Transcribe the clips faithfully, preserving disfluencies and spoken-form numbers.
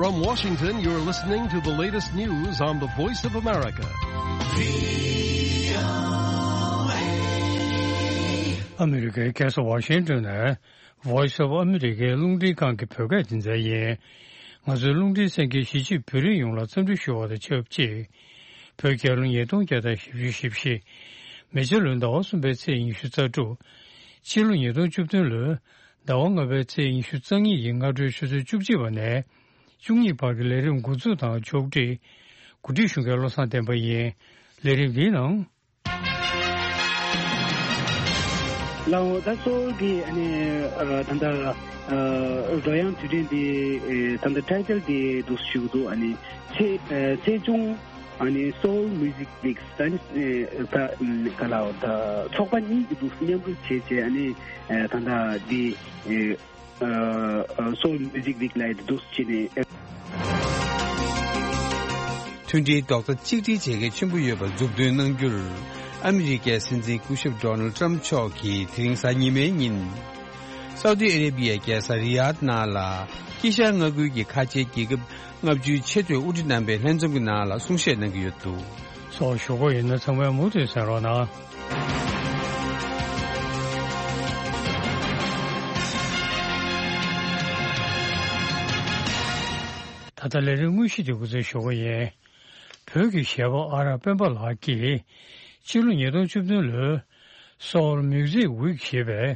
From Washington, you're listening to the latest news on the Voice of America. ཨ་མི་རི་ཀའི་རྒྱལ་ས་ཝ་ཤིང་ཏོན་ནས་Voice of America རླུང་འཕྲིན་ཁང་གི་བོད་སྐད་སྡེ་ཚན་ཡིན། ང་ཚོའི་རླུང་འཕྲིན་གསན་མཁན་གཞིས་བྱེས་བོད་རིགས་ཡོངས་ལ་འཚམས་འདྲི་ཞུ་བ་དང་ཆབས་ཅིག་བོད་རྒྱལ་ལོ་ཉིས་སྟོང་བརྒྱ་དང་བཞི་བཅུ་ཞེ་བཞི། མེ་བྱ་ལོའི་ཟླ་བ་གསུམ་པའི་ཚེས་ཉི་ཤུ་རྩ་དྲུག་ཕྱི་ལོ་ཉིས་སྟོང་བཅུ་བདུན་ལོའི་ཟླ་བ་ལྔ་པའི་ཚེས་ཉི་ཤུ་རྩ་གཉིས་ཀྱི་སྔ་དྲོའི་ཆུ་ཚོད་བཅུ་གཅིག་པ་ནས་བཅུ་གཉིས་བར་གྱི་ལས་རིམ་འགོ་འཛུགས་དང་ཕྱོགས་སྒྲིག་གོ་སྒྲིག་ཞུ་མཁན་བློ་བཟང་བསྟན་པ་ཡིན། ལས་རིམ་འདིའི་ནང་། ལའོ་ད་སོལ་གྱི་ཨ་ནི་ཨ་ད་ལྟ་ཨ་རོལ་དབྱངས་དུས་དྲན་འདི་ཨེ་ད་ལྟ་ཊའི་ཊལ་འདི་འདུག་ཞུ་གི་འདུག་ཨ་ནི་ཚེས་ཨེ་ཚེས་ཆུང་ཨ་ནི་Seoul Music Week ད་ནི་ཨེ་ད་ཨམ་ག་ལའོ་ད་ཚོགས་པ་གཉིས་ཀྱི་འདུག་མཉམ་རུབ་བྱས་བྱས་ཨ་ནི་ཨེ་ད་ལྟ་འདི་ཨེ་ཨ་ཨ་Seoul Music Week ལ་ཡི་འདུག་བྱས་ནས་ཨེ། མཐུན་སྒྲིལ་རྡོག་རྩ་གཅིག་སྒྲིལ་བྱེད་མཁན་ཆེན་པོ་ཡོད་པ་མཛུབ་སྟོན་གནང་རྒྱུར། ཨ་མི་རི་ཀའི་སྲིད་འཛིན་སྐུ་ཞབས་ཌོ་ནལ་ཊམ་མཆོག་གིས་དེ་རིང་གཟའ་ཉི་མའི་ཉིན། སའུ་ཏི་ཨ་རེ་བི་ཡའི་རྒྱལ་ས་རི་ཡཱད་ནང་ལ། དཀྱིལ་ཤར་མངའ་ཁུལ་གྱི་ཁ་ཆེའི་རྒྱལ་ཁབ་ལྔ་བཅུའི་ཆེས་མཐོའི་དབུ་ཁྲིད་རྣམ་པའི་ལྷན་འཛོམས་ཀྱི་ནང་ལ་གསུང་བཤད་གནང་གི་ཡོད་འདུག་སོགས་ཞུ་སྒོ་ཡིན་ན་ཚང་མས་མུ་མཐུད་གསན་རོགས་གནང་། ད་ལྟ་ལས་རིམ་དངོས་གཞི་དེ་འགོ་འཛུགས་ཞུ་སྒོ་ཡིན། བོད་ཀྱི་གཞས་པ་ཨ་རག་སྤེན་པ་ལགས་ཀྱིས་ཕྱི་ལོ་ཉིས་སྟོང་བཅུ་བདུན་ལོའི་Seoul Music Week ཞེས་པའི་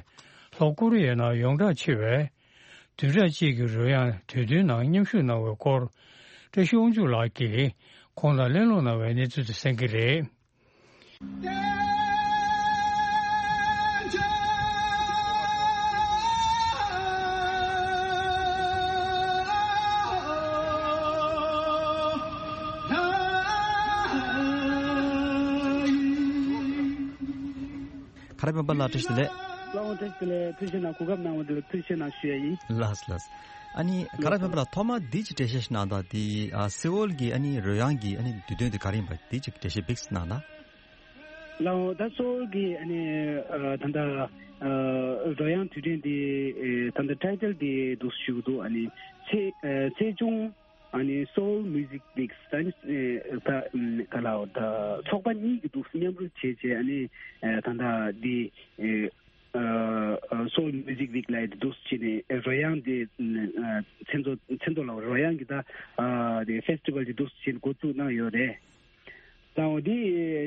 ལྷོ་ཀོ་རི་ཡའི་ནང་ཡོངས་གྲགས་ཆེ་བའི་བདུན་ཕྲག་གཅིག་གི་རོལ་དབྱངས་དུས་སྟོན་ནང་མཉམ་ཞུགས་གནང་བའི་སྐོར། བཀྲ་ཤིས་དབང་ཕྱུག་ལགས་ཀྱིས་ཁོང་དང་གླེང་སློང་གནང་བའི་གནས་ཚུལ་དེ་གསན་གྱི་རེད། ཁ་ར་སྤེན་པ་ལགས་བཀྲ་ཤིས་བདེ་ལེགས། ལགས་འོང་། བཀྲ་ཤིས་བདེ་ལེགས། ཐུགས་རྗེ་གནང་། གོ་སྐབས་གནང་བ་འདི་ལ་ཐུགས་རྗེ་གནང་ཞུ་ཡ་ཡིན། ལགས་ལགས། ཨ་ནི་ཁ་ར་སྤེན་པ་ལགས་ཐོག་མར་འདི་ཅིག་འགྲེལ་བཤད་ཞིག་གནང་དང་། འདི་ཨ་སེ་ཨོལ་གྱི་ཨ་ནི་རོལ་དབྱངས་ཀྱི་ཨ་ནི་དུས་སྟོན་དེ་ག་རེ་ཡིན་པ་འདི་ཅིག་འགྲེལ་བཤད་བིགས་གནང་དང་། ལགས་འོང་། ད་སེ་ཨོལ་གྱི་ཨ་ནི་ཨ་ད་ལྟ་ཨ་རོལ་དབྱངས་དུས་དྲན་འདི་ཨེ་ད་ལྟ་ཊའི་ཊལ་འདི་འདུག་ཞུ་གི་འདུག་ཨ་ནི་ཚེས་ཨེ་ཚེས་ཆུང་ཨ་ནི་Seoul Music Week ད་ནི་ཨེ་ད་ཨམ་ག་ལའོ་ད་ཚོགས་པ་གཉིས་ཀྱི་འདུག་མཉམ་རུབ་བྱས་བྱས་ཨ་ནི་ཨེ་ད་ལྟ་འདི་ཨེ་ཨ་Seoul Music Week ལ་ཡི་འདུག་བྱས་ནས་ཨེ་རོལ་དབྱངས་འདི་ཨ་མཚན་ཚོགས་མཚན་ཚོགས་ལ་རོལ་དབྱངས་ཀྱི་ད་ཨ་དེ་ཕེ་སི་ཊི་ཝལ་འདི་འདུག་བྱས་ནས་འགོ་བཙུགས་གནང་ཡོད་རེད། ད་འོ་དེ་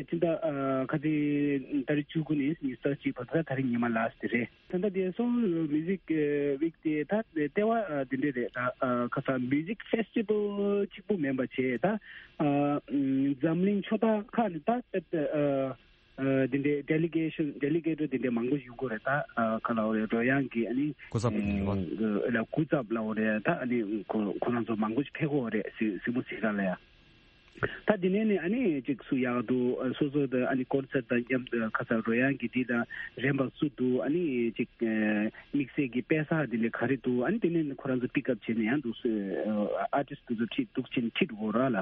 སྤྱི་ཟླ་ཨ་ཁ་ཅིག་ཏ་རིག་བཅུ་དགུ་ནས་ཉི་ཤུ་རྩ་གཅིག་བར་དུ་ད་ད་རིང་ཉི་མ་ལ་སི་རེད། ད་ལྟ་དེ་Seoul Music Week དེ་ད་ལྟེ་བ་ཨ་དེ་འདྲས་རེད། ད་ཨ་ཁ་ས་Music Festival གཅིག་པུ་མིན་པ་བྱས། ད་ཨ་འཛམ་གླིང་ཕྱོགས་མཐའ་ཁག་ནས་ད་ཨ་ཨ་དེ་འདྲས་ཌེ་ལི་གེ་ཤན་ཌེ་ལི་གེ་ཊར་དེ་འདྲས་མང་པོ་ཞིག་ཡོང་གི་རེད། ད་ཨ་ག་ལབ་དགོས་རེད། རོལ་དབྱངས་ཀྱི་ཨ་ནི་སྐུ་ཚབ་ཨ་ལ་སྐུ་ཚབ་ལབ་དགོས་རེད། ད་ཨ་ནི་ཁོ་ཁོ་རང་ཚོ་མང་པོ་ཞིག་ཕེབས་ཀྱི་ཡོད་རེད། གཟིགས་གཟིགས་མོ་བྱེད་ག་ལ་ཡ། ད་དེ་ནས་ནི་ཨ་ནི་ཅིག་སུ་ཡག་འདུག་སོ་སོ་དང་ཨ་ནི་ཀོན་སར་དང་མཉམ་དུ་ཁ་ས་རོལ་དབྱངས་ཀྱི་འདི་དང་རན་པ་སུ་འདུག་ཨ་ནི་ཅིག་དམིགས་བསལ་གྱི་དཔེ་ས་དེ་འདྲས་ག་རེ་འདུག་ཨ་ནི་དེ་ནས་ནི་ཁོ་རང་ཚོ་པིག་ཨབ་བྱས་ནས་ཡང་འདུག་སུ་ཨར་ཊིསི་དེ་ཚོ་ཁྲིད་འདུག་ཕྱིན་ཁྲིད་འོ་ར་ལ།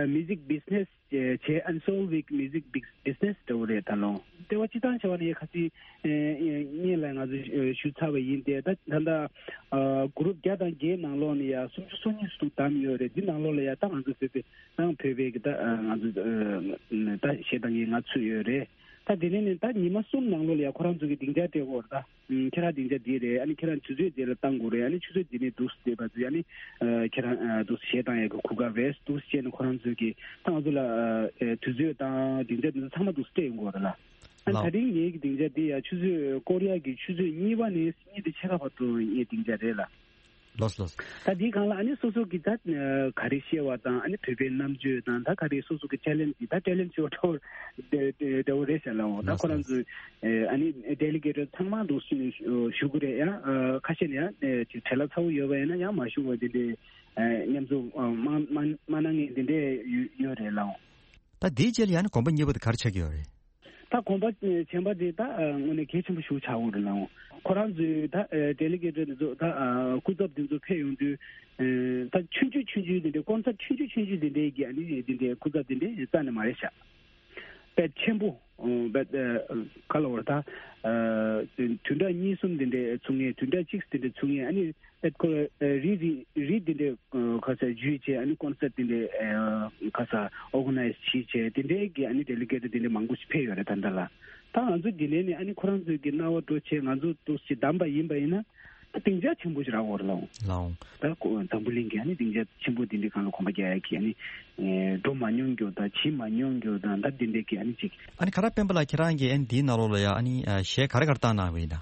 Music Business བྱས་ཨ་ནི་Seoul Week Music Big- Business འདྲ་བོ་རེད། ད་ལོ་ལྟེ་བ་སྤྱི་བཏང་བྱས་པ་ནི་ཁ་ཅིག་ཨེ་ཨེ་སྔོན་ལ་ང་ཚོ་ཞུ་ཚར་བ་ཡིན་ཏེ། ད་ད་ལྟ་ཨ་གུ་རུབ་བརྒྱ་དང་བརྒྱད་ནང་ལོགས་ནས་ཡ་སུམ་ཅུ་སོ་གཉིས་སུ་བདམས་ཡོད་རེད། འདི་ནང་ལོགས་ལ་ཡ་ད་ང་ཚོ་བོད་པའི་ནང་བོད་པའི་གི་ད་ང་ཚོ་ད་གཞས་བཏང་མཁན་ང་ཚུད་ཡོད་རེད། ད་དེ་ནས་ནི་ད་ཉི་མ་གསུམ་ནང་ལོགས་ལ་ཡ་ཁོ་རང་ཚོ་གི་སྡིངས་ཆ་སྤྲད་ཀྱི་ཡོད་རེད། ད་ཁྱེད་རང་སྡིངས་ཆ་འདི་རེད། ཨ་ནི་ཁྱེད་རང་ཆུ་ཚོད་འདི་ལ་བཏང་དགོས་རེད། ཨ་ནི་ཆུ་ཚོད་འདི་ནས་འདུག་སེ་བྱས་པ་ཚོ་ཨ་ནི་ཁྱེད་རང་འདུག་སེ་གཞས་བཏང་ཡག་གི་གོ་སྐབས་རེད། འདུག་སེ་བྱས་ནས་ཁོ་རང་ཚོ་གི་ད་ང་ཚོ་ལ་དུས་ཚོད་དང་སྡིངས་ཆ་འདི་ཚོ་ཚང་མ་འདུག་སེ་སྤྲད་ཡོང་གི་ཡོད་རེད་ལ། ཨ་ནི་ད་རིང་ངེད་ཀྱི་སྡིངས་ཆ་འདི་ཡ་ཆུ་ཚོད་ཀོ་རི་ཡ་གི་ཆུ་ཚོད་གཉིས་པ་ནས་གཉིས་དེ་ཕྱེད་ཀ་བར་དུ་ངའི་སྡིངས་ཆ་རེད་ལ། ལོས་ལོས། ད་འདིའི་སྒང་ལ་ཨ་ནི་སོ་སོ་གི་ད་ག་རེ་ཤེས་པ་དང་། ཨ་ནི་བོད་པའི་རྣམ་དཔྱོད་དང་། ད་ག་རེ་སོ་སོ་གི་ཊེ་ལེན་ཊི་ད་ཊེ་ལེན་ཊི་ཤོ་ཊོ་འདྲ་བོ་རེད་ཟེར་ལ། འོ་ད་ཁོ་རང་ཚོས་ཨ་ནི་ཌེ་ལི་གེ་ཊར་ཚང་མ་འདུག་སེ་ཞུ་གི་རེད། ཡང་ཁ་ཤས་ནས་ཡང་ཅིག་བྲེལ་བ་ཚ་བོ་ཡོད་པ་ཡིན་ན་ཡང་མ་ཞུ་བ་དེ་འདྲའི་མཉམ་འཛོམས་མ་མ་མ་གནང་མཁན་དེ་འདྲས་ཡོད་རེད་ལ། ད་དེའི་རྗེས་ལ་ཡང་ནི་གོམ་པ་གཉིས་པ་དེ་ག་རེ་ཆགས་ཀྱི་ཡོད་རེད། ད་གོམ་པ་གཞན་པ་དེ་ད་དངོས་གནས་གལ་ཆེན་པོ་ཞིག་ཆགས་ཡོད་རེད་ལ། ཁོ་རང་ཚོའི་ད་ཌེ་ལི་གེ་ཊར་དེ་ཚོ་ད་སྐུ་ཚབ་དེ་ཚོ་ཕེབས་ཡོང་དུས་ད་ཆུང་ཆུང་ཆུང་ཆུང་དེ་འདྲའི་ཀོན་སར་ཆུང་ཆུང་ཆུང་ཆུང་དེ་འདྲའི་གི་ཨ་ནི་དེ་འདྲའི་སྐུ་ཚབ་དེ་འདྲའི་རྩ་ནས་མ་རེད་ཤག་དཔེ་ཆེན་པོ། ཨོ་བེད་ཨ་ག་ལ་བར་ད་ཨ་བདུན་ཕྲག་གཉིས་གསུམ་དེ་འདྲའི་ཚུགས་ངེས། བདུན་ཕྲག་གཅིག་དེ་འདྲའི་ཚུགས་ངེས། ཨ་ནི་བེད་ཁོ་ཨ་རི་རི་རི་དེ་འདྲའི་ཨ་ག་ས་ཇུས་བྱས། ཨ་ནི་ཀོན་སར་དེ་འདྲའི་ཨ་ག་ས་ཨོར་ག་ནའི་ཛི་བྱས་བྱས། དེ་འདྲའི་གི་ཨ་ནི་ཌེ་ལི་གེ་ཊི་དེ་འདྲའི་མང་པོ་ཞིག་ཕེབས་ཡོད་རེད། ད་ལྟ་ལ་ད་ང་ཚོ་དེ་ནས་ནི་ཨ་ནི་ཁོ་རང་ཚོའི་གི་རྣ་བ་འགྲོ་བྱས། ང་ཚོ་འདུག་སེ་བདམས་པ་ཡིན་པ་ཡིན་ན། ད་སྡིངས་ཆ་ཆེན་པོ་ཞིག་རག་གི་རེད་ལགས། ལགས། ད་ཁོ་འཛམ་བུ་གླིང་གི་ཨ་ནི་སྡིངས་ཆ་ཆེན་པོ་འདི་འདྲའི་སྒང་ལ་གོམ་པ་རྒྱག་ཡ་གི་ཨ་ནི་ཨེ་འགྲོ་མ་མྱོང་རྒྱུ་དང་བྱེད་མ་མྱོང་རྒྱུ་དང་། ད་འདི་འདྲའི་གི་ཨ་ནི་ཅིག་ཨ་ནི་ཁ་རག་སྤེན་པ་ལགས། ཁྱེད་རང་གིས་ཨ་ནི་འདིའི་ནང་ལོགས་ལ་ཡ་ཨ་ནི་ཨ་གཞས་ག་རེ་ག་རེ་བཏང་གནང་བ་ཡིན་ད།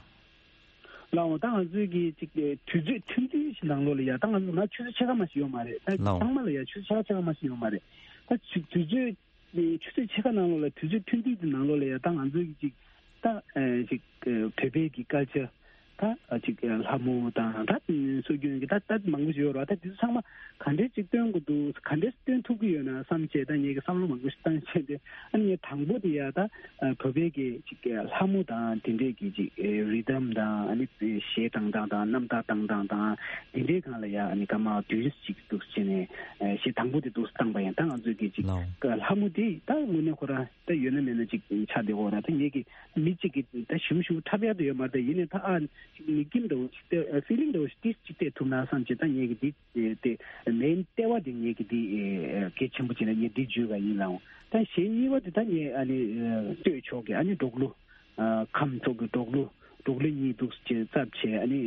ལགས་འོང་། ད་ང་ཚོའི་གི་ཅིག་ཨེ་དུས་ཚོད་ཐུང་ཐུང་ཞིག་ནང་ལོགས་ལ་ཡ། ད་ང་ཚོ་ན་ཆུ་ཚོད་ཕྱེད་ཀ་མ་ཞིག་ཡོད་མ་རེད། ད་ལགས་འོང་། ཚང་མ་ལ་ཡ་ཆུ་ཚོད་ཕྱེད་ཀ་ཕྱེད་ཀ་མ་ཞིག་ཡོད་མ་རེད། ད་ཆུ་དུས་ཚོད་ཆུ་ཚོད་ཕྱེད་ཀ་ནང་ལོགས་ལ། དུས་ཚོད་ཐུང་ཐུང་དེ་ནང་ལོགས་ལ་ཡ། ད་ང་ཚོའི་གི་ཅིག་ད་ཨེ་ཅིག་ཨེ་བོད་པའི་གི་ཀལ་ཅར། ད་ཨ་ཅིག་ཨེ་ལྷ་མོ་དང་། ད་སྲོལ་རྒྱུན་གི་ད་ད་མང་པོ་ཞིག་ཡོད་རེད་བ། ད་དེ་ཚོ་ཚང་མ་ག་འདྲས་ཅིག་སྟོན་དགོས་འདུག་ག་འདྲས་སྟོན་ཐུབ་ཀྱི་ཡོད་ན་བསམ་བྱས། ད་ངས་གི་བསམ་བློ་མང་པོ་ཞིག་བཏང་བྱས་ཏེ། ཨ་ནི་ངས་དང་པོ་དེ་ཡ་ད་ཨ་བོད་པའི་གི་ཅིག་ཨེ་ལྷ་མོ་དང་དེ་འདྲས་གི་ཅིག་ཨེ་རི་དམ་དང་། ཨ་ནི་གཞས་བཏང་སྟངས་དང་། རྣམ་ཐར་བཏང་སྟངས་དང་། དེ་འདྲའི་སྒང་ལ་ཡ་ཨ་ནི་སྐར་མ་བདུན་ཅིག་འདུག་བྱས་ནས་ཨེ་གཞས་དང་པོ་དེ་འདུག་བཏང་པ་ཡིན། ད་ང་ཚོའི་གི་ཅིག་ལགས། ལྷ་མོ་དེ་ད་དངོས་གནས་ཁོ་རང་ད་ཡོད་ན་མེད་ན་ཅིག་ཆགས་བསྡད་ཡོད་རེད། ད་ངེད་ཀྱི་མི་གཅིག་གིས་ད་ཞིབ་ཞིབ་འཁྲབ་ཡག་དེ་ཡོད་མ་རེད། ད་ཡིན་ནའི་ད་ཨ་ཅིག་ངེད་ཀྱི་འདྲ་བོ་ཅིག་སྟེར། ཕི་ལིང་འདྲ་བོ་ཅིག་ཏིས་ཅིག་སྟེར་ཐུབ་ན་བསམ་བྱས། ད་ངེད་ཀྱི་འདི་དེ་མེན་ལྟེ་བ་དེ་ངེད་ཀྱི་འདི་གལ་ཆེན་པོ་བྱས་ནས་ངས་འདི་བརྗོད་པ་ཡིན་ལགས། ད་གཞས་གཉིས་པ་དེ་ད་ངས་ཨ་ནི་ལྟོས་ཆོག་གི། ཨ་ནི་འབྲོག་གླུ་ཨ་ཁམས་ཕྱོགས་ཀྱི་འབྲོག་གླུ། འབྲོག་གླུ་གཉིས་འདུག་ཅེས་བཙབ་བྱས། ཨ་ནི་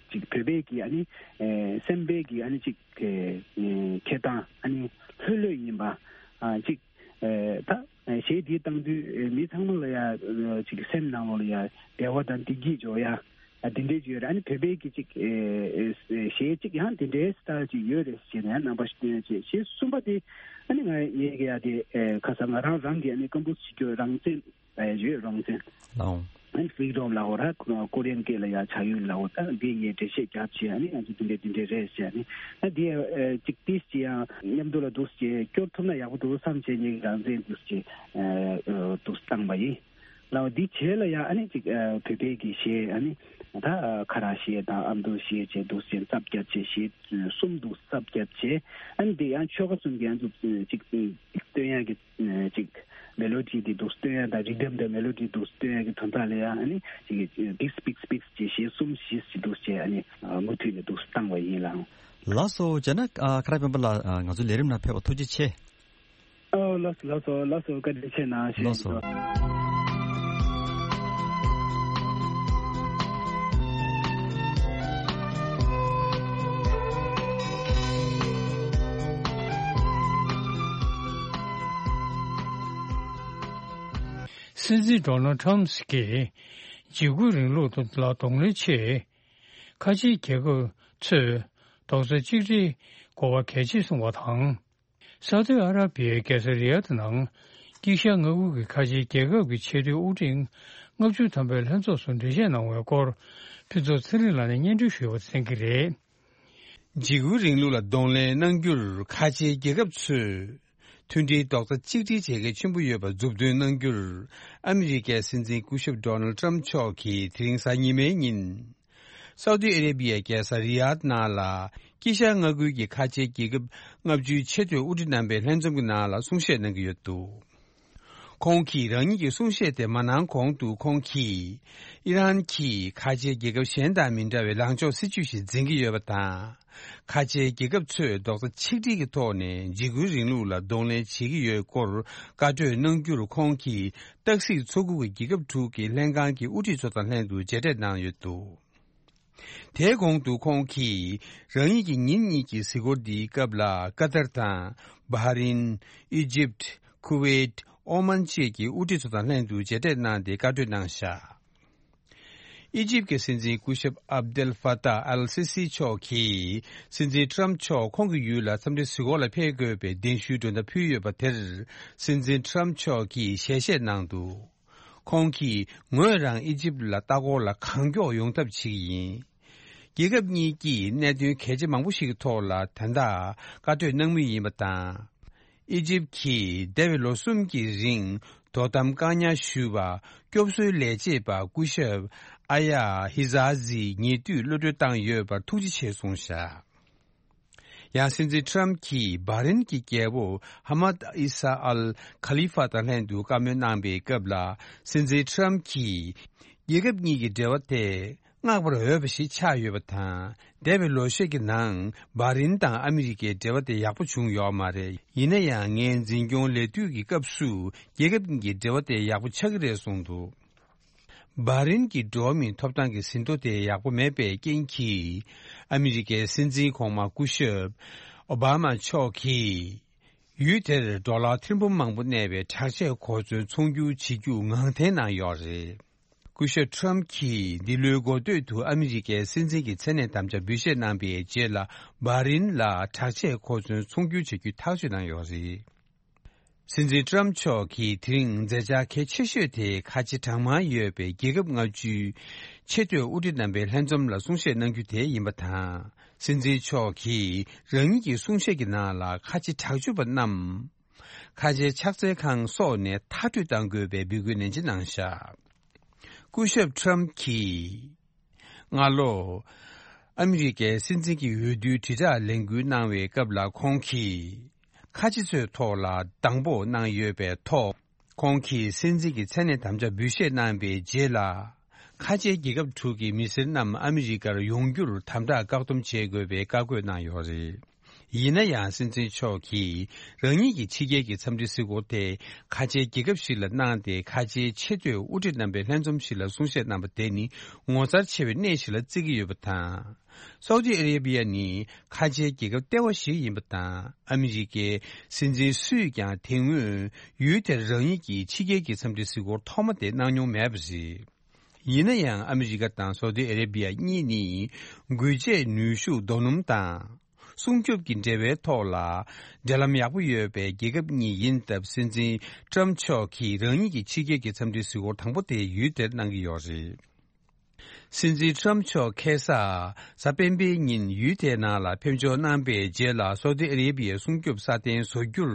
ཅིག་བོད་པའི་གི་ཨ་ནི་ཨེ་སེམས་པའི་གི་ཨ་ནི་ཅིག་ཨེ་ཨེ་འཁྱེར་སྟངས་ཨ་ནི་ལྷོད་ལྷོད་ཡིན་པ། ཨ་ཅིག་ཨེ་ད་ཨེ་གཞས་འདི་བཏང་དུས་ཨེ་མི་ཚང་མ་ལ་ཡ་ཨེ་ཅིག་སེམས་ནང་ལོགས་ལ་ཡ་བདེ་བ་དང་བདེ་སྐྱིད་འཇོག་ཡ། ཨ་དེ་འདྲའི་ཅིག་ཡོད་རེད། ཨ་ནི་བོད་པའི་གི་ཅིག་ཨེ་ཨེ་གཞས་ཅིག་ཡང་དེ་འདྲའི་སི་ཊའིལ་ཅིག་ཡོད་རེད་ཟེར་ནས་རྣམ་པ་ཞིག་སྟོན་ཡ་བྱས། གཞས་གསུམ་པ་དེ་ཨ་ནི་ང་ངས་གི་ཡ་དེ་ཨེ་ཁ་སང་ང་རང་རང་གི་ཨ་ནི་ཀམ་པོ་ཟི་བྱེད་རྒྱུ་རང་བཙན་ཨེ་ཡོད། རང་བཙན། ལའོ། ཨན་ཕི་རི་ཌམ་ལབ་དགོས་ར། ཀོ་རི་ཡན་སྐད་ལ་ཡ་ཆགས་ཡུལ་ལབ་དགོས། ད་འདི་ངས་འགྲེལ་བཤད་རྒྱབ་བྱས། ཨ་ནི་ང་ཚོ་འདི་འདྲ་འདི་འདྲ་རེད་ཟེར། ཨ་ནི་ད་འདི་ཨ་ཅིག་ཏིས་ཅི་ཡང་མཉམ་དུ་ལ་འདུག་སེ་སྐྱོར་ཐུབ་ན་ཡག་པོ་འདུག་བསམ་བྱས། ངས་རང་བཙན་འདུག་སེ་ཨ་འདུག་སེ་བཏང་པ་ཡིན་ལབ། འདི་བྱས་ལ་ཡ་ཨ་ནི་ཅིག་ཨ་བོད་པའི་གི་གཞས། ཨ་ནི་ད་ཨ་ཁ་རག་གཞས་དང་ཨ་མདོ་གཞས་བྱས་འདུག་སེ་བཙབ་རྒྱབ་བྱས། གཞས་གསུམ་འདུག་བཙབ་རྒྱབ་བྱས། ཨ་ནི་འདི་ཡང་ཆོལ་ཁ་གསུམ་གྱི་ཨ་ཚོ་ཅིག་སྟོན་ཡག་གི་ཅིག་མེ་ལོ་ཌི་དེ་འདུག་སྟོན་ཡ་དང་། རི་དམ་དང་མེ་ལོ་ཌི་འདུག་སྟོན་ཡ་གི་དོན་དག་ལ་ཡ་ཨ་ནི་ཅིག་ཌིག་སི་པིག་སི་པིག་སི་ཅེས་གཞས་གསུམ་བཞི་ཞིག་འདུག་ཅེས་ཨ་ནི་མུ་མཐུད་ནས་འདུག་བཏང་བ་ཡིན་ལགས། ལགས་སོ། བྱས་ན་ཨ་ཁ་རག་སྤེན་པ་ལགས། ཨ་ང་ཚོའི་ལས་རིམ་ནང་ཕེབས་པར་ཐུགས་རྗེ་ཆེ། ཨོ་ལགས་སོ་ལགས་སོ་ལགས་སོ། བཀའ་དྲིན་ཆེ་གནང་། ལགས་སོ། སྲིད་འཛིན་ཌོ་ནལ་ཊམ་གྱིས་འཇིགས་སྐུལ་རིང་ལུགས་ལ་གདོང་ལེན་ཆེད་ཁ་ཆེའི་རྒྱལ་ཁབ་ཚོས་རྡོག་རྩ་གཅིག་སྒྲིལ་དགོས་པ་གལ་ཆེ་གསུངས་པ་དང་། སའུ་ཏི་ཨ་ར་བི་ཡའི་རྒྱལ་ས་རི་ཡཱད་ནང་དཀྱིལ་ཤར་མངའ་ཁུལ་གྱི་ཁ་ཆེའི་རྒྱལ་ཁབ་ཀྱི་ཆེས་མཐོའི་དབུ་ཁྲིད་ལྔ་བཅུ་ཐམ་པའི་ལྷན་ཚོགས་སུ་འགྲེལ་བཤད་གནང་བའི་སྐོར་ཕུན་ཚོགས་ཚེ་རིང་ལགས་ནས་སྙན་སྒྲོན་ཞུས་པ་གསན་གྱི་རེད། འཇིགས་སྐུལ་རིང་ལུགས་ལ་གདོང་ལེན་གནང་རྒྱུར་ཁ་ཆེའི་རྒྱལ་ཁབ་ཚོས་མཐུན་སྒྲིལ་རྡོག་རྩ་གཅིག་སྒྲིལ་བྱེད་གལ་ཆེན་པོ་ཡོད་པ་མཛུབ་སྟོན་གནང་རྒྱུར། ཨ་མི་རི་ཀའི་སྲིད་འཛིན་སྐུ་ཞབས་ཌོ་ནལ་ཊམ་མཆོག་གིས་དེ་རིང་གཟའ་ཉི་མའི་ཉིན། སའུ་ཏི་ཨ་རེ་བི་ཡའི་རྒྱལ་ས་རི་ཡཱད་ནང་ལ་དཀྱིལ་ཤར་མངའ་ཁུལ་གྱི་ཁ་ཆེའི་རྒྱལ་ཁབ་ལྔ་བཅུའི་ཆེས་མཐོའི་དབུ་ཁྲིད་རྣམ་པའི་ལྷན་འཛོམས་ཀྱི་ནང་ལ་གསུང་བཤད་གནང་གི་ཡོད་འདུག་ཁོང་གིས་རང་ཉིད་ཀྱི་གསུང་བཤད་དེ་མ་གནང་གོང་དུ། ཁོང་གིས་ཨི་རན་གྱིས་ཁ་ཆེའི་རྒྱལ་ཁབ་གཞན་དང་མི་འདྲ་བའི་ལངས་ཕྱོགས་སྲིད་ཇུས་ཤིག་འཛིན་གྱི་ཡོད་པ་དང་། ཁ་ཆེའི་རྒྱལ་ཁབ་ཚོས་རྡོག་རྩ་ཆིག་སྒྲིལ་གྱི་ཐོག་ནས་འཇིགས་སྐུལ་རིང་ལུགས་ལ་གདོང་ལེན་བྱེད་ཀྱི་ཡོད་སྐོར་བཀའ་གྲོས་གནང་རྒྱུར། ཁོང་གིས་སྟག་གཟིག་མཚོ་ཁུག་གི་རྒྱལ་ཁབ་དྲུག་གི་ལྷན་ཁང་གི་དབུ་ཁྲིད་ཚོ་དང་ལྷན་དུ་མཇལ་འཕྲད་གནང་ཡོད་འདུག་དེའི་གོང་དུ་ཁོང་གིས་རང་ཉིད་ཀྱི་ཉིན་གཉིས་ཀྱི་གཟིགས་སྐོར་འདིའི་སྐབས་ལ་ཀ་ཏར་དང་། བྷ་རིན། ཨི་ཇིབ། ཁུ་ཝེད། ཨོ་མན་བཅས་ཀྱི་དབུ་ཁྲིད་ཚོ་དང་ལྷན་དུ་མཇལ་འཕྲད་གནང་སྟེ་བཀའ་གྲོས་གནང་བཞག་ཨི་ཇིབ་ཀྱི་སྲིད་འཛིན་སྐུ་ཞབས་ཨབ་དེལ་ཧྥ་ཏཱ་ཨལ་སི་སི་མཆོག་གིས་སྲིད་འཛིན་ཊམ་མཆོག་ཁོང་གི་ཡུལ་ལ་འཚམས་འདྲི་གཟིགས་སྐོར་ལ་ཕེབས་དགོས་པའི་གདན་ཞུའི་མགྲོན་བརྡ་ཕུལ་ཡོད་པ་དེར། སྲིད་འཛིན་ཊམ་མཆོག་གིས་ཞལ་བཞེས་གནང་འདུག་ཁོང་གིས་ངོས་རང་ཨི་ཇིབ་ལ་ལྟ་སྐོར་ལ་གང་མགྱོགས་ཡོང་ཐབས་བྱེད་ཀྱི་ཡིན། རྒྱལ་ཁབ་གཉིས་ཀྱིས་གནད་དོན་གལ་ཆེ་མང་པོ་ཞིག་གི་ཐོག་ལ་ད་ལྟ་བཀའ་གྲོས་གནང་མུས་ཡིན་པ་དང་། ཨི་ཇིབ་ཀྱིས་འདས་པའི་ལོ་གསུམ་གྱི་རིང་དོ་དམ་བཀག་ཉར་ཞུས་པ་སྐྱོབ་གསོའི་ལས་བྱེད་པ་སྐུ་ཞབས་ཨ་ཡ་ཧི་ཛ་ཛི་ཉེ་དུས་གློད་གྲོལ་བཏང་ཡོད་པར་ཐུགས་རྗེ་ཆེ་གསུངས་བཞག་ཡང་སྲིད་འཛིན་ཁྲམ་གྱིས་བྷ་རིན་གྱི་རྒྱལ་པོ་ཧ་མད་ཨི་ས་ཨལ་ཁ་ལི་ཧྥ་དང་ལྷན་དུ་བཀའ་མོལ་གནང་པའི་སྐབས་ལ། སྲིད་འཛིན་ཁྲམ་གྱིས་རྒྱལ་ཁབ་གཉིས་ཀྱི་འབྲེལ་བ་དེ་བསྔགས་པར་འོས་པ་ཞིག་ཆགས་ཡོད་པ་དང་། འདས་པའི་ལོ་ཤས་ཀྱི་ནང་བྷ་རིན་དང་ཨ་མི་རི་ཀའི་འབྲེལ་བ་དེ་ཡག་པོ་བྱུང་ཡོད་མ་རེད། ཡིན་ན་ཡང་ངའི་འཛིན་སྐྱོང་ལས་དུས་ཀྱི་སྐབས་སུ་རྒྱལ་ཁབ་གཉིས་ཀྱི་འབྲེལ་བ་དེ་ཡག་པོ་ཆགས་ཀྱི་རེད་གསུངས་འདུག་བྷ་རིན་གྱི་འགྲོ་བ་མིའི་ཐོབ་ཐང་གི་ཟིན་ཐོ་དེ་ཡག་པོ་མེད་པའི་རྐྱེན་གྱིས། ཨ་མི་རི་ཀའི་སྲིད་འཛིན་གོང་མ་སྐུ་ཞབས་ཨོ་བྷ་མ་མཆོག་གིས། ཡུལ་དེར་ཌོ་ལར་ཐེར་འབུམ་མང་པོ་གནས་པའི་དྲག་ཆས་གོ་མཚོན་ཚོང་སྒྱུར་བྱེད་རྒྱུ་ངང་འཐེན་གནང་ཡོད་རེད། སྐུ་ཞབས་ཁྲམ་གྱིས་འདི་ལོའི་འགོ་སྟོད་དུ་ཨ་མི་རི་ཀའི་སྲིད་འཛིན་གྱི་མཚན་གནས་དམ་བཅའ་འབུལ་བཞེས་གནང་པའི་རྗེས་ལ། བྷ་རིན་ལ་དྲག་ཆས་གོ་མཚོན་ཚོང་སྒྱུར་བྱ་རྒྱུ་ཐག་གཅོད་གནང་ཡོད་རེད། སྲིད་འཛིན་ཏྲམ་མཆོག་གིས་དེ་རིང་མཛད་འཆར་གལ་ཆེ་ཤོས་དེ་ཁ་ཆེ་གྲངས་མང་ཡོད་པའི་རྒྱལ་ཁབ་ལྔ་བཅུའི་ཆེས་མཐོའི་དབུ་ཁྲིད་རྣམ་པའི་ལྷན་འཛོམས་ལ་གསུང་བཤད་གནང་རྒྱུ་དེ་ཡིན་པ་དང་། སྲིད་འཛིན་མཆོག་གིས་རང་ཉིད་ཀྱི་གསུང་བཤད་ཀྱི་ནང་ལ་ཁ་ཆེ་དྲག་སྤྱོད་པ་རྣམས་ཁ་ཆེའི་ཕྱག་འཚལ་ཁང་སོགས་ནས་མཐར་སྐྲོད་གཏང་དགོས་པའི་འབོད་སྐུལ་ནན་ཆེ་གནང་བཞག་སྐུ་ཞབས་ཁྲམ་གྱིས། སྔ་ལོ། ཨ་མི་རི་ཀའི་སྲིད་འཛིན་གྱི་འོས་བསྡུའི་དྲིལ་བསྒྲགས་ལས་འགུལ་གནང་བའི་སྐབས་ལ་ཁོང་གིས། ཁ་ཆེ་ཚོའི་ཐོག་ལ་སྡང་པོ་གནང་ཡོད་པའི་ཐོག་ཁོང་གིས་སྲིད་འཛིན་གྱི་མཚན་གནས་དམ་བཅའ་འབུལ་བཞེས་གནང་པའི་རྗེས་ལ། ཁ་ཆེའི་རྒྱལ་ཁབ་དྲུག་གི་མི་སེར་རྣམས་ཨ་མི་རི་ཀར་ཡོང་རྒྱུར་དམ་དྲག་བཀག་སྡོམ་བྱེད་དགོས་པའི་བཀའ་བཀོད་གནང་ཡོད་རེད། ཡིན་ན་ཡང་སྲིད་འཛིན་མཆོག་གིས་རང་ཉིད་ཀྱི་ཕྱི་རྒྱལ་གྱི་འཚམས་འདྲི་གཟིགས་སྐོར་དེ་ཁ་ཆེའི་རྒྱལ་ཁབ་ཞིག་ལ་གནང་སྟེ། ཁ་ཆེའི་ཆེས་མཐོའི་དབུ་ཁྲིད་རྣམ་པའི་ལྷན་འཛོམས་ཤིག་ལ་གསུང་བཤད་གནང་པ་དེ་ནི་ངོ་མཚར་ཆེ་བའི་གནས་ཤིག་ལ་བརྩི་གི་ཡོད་པ་དང་། སའུ་ཏི་ཨ་རེ་བྷི་ཡ་ནི་ཁ་ཆེའི་རྒྱལ་ཁབ་ལྟེ་བ་ཞིག་ཡིན་པ་དང་། ཨ་མི་རི་ཀའི་སྲིད་འཛིན་སུས་ཀྱང་དེ་སྔོན་ཡུལ་དེར་རང་ཉིད་ཀྱི་ཕྱི་རྒྱལ་གྱི་འཚམས་འདྲི་གཟིགས་སྐོར་ཐོག་མ་དེ་གནང་མྱོང་མེད་པ་རེད། ཡིན་ན་ཡང་ཨ་མི་རི་ཀ་དང་སའུ་ཏི་ཨ་རེ་བྷི་ཡ་གཉིས་ནི་འགུལ་བྱེད་ནུས་ཤུགས་རྡོ་སྣུམ་དང་སྲུང་སྐྱོབ་ཀྱི་འབྲེལ་བའི་ཐོག་ལ་འབྲེལ་ལམ་ཡག་པོ་ཡོད་པའི་རྒྱལ་ཁབ་གཉིས་ཡིན་སྟབས། སྲིད་འཛིན་ཏྲམ་མཆོག་གིས་རང་ཉིད་ཀྱི་ཕྱི་རྒྱལ་གྱི་འཚམས་འདྲི་གཟིགས་སྐོར་དང་པོ་དེ་ཡུལ་དེར་གནང་གི་ཡོད་རེད། སྲིད་འཛིན་ཏྲམ་མཆོག་ཁ་སང་གཟའ་སྤེན་པའི་ཉིན་ཡུལ་དེའི་ནང་ལ་ཕེབས་འབྱོར་གནང་པའི་རྗེས་ལ། སའུ་ཏི་ཨ་རེ་བྷི་ཡའི་སྲུང་སྐྱོབ་སྲ་བརྟན་བཟོ་རྒྱུར་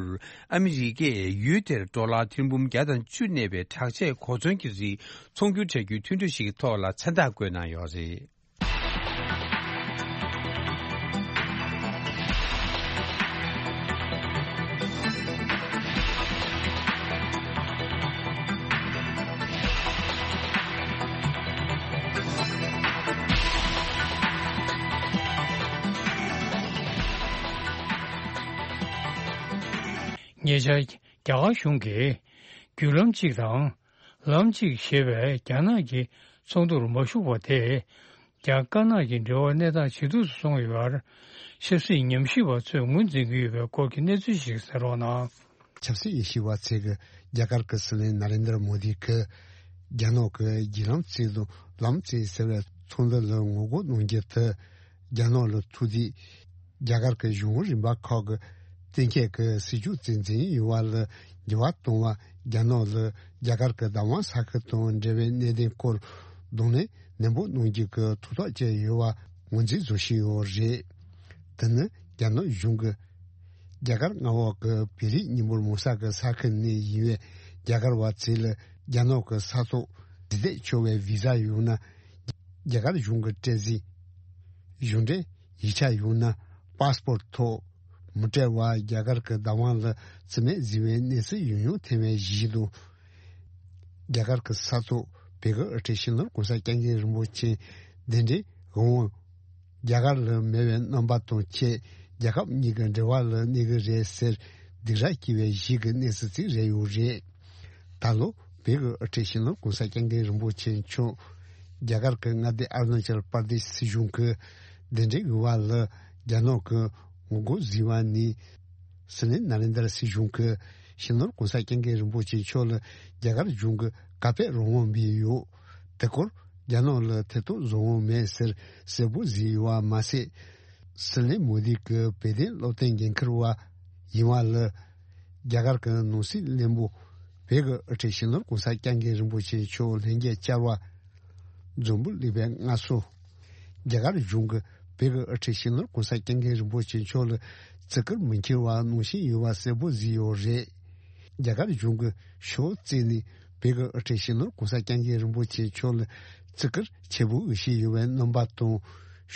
ཨ་མི་རི་ཀས་ཡུལ་དེར་ཌོ་ལར་ཐེར་འབུམ་བརྒྱ་དང་བཅུ་གནས་པའི་དྲག་ཆས་གོ་མཚོན་གྱི་རིགས་ཚོང་སྒྱུར་བྱ་རྒྱུའི་མཐུན་གྲོས་ཤིག་གི་ཐོག་ལ་མཚན་རྟགས་བཀོད་གནང་ཡོད་རེད། ཉེ་ཆར་རྒྱ་གར་གཞུང་གིས་བརྒྱུད་ལམ་གཅིག་དང་། ལམ་གཅིག་ཞེས་པའི་རྒྱ་ནག་གི་ཚོགས་འདུར་མ་ཞུགས་པ་དེས། རྒྱ་དཀར་ནག་གི་འབྲེལ་བ་གནས་སྟངས་ཇེ་སྡུག་ཏུ་སོང་ཡོད་པར་ཆབ་སྲིད་ཉམས་ཞིབ་པ་ཚོས་ངོས་འཛིན་གྱི་ཡོད་པའི་སྐོར་གྱི་གནས་ཚུལ་ཞིག་གསན་རོགས་གནང་། ཆབ་སྲིད་ཉམས་ཞིབ་པ་ཚོས་རྒྱ་གར་གྱི་སྲིད་བློན་ནཱ་རེན་དྲ་མོ་དི་གིས་རྒྱ་ནག་གི་བརྒྱུད་ལམ་གཅིག་དང་ལམ་གཅིག་ཟེར་བའི་ཚོགས་འདུ་ལ་ངོ་རྒོལ་གནང་རྒྱུ་དེ། རྒྱ་ནག་ལ་ཐུག་དུས་རྒྱ་གར་གྱི་གཞུང་རིམ་པ་ཁག་གི་གཏན་འཁེལ་གྱི་སྲིད་ཇུས་རྩིས་འཛིན་ཡོང་བ་ལ་འགྱུར་བ་གཏོང་བ། རྒྱ་ནག་ལ་རྒྱ་གར་གྱི་བདག་དབང་ས་ཁུལ་དང་འབྲེལ་བའི་གནད་དོན་སྐོར་གདོང་ལེན་ནན་པོ་གནང་རྒྱུ་གི་ཐུགས་ཐག་བཅད་ཡོད་པ་ངོས་འཛིན་བཟོ་བཞིན་ཡོད་རེད། དེ་ནི་རྒྱ་ནག་གཞུང་གིས་རྒྱ་གར་མངའ་འོག་གི་བོད་རིགས་མི་འབོར་མང་ས་གི་ས་ཁུལ་ནས་ཡིན་པའི་རྒྱ་གར་བ་ཚོ་ལ་རྒྱ་ནག་གི་ས་ཐོག་འདུག་སྡོད་ཆོག་པའི་བི་ཟ་ཡོད་ན། རྒྱ་གར་གཞུང་གི་སྤྲད་རྩིས། གཞུང་འབྲེལ་ཡིག་ཆ་ཡོད་ན་པ་སི་པོར་ཐོག་མི་སྤྲད་པར་རྒྱ་གར་གྱི་བདག་དབང་ལ་བརྩི་མེད་བཟོས་པའི་གནས་ཚུལ་ཡང་ཡང་ཐོན་པ་ཞིག་འདུག་རྒྱ་གར་གྱི་ས་ཐོག་བོད་ཀྱི་དབུ་ཁྲིད་སྤྱི་ནོར་གོང་ས་སྐྱབས་མགོན་རིན་པོ་ཆེ་གདན་འདྲེན་དབང་དབང་། རྒྱ་གར་ལ་མེད་པའི་རྣམ་པ་དང་བཅས་རྒྱལ་ཁབ་གཉིས་ཀྱི་འབྲེལ་བ་ལ་གནོད་ཀྱི་རེད་ཟེར་སྡིགས་ར་སྐྱེ་བའི་གཞིས་ཀྱི་གནས་ཚུལ་ཅིག་རེད་ཡོད་རེད། ད་ལོ་བོད་ཀྱི་དབུ་ཁྲིད་སྤྱི་ནོར་གོང་ས་སྐྱབས་མགོན་རིན་པོ་ཆེ་མཆོག་རྒྱ་གར་གྱི་མངའ་སྡེ་ཨ་རུ་ན་ཅལ་པར་དེཤ་སྲིད་གཞུང་གི་གདན་འདྲེན་དབང་ལ་རྒྱ་ནག་གི་ངོ་རྒོལ་བཟོས་པ་ནས། སྲིད་བློན་ནཱ་རེན་དྲ་སྲིད་གཞུང་གིས་སྤྱི་ནོར་གོང་ས་སྐྱབས་མགོན་རིན་པོ་ཆེ་མཆོག་ལ་རྒྱ་གར་གཞུང་གིས་ག་པར་རང་དབང་སྤྲད་ཡོད། དེ་སྐོར་རྒྱ་ནག་ལ་ཐེ་གཏོགས་བཟོ་དབང་མེད་ཟེར་གསལ་པོ་བཟོས་ཡོད་པ་མ་ཟད། སྲིད་བློན་མོ་དི་གིས་བོད་དོན་སློབ་སྟོན་འགན་འཁུར་བ་ཡིན་པ་ལ། རྒྱ་གར་གྱི་ནང་སྲིད་བློན་པོ་བོད་ཀྱི་དབུ་ཁྲིད་སྤྱི་ནོར་གོང་ས་སྐྱབས་མགོན་རིན་པོ་ཆེ་མཆོག་ལྷན་རྒྱས་བཅར་བ། འཛམ་བུ་གླིང་པའི་སྔ་སོ། རྒྱ་གར་གཞུང་གིས་བོད་ཀྱི་དབུ་ཁྲིད་སྤྱི་ནོར་གོང་ས་སྐྱབས་མགོན་རིན་པོ་ཆེ་མཆོག་ལ་བརྩི་བཀུར་མི་འཁྱེར་བ་གནང་བཞིན་ཡོད་པ་གསལ་པོ་བཟོས་ཡོད་རེད། རྒྱ་གར་གཞུང་གིས་ཕྱོགས་གཅིག་ནས་བོད་ཀྱི་དབུ་ཁྲིད་སྤྱི་ནོར་གོང་ས་སྐྱབས་མགོན་རིན་པོ་ཆེ་མཆོག་ལ་བརྩི་བཀུར་ཆེན་པོ་ཞིག་ཡོད་པའི་རྣམ་པ་དང་།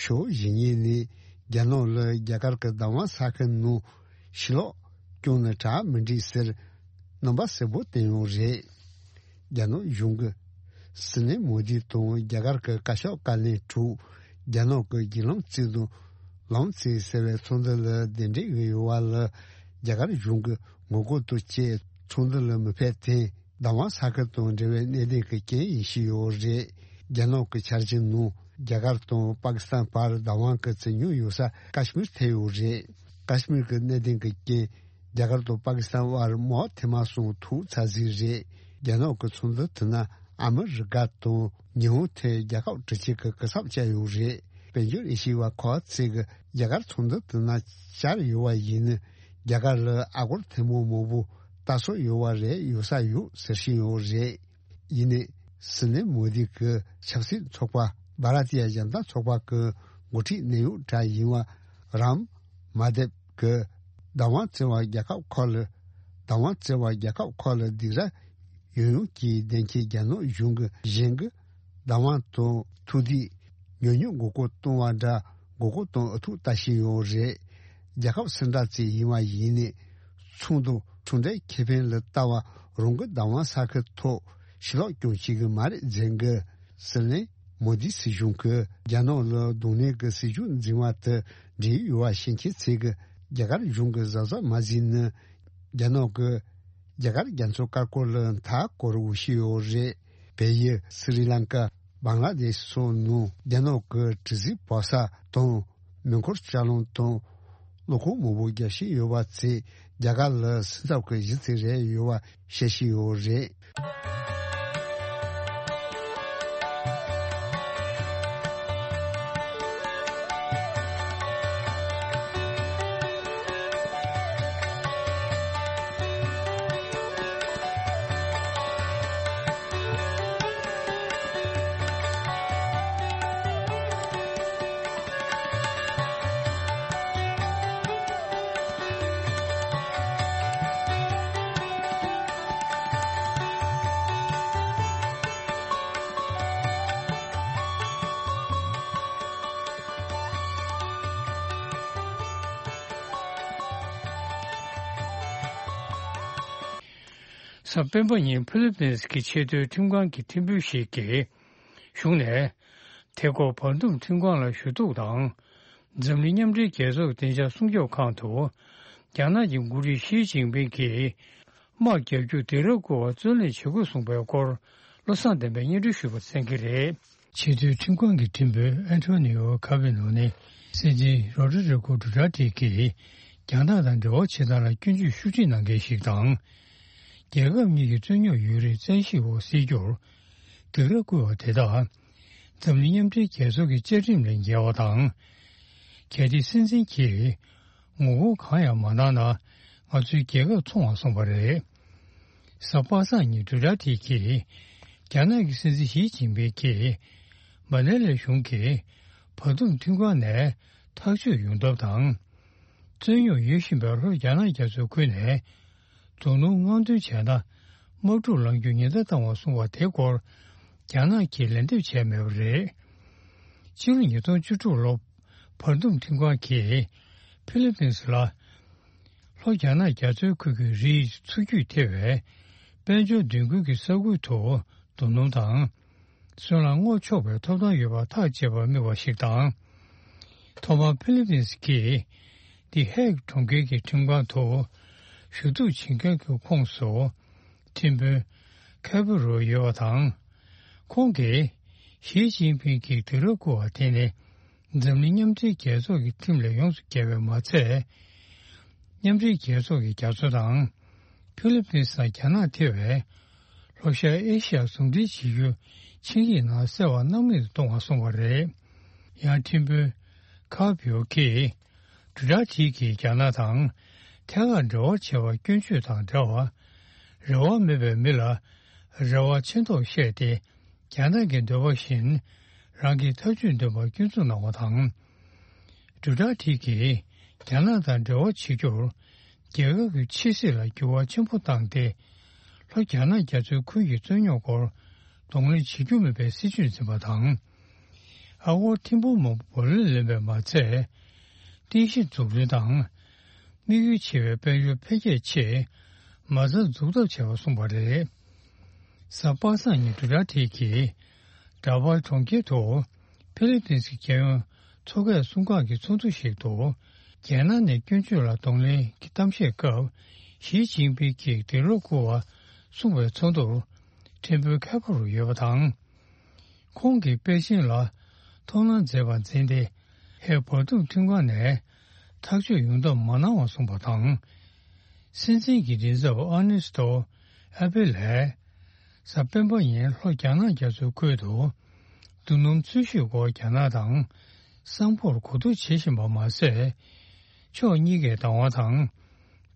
ཕྱོགས་གཞན་ནས། རྒྱ་ནག་ལ་རྒྱ་གར་གྱི་བདག་དབང་ས་ཁུལ་ནང་ཕྱིར་ལོག་བསྐྱོད་ན་དྲག་མི་འགྲིག་ཟེར་རྣམ་པ་གསལ་པོ་བསྟན་ཡོད་རེད། རྒྱ་ནག་གཞུང་གིས་སྲིད་བློན་མོ་དི་དང་རྒྱ་གར་གྱི་བཀའ་ཤག་བཀའ་བློན་དྲུག་རྒྱ་ནག་གི་བརྒྱུད་ལམ་བརྩིས་དང་ལམ་བརྩིས་ཟེར་བའི་ཚོགས་འདུ་ལ་གདན་འདྲེན་ཡོད་པ་ལ་རྒྱ་གར་གཞུང་གིས་ངོ་རྒོལ་དུ་བྱས་ཚོགས་འདུ་ལ་མི་ཕེབས་ཐད། བདག་དབང་ས་ཁུལ་དང་འབྲེལ་བའི་གནད་དོན་གྱི་རྐྱེན་ཡིན་བཞིན་ཡོད་རེད། རྒྱ་ནག་གི་འཆར་གཞི་ནང་རྒྱ་གར་དང་པ་ཀི་སི་ཐན་བར་བདག་དབང་གི་བཙན་ཉོ་ཡོད་ས་ཀ་ཤི་མིར་ཐེ་ཡོད་རེད། ཀ་ཤི་མིར་གྱི་གནད་དོན་གྱི་རྐྱེན་རྒྱ་གར་དང་པ་ཀི་སི་ཐན་བར་མོ་ཐེ་མ་སོང་ཐུག་ཚར་ཟིག་རེད། རྒྱ་ནག་གི་ཚོགས་འདུ་དེ་ན་ཨ་མི་རི་ཀ་དང་ཉི་ཧོང་ཐེ་རྒྱལ་ཁབ་དྲུག་ཅུ་གི་སྐུ་ཚབ་བཅར་ཡོད་རེད། དཔལ་འབྱོར་ཨེ་ཤི་ཡ་བ་ཁག་ཅིག་གི་རྒྱ་གར་ཚོགས་འདུ་དེ་ན་བཅར་ཡོད་པ་ཡིན་ན་རྒྱ་གར་ལ་ཨ་སྒོར་ཐེར་འབུམ་མང་པོ་ལྟ་སྲོལ་ཡོད་པ་རེད། ཡོད་ས་ཡོད་ཟེར་བཞིན་ཡོད་རེད། ཡིན་ནའི་སྲིད་བློན་མོ་དི་གི་ཆབ་སྲིད་ཚོགས་པ་བྷ་ར་ཏི་ཡ་ཇན་ཏ་ཚོགས་པ་གི་འགོ་ཁྲིད་གནད་ཡོད་གྲས་ཡིན་པ་རམ་མ་དེབ་གི་བདག་དབང་བཙན་བ་རྒྱལ་ཁབ་ཁག་ལ་བདག་དབང་བཙན་བ་རྒྱལ་ཁབ་ཁག་ལ་སྡིགས་ར་ཡོང་ཡོང་གི་བདེན་འཁེལ་རྒྱ་ནག་གཞུང་གི་གཞན་གི་བདག་དབང་དང་ཐུགས་འདོད་ཉོ་ཉོ་མགོ་སྐོར་གཏོང་བ་འདྲ་མགོ་སྐོར་གཏོང་ཨུ་ཐུག་ལྟ་བཞིན་ཡོད་རེད། རྒྱལ་ཁབ་སུ་འདྲ་ཅིག་ཡིན་པ་ཡིན་ནའི་ཚོགས་འདུ་གྲུབ་འབྲས་ཁེ་ཕན་ལ་ལྟ་བ་རང་གི་བདག་དབང་ས་ཁུལ་ཐོག་ཕྱིར་ལོག་སྐྱོང་བྱེད་ཀྱི་མ་རེད་ཟེར་གི། སྲིད་བློན་མོ་དི་སྲིད་གཞུང་གིས་རྒྱ་ནག་ལ་གདོང་ལེན་གྱི་སྲིད་ཇུས་འཛིན་པ་དེ་འགྲིག་ཡོད་པ་ཤེས་མཁན་ཚོས་ཀྱིས་རྒྱ་གར་གཞུང་གི་གཟབ་གཟབ་མ་བྱས་ན་རྒྱ་ནག་གིས་རྒྱ་གར་རྒྱ་མཚོ་དཀར་པོ་ལ་མཐའ་བསྐོར་འོས་ཤིག་ཡོད་རེད། བལ་ཡུལ་སི་རི་ལང་ཀ་བང་ལ་དེ་ཤི་སོགས་ནང་རྒྱ་ནག་གི་དྲི་ཟིག་བབས་ས་དང་མེ་འཁོར་ལྕགས་ལམ་དང་གློག་ཁང་མང་པོ་རྒྱག་བཞིན་ཡོད་པ་ཚོས་རྒྱ་གར་ལ་སེམས་འཚབ་ཀྱི་གཞི་རྩ་རེད་ཡོད་པ་བཤད་བཞིན་ཡོད་རེད། གཟའ་སྤེན་པ་ཉིན་ཕི་ལི་པིན་གྱི་ཆེས་མཐོའི་ཁྲིམས་ཁང་གི་ཁྲིམས་དཔོན་ཞིག་གིས་གཞུང་ནས་ཐད་ཀར་བར་འདུམ་ཁྲིམས་ཁང་ལ་ཞུ་གཏུག་དང་། འཛམ་གླིང་མཉམ་འབྲེལ་རྒྱལ་ཚོགས་ཀྱི་བདེ་འཇགས་སྲུང་སྐྱོབ་ཁང་དུ་རྒྱ་ནག་གི་འགོ་ཁྲིད་ཞི་ཅིན་ཕིང་གིས་དམག་རྒྱག་རྒྱུར་སྡིགས་ར་བསྐུལ་བར་བརྩོན་ལེན་བྱེད་དགོས་གསུངས་པའི་སྐོར་བློ་བཟང་བསྟན་པས་སྙན་སྒྲོན་ཞུས་པ་གསན་གྱི་རེད། ཆེས་མཐོའི་ཁྲིམས་ཁང་གི་ཁྲིམས་དཔོན་ཨན་ཐོ་ནི་ཡོ་ཁ་བི་ནོ་ནི་སྲིད་འཛིན་རོ་ཌི་རི་ཀོ་ཌུ་ཏར་ཏེ་གིས་རྒྱ་ནག་དང་འབྲེལ་བ་བྱེད་སྟངས་ལ་སྐྱོན་བརྗོད་ཤུགས་ཆེ་གནང་མཁན་ཞིག་དང་། རྒྱལ་ཁབ་གཉིས་ཀྱི་རྩོད་རྙོག་ཡོད་རིགས་བཙན་ཤེད་འོག་སེལ་རྒྱུར་སྡིགས་ར་བསྐུལ་བ་དེ་དག་འཛམ་གླིང་མཉམ་འབྲེལ་རྒྱལ་ཚོགས་ཀྱི་བཅའ་ཁྲིམས་ལས་འགལ་བ་དང་། གལ་ཏེ་སྲིད་འཛིན་གྱིས་ངོ་རྒོལ་གང་ཡང་མ་གནང་ན་ང་ཚོའི་རྒྱལ་ཁབ་འཚོང་བར་སོང་བ་རེད། གཟའ་པ་སངས་ཉིན་ཌུ་ཏར་ཏེ་གིས་རྒྱ་ནག་གི་སྲིད་འཛིན་ཞི་ཅིན་ཕིང་གིས་མ་ནེ་ལའི་གཞུང་གིས་བར་འདུམ་ཁྲིམས་ཁང་ནས་ཐག་གཅོད་ཡོང་ཐབས་དང་། རྩོད་རྙོག་ཡོད་བཞིན་པའི་ལྷོ་རྒྱ་ནག་རྒྱ་མཚོའི་ཁུལ་ནས་རྡོ་སྣུམ་མངགས་ཐོན་བྱས་ན་དམག་འཁྲུག་ལངས་རྒྱུ་ཉེན་བརྡ་བཏང་བ་གསུངས་པ་དེ་སྐོར་རྒྱ་ནག་གིས་ལན་འདེབས་བྱས་མེད་པ་རེད། སྤྱི་ལོ་ཉིས་སྟོང་བཅུ་དྲུག་ལོར་བར་འདུམ་ཁྲིམས་ཁང་གིས་ཕི་ལི་པིན་ལ་ལྷོ་རྒྱ་ནག་རྒྱ་མཚོའི་ཁུལ་གྱི་རིགས་འཚོ་བཅུད་ཐེ་བའི་དཔལ་འབྱོར་མདུན་སྐྱོད་ཀྱི་ས་ཁུལ་དུ་རྡོ་སྣུམ་དང་སོལ་རླངས་སྔོག་ཆོག་པའི་ཐོབ་ཐང་ཡོད་པར་ཐག་བཅད་པར་དམིགས་པ་ཞིག་དང་། ཐོག་མར་ཕི་ལི་པིན་གྱིས་དི་ཧེག་གྲོང་ཁྱེར་གྱི་ཁྲིམས་ཁང་དུ་ཞུ་གཏུག་བྱེད་མཁན་གྱི་ཁོངས་སུ་ཁྲིམས་དཔོན་ཁེ་པི་རོ་ཡོད་པ་དང་། ཁོང་གིས་ཞི་ཅིན་ཕིང་གིས་སྡིགས་ར་བསྐུལ་བ་དེ་ནི་འཛམ་གླིང་མཉམ་འབྲེལ་རྒྱལ་ཚོགས་ཀྱི་ཁྲིམས་ལས་ཡོངས་སུ་འགལ་བས་མ་ཚད། མཉམ་འབྲེལ་རྒྱལ་ཚོགས་ཀྱིས་རྒྱ་མཚོ་དང་ཕི་ལི་པིན་དང་རྒྱ་ནག་ཐེ་བའི་ལྷོ་ཤར་ཨེ་ཤི་ཡ་ཟུང་འབྲེལ་བྱེད་རྒྱུ་ཆིངས་ཡིག་ནང་གསལ་བ་སྣང་མེད་དུ་གཏོང་བ་གསུངས་པ་རེད། ཡང་ཁྲིམས་དཔོན་ཁ་པིའོ་ཁེས་ཌུ་ཏར་ཏེ་གིས་རྒྱ་ནག་དང་ཐད་ཀར་འབྲེལ་བ་བྱེད་པར་སྐྱོན་བརྗོད་དང་འབྲེལ་བ། རེ་བ་མེད་པའི་མི་ལ་རེ་བ་ཆེ་མདོག་བཤད་དེ། རྒྱ་ནག་གི་འདོད་པ་བཞིན་རང་གི་ཐབས་ཇུས་འདོན་པར་སྐྱོན་འཛུགས་གནང་བ་དང་། ཌུ་ཏར་ཏེ་གིས་རྒྱ་ནག་དང་འབྲེལ་བ་བྱེད་རྒྱུར་རྒྱལ་ཁབ་ཀྱི་ཕྱི་སྲིད་ལ་འགྱུར་བ་ཆེན་པོ་བཏང་སྟེ། ལྷོ་རྒྱ་ནག་རྒྱ་མཚོའི་ཁུལ་གྱི་རྩོད་རྙོག་སྐོར་གདོང་ལེན་བྱེད་རྒྱུ་མིན་པའི་སྲིད་ཇུས་འཛིན་པ་དང་། ཨ་སྒོར་ཐེར་འབུམ་མང་པོ་བུ་ལོན་ལེན་པས་མ་ཚད། རྟེན་གཞི་འཛུགས་སྐྲུན་དང་། དམིགས་ཡུལ་ཆེ་བའི་དཔལ་འབྱོར་འཕེལ་རྒྱས་ཆེད་མ་རྩ་འཛུགས་ཐབས་བྱས་པ་གསུངས་པ་རེད། གཟའ་པ་སངས་ཉིན་ཌུ་ཊར་ཊེ་གིས་འདྲ་པར་གྲོང་ཁྱེར་དུ་ཧྥི་ལི་པིན་སི་གི་རྒྱལ་ཡོངས་མཚོ་ཁའི་སྲུང་སྐར་གྱི་ཚོགས་འདུ་ཞིག་ཏུ། རྒྱལ་ནང་ནས་སྐྱོན་བརྗོད་ལ་གདོང་ལེན་གྱི་གཏམ་བཤད་སྐབས། ཞི་ཅིན་ཕིང་གིས་འབྲེལ་གཏོགས་བསྐུར་བ་གསུངས་པའི་ཚོགས་འདུར་ཕྲན་བུ་མཁས་པ་རུ་ཡོད་པ་དང་། ཁོང་གིས་པེ་ཅིན་ལ་ཐུགས་སྣང་མཛད་པར་འཛིན་ཏེ། ཧེ་བར་འདུམ་མཐུན་ཁང་ནས་ཐག་གཅོད་ཡོང་ཐབས་མ་གནང་བར་གསུངས་པ་དང་། སྲིད་འཛིན་གྱི་མགྲིན་ཚབ་ཨར་ནེ་སི་ཏོ་ཨ་པེ་ལས། གཟའ་སྤེན་པ་ཉིན་ལྷོ་རྒྱ་ནག་རྒྱ་མཚོའི་ཁུལ་དུ། རྡུལ་སྣུམ་འཚོལ་ཞིབ་སྐོར་རྒྱ་ནག་དང་སིང་ག་པོར་གོ་བསྡུར་བྱེད་བཞིན་པ་མ་ཟད། ཕྱོགས་གཉིས་ཀའི་བདག་དབང་དང་།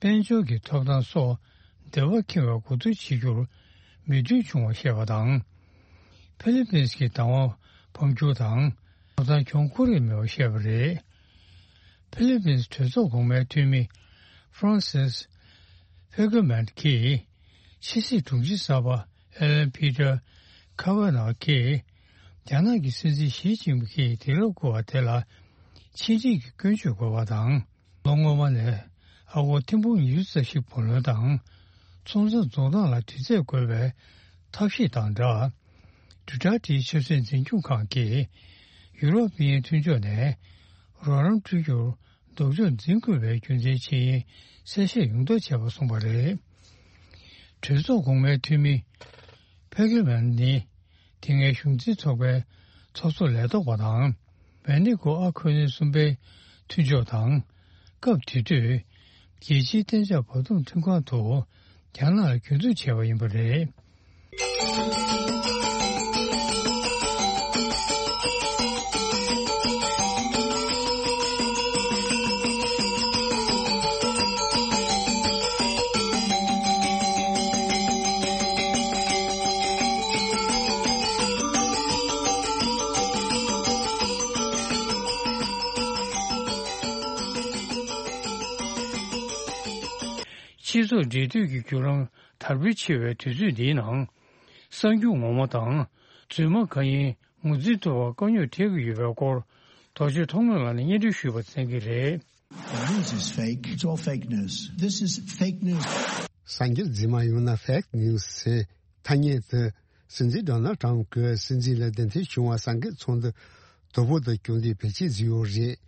དཔལ་འབྱོར་གྱི་ཐོབ་ཐང་སོགས་འབྲེལ་བ་འཁེལ་བའི་གོ་བསྡུར་བྱེད་རྒྱུར་མོས་མཐུན་བྱུང་བར་བཤད་པ་དང་། ཧྥི་ལི་པིན་སི་གི་བདག་དབང་འཕང་འགྱུར་དང་། ཐོབ་ཐང་གྱོང་ཁོ་རེ་མེད་པར་བཤད་པ་རེད། ཧྥི་ལི་པིན་སི་གྲོས་ཚོགས་གོང་མའི་འཐུས་མི་ཧྥ་རན་སིས་ཕེ་གྷི་མན་གྱིས། ཕྱི་སྲིད་དྲུང་ཆེ་གསར་པ་ཨེ་ལན་པི་ཏར་ཁ་ཝེ་ནོ་གིས། རྒྱ་ནག་གི་སྲིད་འཛིན་ཞི་ཅིན་ཕིང་གིས་དུས་རབས་བསྐོར་བ་དེ་ལ་ཕྱི་འབྲེལ་གྱི་སྐྱོན་བརྗོད་དགོས་པ་དང་། ལོ་སྔོན་མ་ནས་ཨ་སྒོར་ཐེར་འབུམ་ཉི་ཤུ་རྩ་བཞི་བུ་ལོན་དང་། ཚོང་རྩ་རྫོགས་སྟངས་ལ་དུས་ཚོད་དགོས་པའི་ཐབས་ཤེས་དང་སྦྲགས། ཌུ་ཊར་ཊེའི་ཆབ་སྲིད་འཛིན་སྐྱོང་ཁང་གིས་ཡུ་རོབ་དབྱིན་ཡུལ་མཐུན་ཕྱོགས་ནས་རོགས་རམ་སྤྲོད་རྒྱུར་ལྡོག་ཕྱོགས་འཛིན་དགོས་པའི་རྒྱུ་མཚན་ཇི་ཡིན་གསལ་བཤད་ཡོང་ཐབས་བྱས་པ་གསུངས་པ་རེད། གྲོས་ཚོགས་གོང་མའི་འཐུས་མི་ཕེ་གྷི་མན་ནི་དེ་སྔའི་གཞུང་འཛིན་ཚོགས་པའི་ཚོགས་གཙོ་ལས་ཐོག་པ་དང་། མེག་སི་ཀོ་ཨ་ཁུ་ནི་གསུམ་པའི་མཐུན་ཕྱོགས་དང་། སྐབས་དེ་དུས་རྒྱལ་སྤྱིའི་གཏན་འཇགས་བར་འདུམ་མཐུན་ཁང་དུ་རྒྱ་ནག་ལ་གྱོད་འཛུགས་བྱས་པ་ཡིན་པ་རེད། སྤྱི་ཚོགས་འབྲེལ་མཐུད་ཀྱི་བརྒྱུད་ལམ་དར་སྤེལ་ཆེ་བའི་དུས་ཚོད་འདིའི་ནང་། གསར་འགྱུར་ངོ་མ་དང་རྫུན་མ་གང་ཡིན་ངོས་འཛིན་ཐུབ་པར་དཀའ་རྙོག་འཕྲད་ཀྱི་ཡོད་པའི་སྐོར། རྡོ་རྗེ་ཐོགས་མེད་ལགས་ནས་སྙན་སྒྲོན་ཞུས་པ་གསན་གྱི་རེད། The news is fake. It's all fake news. This is fake news. གསར་འགྱུར་རྫུན་མ་ཡོང་ན་ཕེག་ནིའུ་སི་ཟེར། ཐ་སྙད་དུ། སྲིད་འཛིན་ཌོ་ནལ་ཊམ་གྱིས་སྲིད་འཛིན་ལ་གདན་འདྲེན་བྱུང་བ་གསར་འགྱུར་ཚོགས་འདུ་དོ་པོ་དུ་བསྐྱོད་དེ་བེད་སྤྱོད་བཟོས་ཡོད་རེད།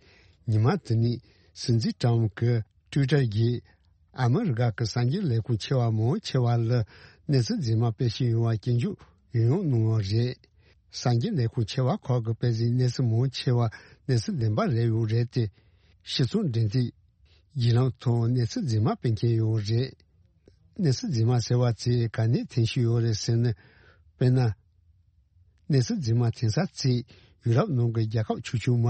ཉི་མ་དེ་ནས་སྲིད་འཛིན་ཊམ་གྱི་ཊུའི་ཊར་གྱིས། ཨ་མི་རི་ཀ་གི་གསར་འགྱུར་ལས་ཁུངས་ཆེ་བ་མང་ཆེ་བ་ལ་གནས་ཚུལ་རྫུན་མ་སྤེལ་བཞིན་ཡོད་པ་སྐྱོན་བརྗོད་ཡང་ཡང་གནང་བ་རེད། གསར་འགྱུར་ལས་ཁུངས་ཆེ་བ་ཁག་གིས་སྤེལ་ཟིན་གནས་ཚུལ་མང་ཆེ་བ་གནས་ཚུལ་བདེན་པ་རེད་ཡོད་རེད་དེ། ཕྱི་ཚོང་འབྲེལ་མཐུད་བརྒྱུད་ལམ་ཐོག་གནས་ཚུལ་རྫུན་མ་སྤེལ་མཁན་ཡོད་རེད། གནས་ཚུལ་རྫུན་མ་ཟེར་བ་དེ་ག་ནས་ཐོན་བཞིན་ཡོད་རེད་ཟེར་ན། དཔེར་ན། གནས་ཚུལ་རྫུན་མ་ཐོན་ས་དེ་ཡུ་རོབ་ནང་གི་རྒྱལ་ཁབ་ཆུང་ཆུང་མ་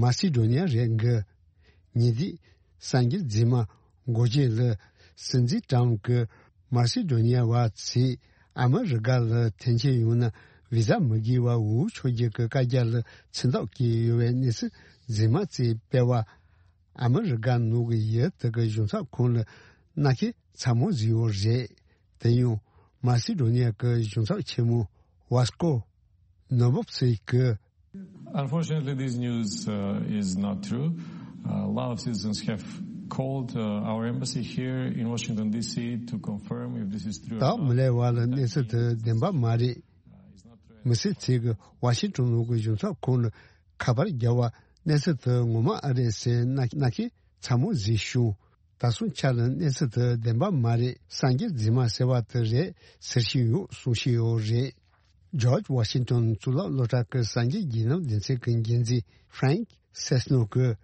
མ་སི་ཌོ་ནི་ཡ་རེད་འགི། ཉེ་དུས་གསར་འགྱུར་རྫུན་མ་འགོ་བརྗོད་ལ་སྲིད་འཛིན་ཊམ་གྱིས་མ་སི་ཌོ་ནི་ཡ་བ་ཚོས་ཨ་མི་རི་ཀ་ལ་ཐོན་སྐྱེད་ཡོང་ན་བི་ཟ་མི་དགོས་པར་འུ་ཕྱོགས་བརྒྱུད་ཀྱི་བཀའ་རྒྱ་ལ་མཚན་རྟགས་བཀོད་ཡོད་པའི་གནས་ཚུལ་རྫུན་མ་ཚོས་སྤེལ་བ། ཨ་མི་རི་ཀ་ནང་གི་ཡུལ་དེ་གི་གཞུང་ཚབ་ཁང་ལ་མནའ་ཁེལ་ཚ་མོ་བཟོས་ཡོད་རེད། དེ་ཡང་མ་སི་ཌོ་ནི་ཡ་གི་གཞུང་ཚབ་ཆེན་མོ་ཝ་སྐོ་ནོ་བབ་སི་གིས། Unfortunately, this news uh, is not true. Uh, a lot of citizens have called uh, our embassy here in Washington, D C to confirm if this is true or not. ད་མི་ལས་བ་ལ་གནས་ཚུལ་དེ་བདེན་པ་མ་རེད། མི་སེར་ཚོས་ཀྱིས་ཝ་ཤིང་ཏོན་ནང་གི་གཞུང་ཚབ་ཁང་ལ་ཁ་པར་བརྒྱབ་པ་གནས་ཚུལ་དེ་ངོ་མ་ཨེ་རེད་ཟེར་མནའ་མནའ་ཁེལ་ཚ་མོ་བཟོས་བྱུང་། ད་སོང་ཆ་ལ་གནས་ཚུལ་དེ་བདེན་པ་མ་རེད། གསར་འགྱུར་རྫུན་མ་ཟེར་བ་དེ་རེད་ཟེར་བཞིན་ཡོད་གསུང་བཞིན་ཡོད་རེད། ཇོརྗ་ཝ་ཤིང་ཏོན་གཙུག་ལག་སློབ་གྲྭ་གི་གསར་འགྱུར་བརྒྱུད་ལམ་སྡེ་ཚན་གྱི་འགན་འཛིན་ཧྥ་རེང་སེ་སི་ནོ་གིས།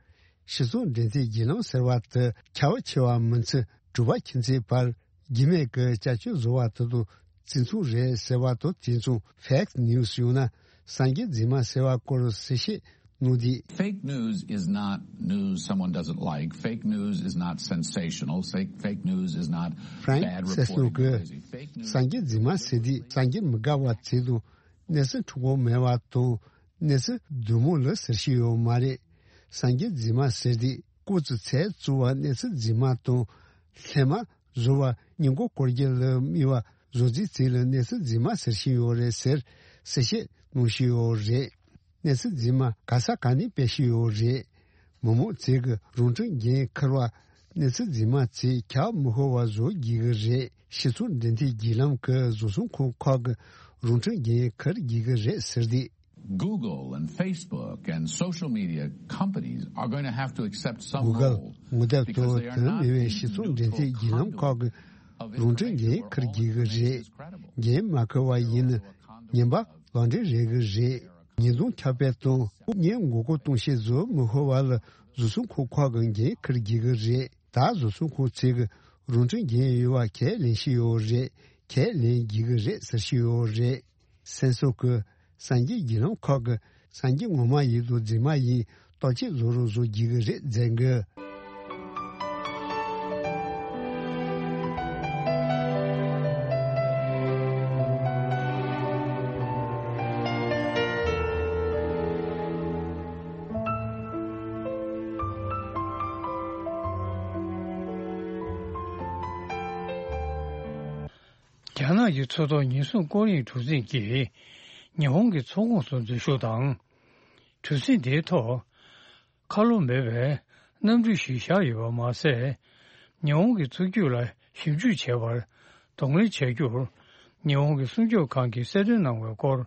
ཕྱི་ཚོང་འབྲེལ་མཐུད་བརྒྱུད་ལམ་ཟེར་བ་དེ་ཁྱབ་ཆེ་བ་མི་ཚེ་གྲུབ་པ་ཁྱིམ་མཚེས་བར་རྒྱུས་མེད་ཀྱི་བྱ་སྤྱོད་བཟོ་བ་དེ་དང་གཅིག་མཚུངས་རེད་ཟེར་བ་དང་། དེ་མཚུངས་ཕེག་ནིའུ་སི་ཡང་ན་གསར་འགྱུར་རྫུན་མ་ཟེར་བ་སྐོར་གསལ་བཤད་གནང་དུས། Fake news is not news someone doesn't like. Fake news is not sensational. Fake, fake news is not bad reporting. ཧྥ་རེང་སེ་སི་ནོ་གིས། Fake news གསར་འགྱུར་རྫུན་མ་ཟེར་དུས་གསར་འགྱུར་མི་དགའ་བ་ཚོ་དང་གནས་ཚུལ་འཁྲུག་པོ་མེད་པ་དང་གནས་ཚུལ་བདེ་མོ་ལ་ཟེར་བཞིན་ཡོད་མ་རེད། གསར་འགྱུར་རྫུན་མ་ཟེར་དུས་སྐབས་དེ་ཚོའི་གཙོ་བོ་གནས་ཚུལ་རྫུན་མ་དང་སླད་མ་བཟོ་བ་སྙིང་གོ་སྐོར་རྒྱུ་ལ་དམིགས་པ་བཟོ་རྩིས་ཚོ་ལ་གནས་ཚུལ་རྫུན་མ་ཟེར་བཞིན་ཡོད་རེད་ཟེར་གསལ་བཤད་གནང་བཞིན་ཡོད་རེད། གནས་ཚུལ་རྫུན་མ་ག་ས་ག་ནས་སྤེལ་བཞིན་ཡོད་རེད། མི་མང་ཚོས་ཀྱི་རང་འཁྲིའི་འགན་འཁུར་བ། གནས་ཚུལ་རྫུན་མ་ཚོས་ཁྱབ་མི་ཤོར་བ་བཟོ་དགོས་ཀྱི་རེད། སྤྱི་ཚོགས་འབྲེལ་མཐུད་བརྒྱུད་ལམ་གྱི་བཟོ་ཚོང་ཁང་ཁག་གི་རང་འཁྲིའི་འགན་འཁུར་དགོས་ཀྱི་རེད་ཟེར་ཏེ། Google and Facebook and social media companies are going to have to accept some Google role དངོས་དེབ་because དང་they are དོན་not མེད་པའི་being སྤྱི་ཚོགས་འབྲེལ་མཐུད་བརྒྱུད་ལམ་neutral ཁག་གི་རང་འཁྲིའི་འགན་འཁུར་དགོས་ཀྱི་རེད། འགན་མ་འཁུར་བ་ཡིན་ན་ཉེས་པ་ལག་འབྲེལ་རེད་ཀྱི་རེད། ཉེས་རྡུང་ཁྱབ་སྤེལ་དང་དབུ་བརྙེས་མགོ་སྐོར་གཏོང་བྱེད་བཟོ་མི་ཤོར་བ་ལ་བཟོ་ཚོང་ཁང་ཁག་གི་འགན་འཁུར་དགོས་ཀྱི་རེད། ད་བཟོ་ཚོང་ཁང་ཚོས་ཀྱི་རང་འཁྲིའི་འགན་ཡོད་པ་ཁས་ལེན་བཞིན་ཡོད་རེད། ཁས་ལེན་དགོས་ཀྱི་རེད་ཟེར་བཞིན་ཡོད་རེད། སེམས་སོགས་ཀྱི་གསར་འགྱུར་བརྒྱུད་ལམ་ཁག་གི་གསར་འགྱུར་ངོ་མ་ཡིན་དང་རྫུན་མ་ཡིན་བརྟག་དཔྱད་བཟོ་རོགས་བཟོ་དགོས་ཀྱི་རེད་ཟེར་གི། རྒྱ་ནག་གི་མཚོ་ཐོག་ཉེན་སྲུང་སྐོར་གཡེང་གྲུ་གཟིངས་ཀྱིས་ཉི་ཧོང་གི་མཚོ་ཁོངས་སུ་འཛུལ་ཞུགས་དང་། གྲུ་གཟིངས་དེའི་ཐོག་ཁ་ལོ་མེད་པའི་གནམ་གྲུ་ཞིག་བཞག་ཡོད་པ་མ་ཟད། ཉི་ཧོང་གི་མཚོ་རྒྱུད་ལ་ཞིབ་འཇུག་བྱས་པར་གདོང་ལེན་བྱ་རྒྱུར། ཉི་ཧོང་གི་སྲུང་སྐྱོབ་ཁང་གིས་གསལ་སྟོན་གནང་བའི་སྐོར།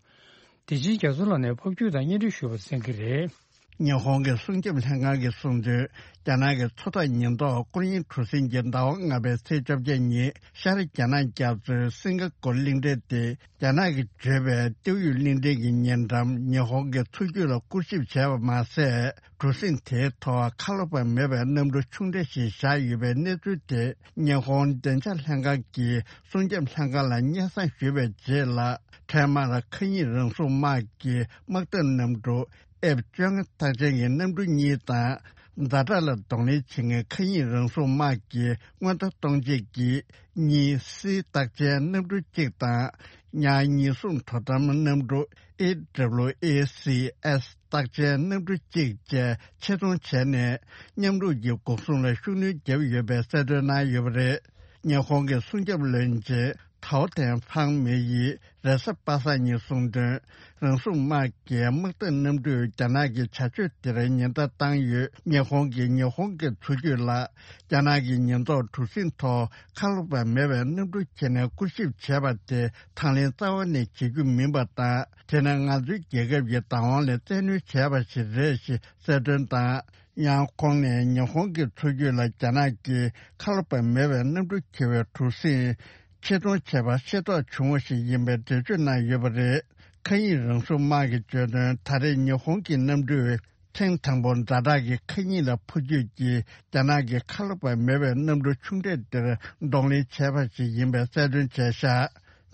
བདེ་ཆེན་རྒྱ་མཚོ་ལགས་ནས་ཕབ་སྒྱུར་དང་སྙན་སྒྲོན་ཞུས་པ་གསན་གྱི་རེད། ཉི་ཧོང་གི་སྲུང་སྐྱོབ་ལྷན་ཁང་གིས་གསུངས་དོན། རྒྱ་ནག་གི་མཚོ་ཐོག་ཉེན་རྟོག་སྐོར་གཡེང་གྲུ་གཟིངས་ཀྱིས་ཟླ་བ་ལྔ་པའི་ཚེས་བཅོ་བརྒྱད་ཉིན་ཤར་རྒྱ་ནག་རྒྱ་མཚོའི་སིང་ག་གོར་གླིང་ཕྲན་ཏེ། རྒྱ་ནག་གིས་བརྗོད་པའི་ཏེའུ་ཡུས་གླིང་ཕྲན་གྱི་ཉེ་འགྲམ་ཉི་ཧོང་གི་མཚོ་རྒྱུད་ལ་སྐོར་ཞིབ་བྱས་པ་མ་ཟད། གྲུ་གཟིངས་དེའི་ཐོག་ཁ་ལོ་བ་མེད་པའི་གནམ་གྲུ་ཆུང་གྲས་ཤིག་བཞག་ཡོད་པའི་གནས་ཚུལ་དེ་ཉི་ཧོང་བདེ་འཇགས་ལྷན་ཁང་གི་སྲུང་སྐྱོབ་ལྷན་ཁང་ལ་སྙན་སེང་ཞུས་པའི་རྗེས་ལ། འཕྲལ་མར་མཁའ་དབྱིངས་རང་སྲུང་དམག་གི་དམག་འཐབ་གནམ་གྲུ་ཨེཕ་བཅོ་ལྔ་རྟགས་ཅན་གྱི་གནམ་གྲུ་གཉིས་དང་། ཛ་དྲག་ལ་གདོང་ལེན་བྱེད་མཁན་མཁའ་དབྱིངས་རང་སྲུང་དམག་གི་སྔོན་མཐའ་གཏོང་བྱེད་ཀྱི་གཉིས་སི་རྟགས་ཅན་གནམ་གྲུ་གཅིག་དང་། ཉག་ཉེན་སྲུང་དོ་དམ་གནམ་གྲུ་ཨེ་ཌབ་ལིའུ་ཨེ་སི་ཨེསི་རྟགས་ཅན་གནམ་གྲུ་གཅིག་བཅས་ཆེད་གཏོང་བྱས་ནས། མཉམ་རུབ་ཀྱི་འགོག་སྲུང་ལ་ཤུགས་སྣོན་བརྒྱབ་ཡོད་པའི་གསལ་སྟོན་གནང་ཡོད་པ་རེད། ཉི་ཧོང་གི་སྲུང་སྐྱོབ་བློན་ཆེན་ཐའོ་ཐན་ཧྥང་མེ་ཡིས་རེས་གཟའ་པ་སངས་ཉིན་གསུངས་དོན། རང་སྲུང་དམག་གིས་དམག་འཐབ་གནམ་གྲུས་རྒྱ་ནག་གི་བྱ་སྤྱོད་དེར་ཉེན་བརྡ་བཏང་ཡོད། ཉི་ཧོང་གིས་ཉི་ཧོང་གི་མཚོ་རྒྱུད་ལ་རྒྱ་ནག་གི་ཉེན་རྟོག་གྲུ་གཟིངས་ཐོག་ཁ་ལོ་བ་མེད་པའི་གནམ་གྲུ་ཁྱེར་ནས་སྐོར་ཞིབ་བྱས་པ་དེ་དང་ལེན་རྩ་བ་ནས་བྱེད་རྒྱུ་མིན་པ་དང་། དེ་ནི་ང་ཚོའི་རྒྱལ་ཁབ་ཀྱི་བདག་དབང་ལ་བཙན་གནོན་བྱས་པ་ཞིག་རེད་ཞེས་གསལ་སྟོན་དང་། ཡང་ཁོང་ནས་ཉི་ཧོང་གི་མཚོ་རྒྱུད་ལ་རྒྱ་ནག་གིས་ཁ་ལོ་བ་མེད་པའི་གནམ་གྲུ་འཁྱེར་བའི་གྲུ་གཟིངས་ཆེད་གཏོང་བྱས་པ་ཤེས་རྟོགས་བྱུང་བ་ཞིག་ཡིན་པའི་འགྲེལ་བརྗོད་གནང་ཡོད་པ་རེད། མཁའ་དབྱིངས་རང་སྲུང་དམག་གིས་བརྗོད་དོན། ད་རེས་ཉི་ཧོང་གི་གནམ་གྲུས་ཐེངས་དང་པོ་ཛ་དྲག་གི་མཁའ་དབྱིངས་ལ་འཕུར་སྐྱོད་ཀྱིས་རྒྱ་ནག་གི་ཁ་ལོ་བ་མེད་པའི་གནམ་གྲུ་ཆུང་གྲས་དེར་གདོང་ལེན་བྱས་པ་ཞིག་ཡིན་པའི་གསལ་སྟོན་བྱས་བཞག་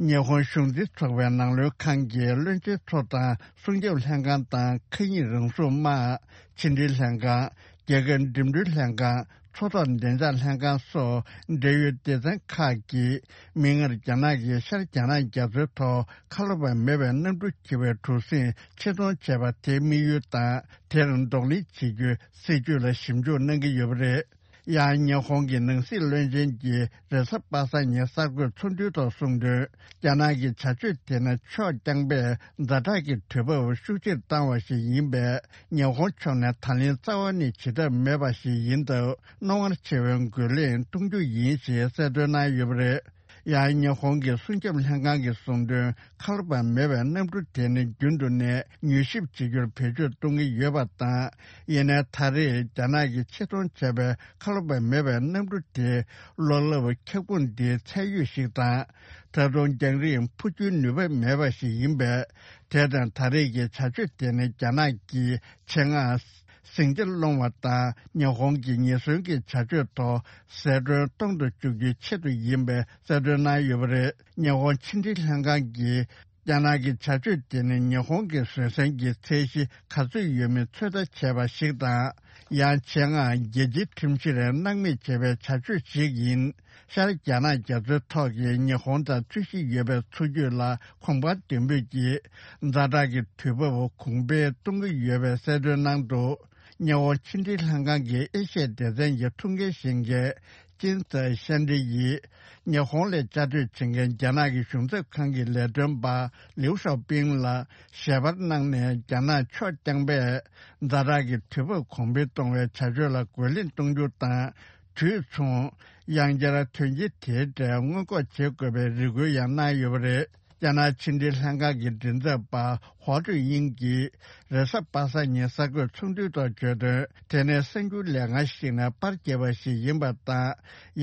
ཉི་ཧོང་གཞུང་འཛིན་ཚོགས་པའི་ནང་ལོགས་ཁང་གི་བློན་ཆེན་ཚོ་དང་སྲུང་སྐྱོབ་ལྷན་ཁང་དང་མཁའ་དབྱིངས་རང་སྲུང་དམག་ཕྱི་འབྲེལ་ལྷན་ཁང་། རྒྱལ་ཁབ་འགྲིམ་འགྲུལ་ལྷན་ཁང་། མཚོ་ཐོག་བདེ་འཇགས་ལྷན་ཁང་སོགས་འབྲེལ་ཡོད་སྡེ་ཚན་ཁག་གིས་མིག་སྔར་རྒྱ་ནག་གིས་ཤར་རྒྱ་ནག་རྒྱ་མཚོའི་ཐོག་ཁ་ལོ་བ་མེད་པའི་གནམ་གྲུ་འཁྱེར་བའི་གྲུ་གཟིངས་ཆེད་གཏོང་བྱས་པ་དེའི་དམིགས་ཡུལ་དང་། དེར་གདོང་ལེན་བྱེད་རྒྱུའི་སྲིད་ཇུས་ལ་ཞིབ་འཇུག་གནང་གི་ཡོད་པ་རེད། ཡང་ཉི་ཧོང་གི་ནང་སྲིད་བློན་ཆེན་གྱིས་རེས་གཟའ་པ་སངས་ཉིན་གསར་འགོད་ཚོགས་འདུའི་ཐོག་གསུངས་དོན། རྒྱ་ནག་གི་བྱ་སྤྱོད་དེ་ནི་ཕྱོགས་རྐྱང་པས་ཛ་དྲག་གི་དུས་བབ་ཤུགས་ཆེར་བཏང་བ་ཞིག་ཡིན་པས། ཉི་ཧོང་ཕྱོགས་ནས་ད་ལན་རྩ་བ་ནས་བྱེད་ཐབས་མེད་པ་ཞིག་ཡིན་སྟབས། རྣོ་ངར་ཆེ་བའི་རྒོལ་ལན་གཏོང་རྒྱུ་ཡིན་ཞེས་གསལ་སྟོན་གནང་ཡོད་པ་རེད། ཡང་ཉི་ཧོང་གི་སྲུང་སྐྱོབ་ལྷན་ཁང་གིས་གསུངས་དོན། ཁ་ལོ་བ་མེད་པའི་གནམ་གྲུ་དེ་ནི་རྒྱུན་དུ་ནས་མྱུལ་ཞིབ་བྱེད་རྒྱུར་བེད་སྤྱོད་གཏོང་གི་ཡོད་པ་དང་། ཡིན་ནའི་ད་རེས་རྒྱ་ནག་གིས་ཆེད་གཏོང་བྱས་པའི་ཁ་ལོ་བ་མེད་པའི་གནམ་གྲུ་དེ་གློག་རླབས་ཁྱབ་ཁོངས་འདིའི་ཚད་ཡོད་ཞིག་དང་། ད་དུང་རྒྱང་རིང་འཕུར་རྒྱུའི་ནུས་པ་མེད་པ་ཞིག་ཡིན་པས། དེ་དང་ད་རེས་ཀྱི་བྱ་སྤྱོད་དེ་ནི་རྒྱ་ནག་གིས་ཆེད་མངགས་ཟིང་ཆ་སློང་བ་དང་། ཉི་ཧོང་གི་ཉེན་སྲུང་གི་བྱ་སྤྱོད་ཐོག་ཟད་གྲོན་གཏོང་དུ་འཇུག་རྒྱུའི་ཆེད་དུ་ཡིན་པའི་གསལ་སྟོན་གནང་ཡོད་པ་རེད། ཉི་ཧོང་ཕྱི་འབྲེལ་ལྷན་ཁང་གིས་རྒྱ་ནག་གི་བྱ་སྤྱོད་དེ་ནི་ཉི་ཧོང་གི་བཟོད་བསྲན་གྱི་ཚད་གཞི་ག་ཚོད་ཡོད་མེད་ཚོད་ལྟ་བྱས་པ་ཞིག་དང་། ཡང་ཆེད་མངགས་རྒྱལ་སྤྱིའི་ཁྲིམས་གཞིར་སྣང་མེད་བྱས་པའི་བྱ་སྤྱོད་ཞིག་ཡིན། ཤར་རྒྱ་ནག་རྒྱ་མཚོའི་ཐོག་གི་ཉི་ཧོང་དང་རྩོད་གཞི་ཡོད་པའི་མཚོ་རྒྱུད་ལ་གོམ་པ་མདུན་སྤོས་ཀྱིས་ཛ་དྲག་གི་དུས་བབ་གོང་འཕེལ་གཏོང་གི་ཡོད་པའི་གསལ་སྟོན་གནང་འདུག་ཉི་ཧོང་ཕྱི་འབྲེལ་ལྷན་ཁང་གི་ཨེ་ཤ་ཡ་སྡེ་ཚན་གྱི་ཐུགས་འགན་བཞེས་མཁན་ ཅིན་ཙེ་ཤན་ཀྲི་ཡིས་ཉི་ཧོང་ལ་བཅའ་སྡོད་བྱེད་མཁན་རྒྱ་ནག་གི་གཞུང་ཚབ་ཁང་གི་ལས་དོན་པ་ལིའུ་ཞའོ་པིང་ལ་ཞལ་པར་གནང་ནས། རྒྱ་ནག་ཕྱོགས་རྐྱང་པས་ཛ་དྲག་གི་དུས་བབ་གོང་འཕེལ་གཏོང་བའི་བྱ་སྤྱོད་ལ་རྒོལ་ལན་གཏོང་རྒྱུ་དང་། དུས་མཚུངས་ཡང་བསྐྱར་དོན་རྐྱེན་དེའི་གྲས་སྔོན་འགོག་བྱེད་དགོས་པའི་རེ་སྐུལ་ཡང་གནང་ཡོད་པ་རེད། རྒྱ་ནག་ཕྱི་འབྲེལ་ལྷན་ཁང་གི་མགྲིན་ཚབ་པ་ཧོ་ཀྲུའུ་དབྱིང་གིས་རེས་གཟའ་པ་སངས་ཉིན་གསར་འགོད་ཚོགས་འདུའི་ཐོག་བརྗོད་དོན། དེ་ནི་གསར་འགྱུར་ལས་ཁང་ཞིག་ནས་པར་བརྒྱབ་པ་ཞིག་ཡིན་པ་དང་།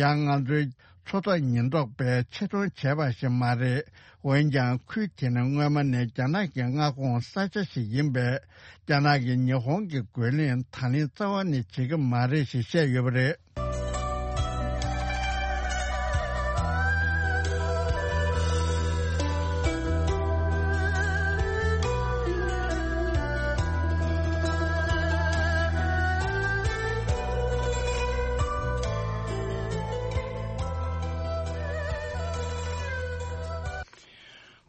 ཡང་ང་ཚོའི་མཚོ་ཐོག་ཉེན་རྟོག་པས་ཆེ་མཐོང་བྱས་པ་ཞིག་མ་རེད། འོན་ཀྱང་ཁུལ་དེ་ནི་སྔོན་མ་ནས་རྒྱ་ནག་གི་མངའ་ཁོངས་ས་ཆ་ཞིག་ཡིན་པས། རྒྱ་ནག་གིས་ཉི་ཧོང་གི་རྒོལ་ལན་ད་ལན་རྩ་བ་ནས་བྱེད་ཀྱི་མ་རེད་ཞེས་བཤད་ཡོད་པ་རེད།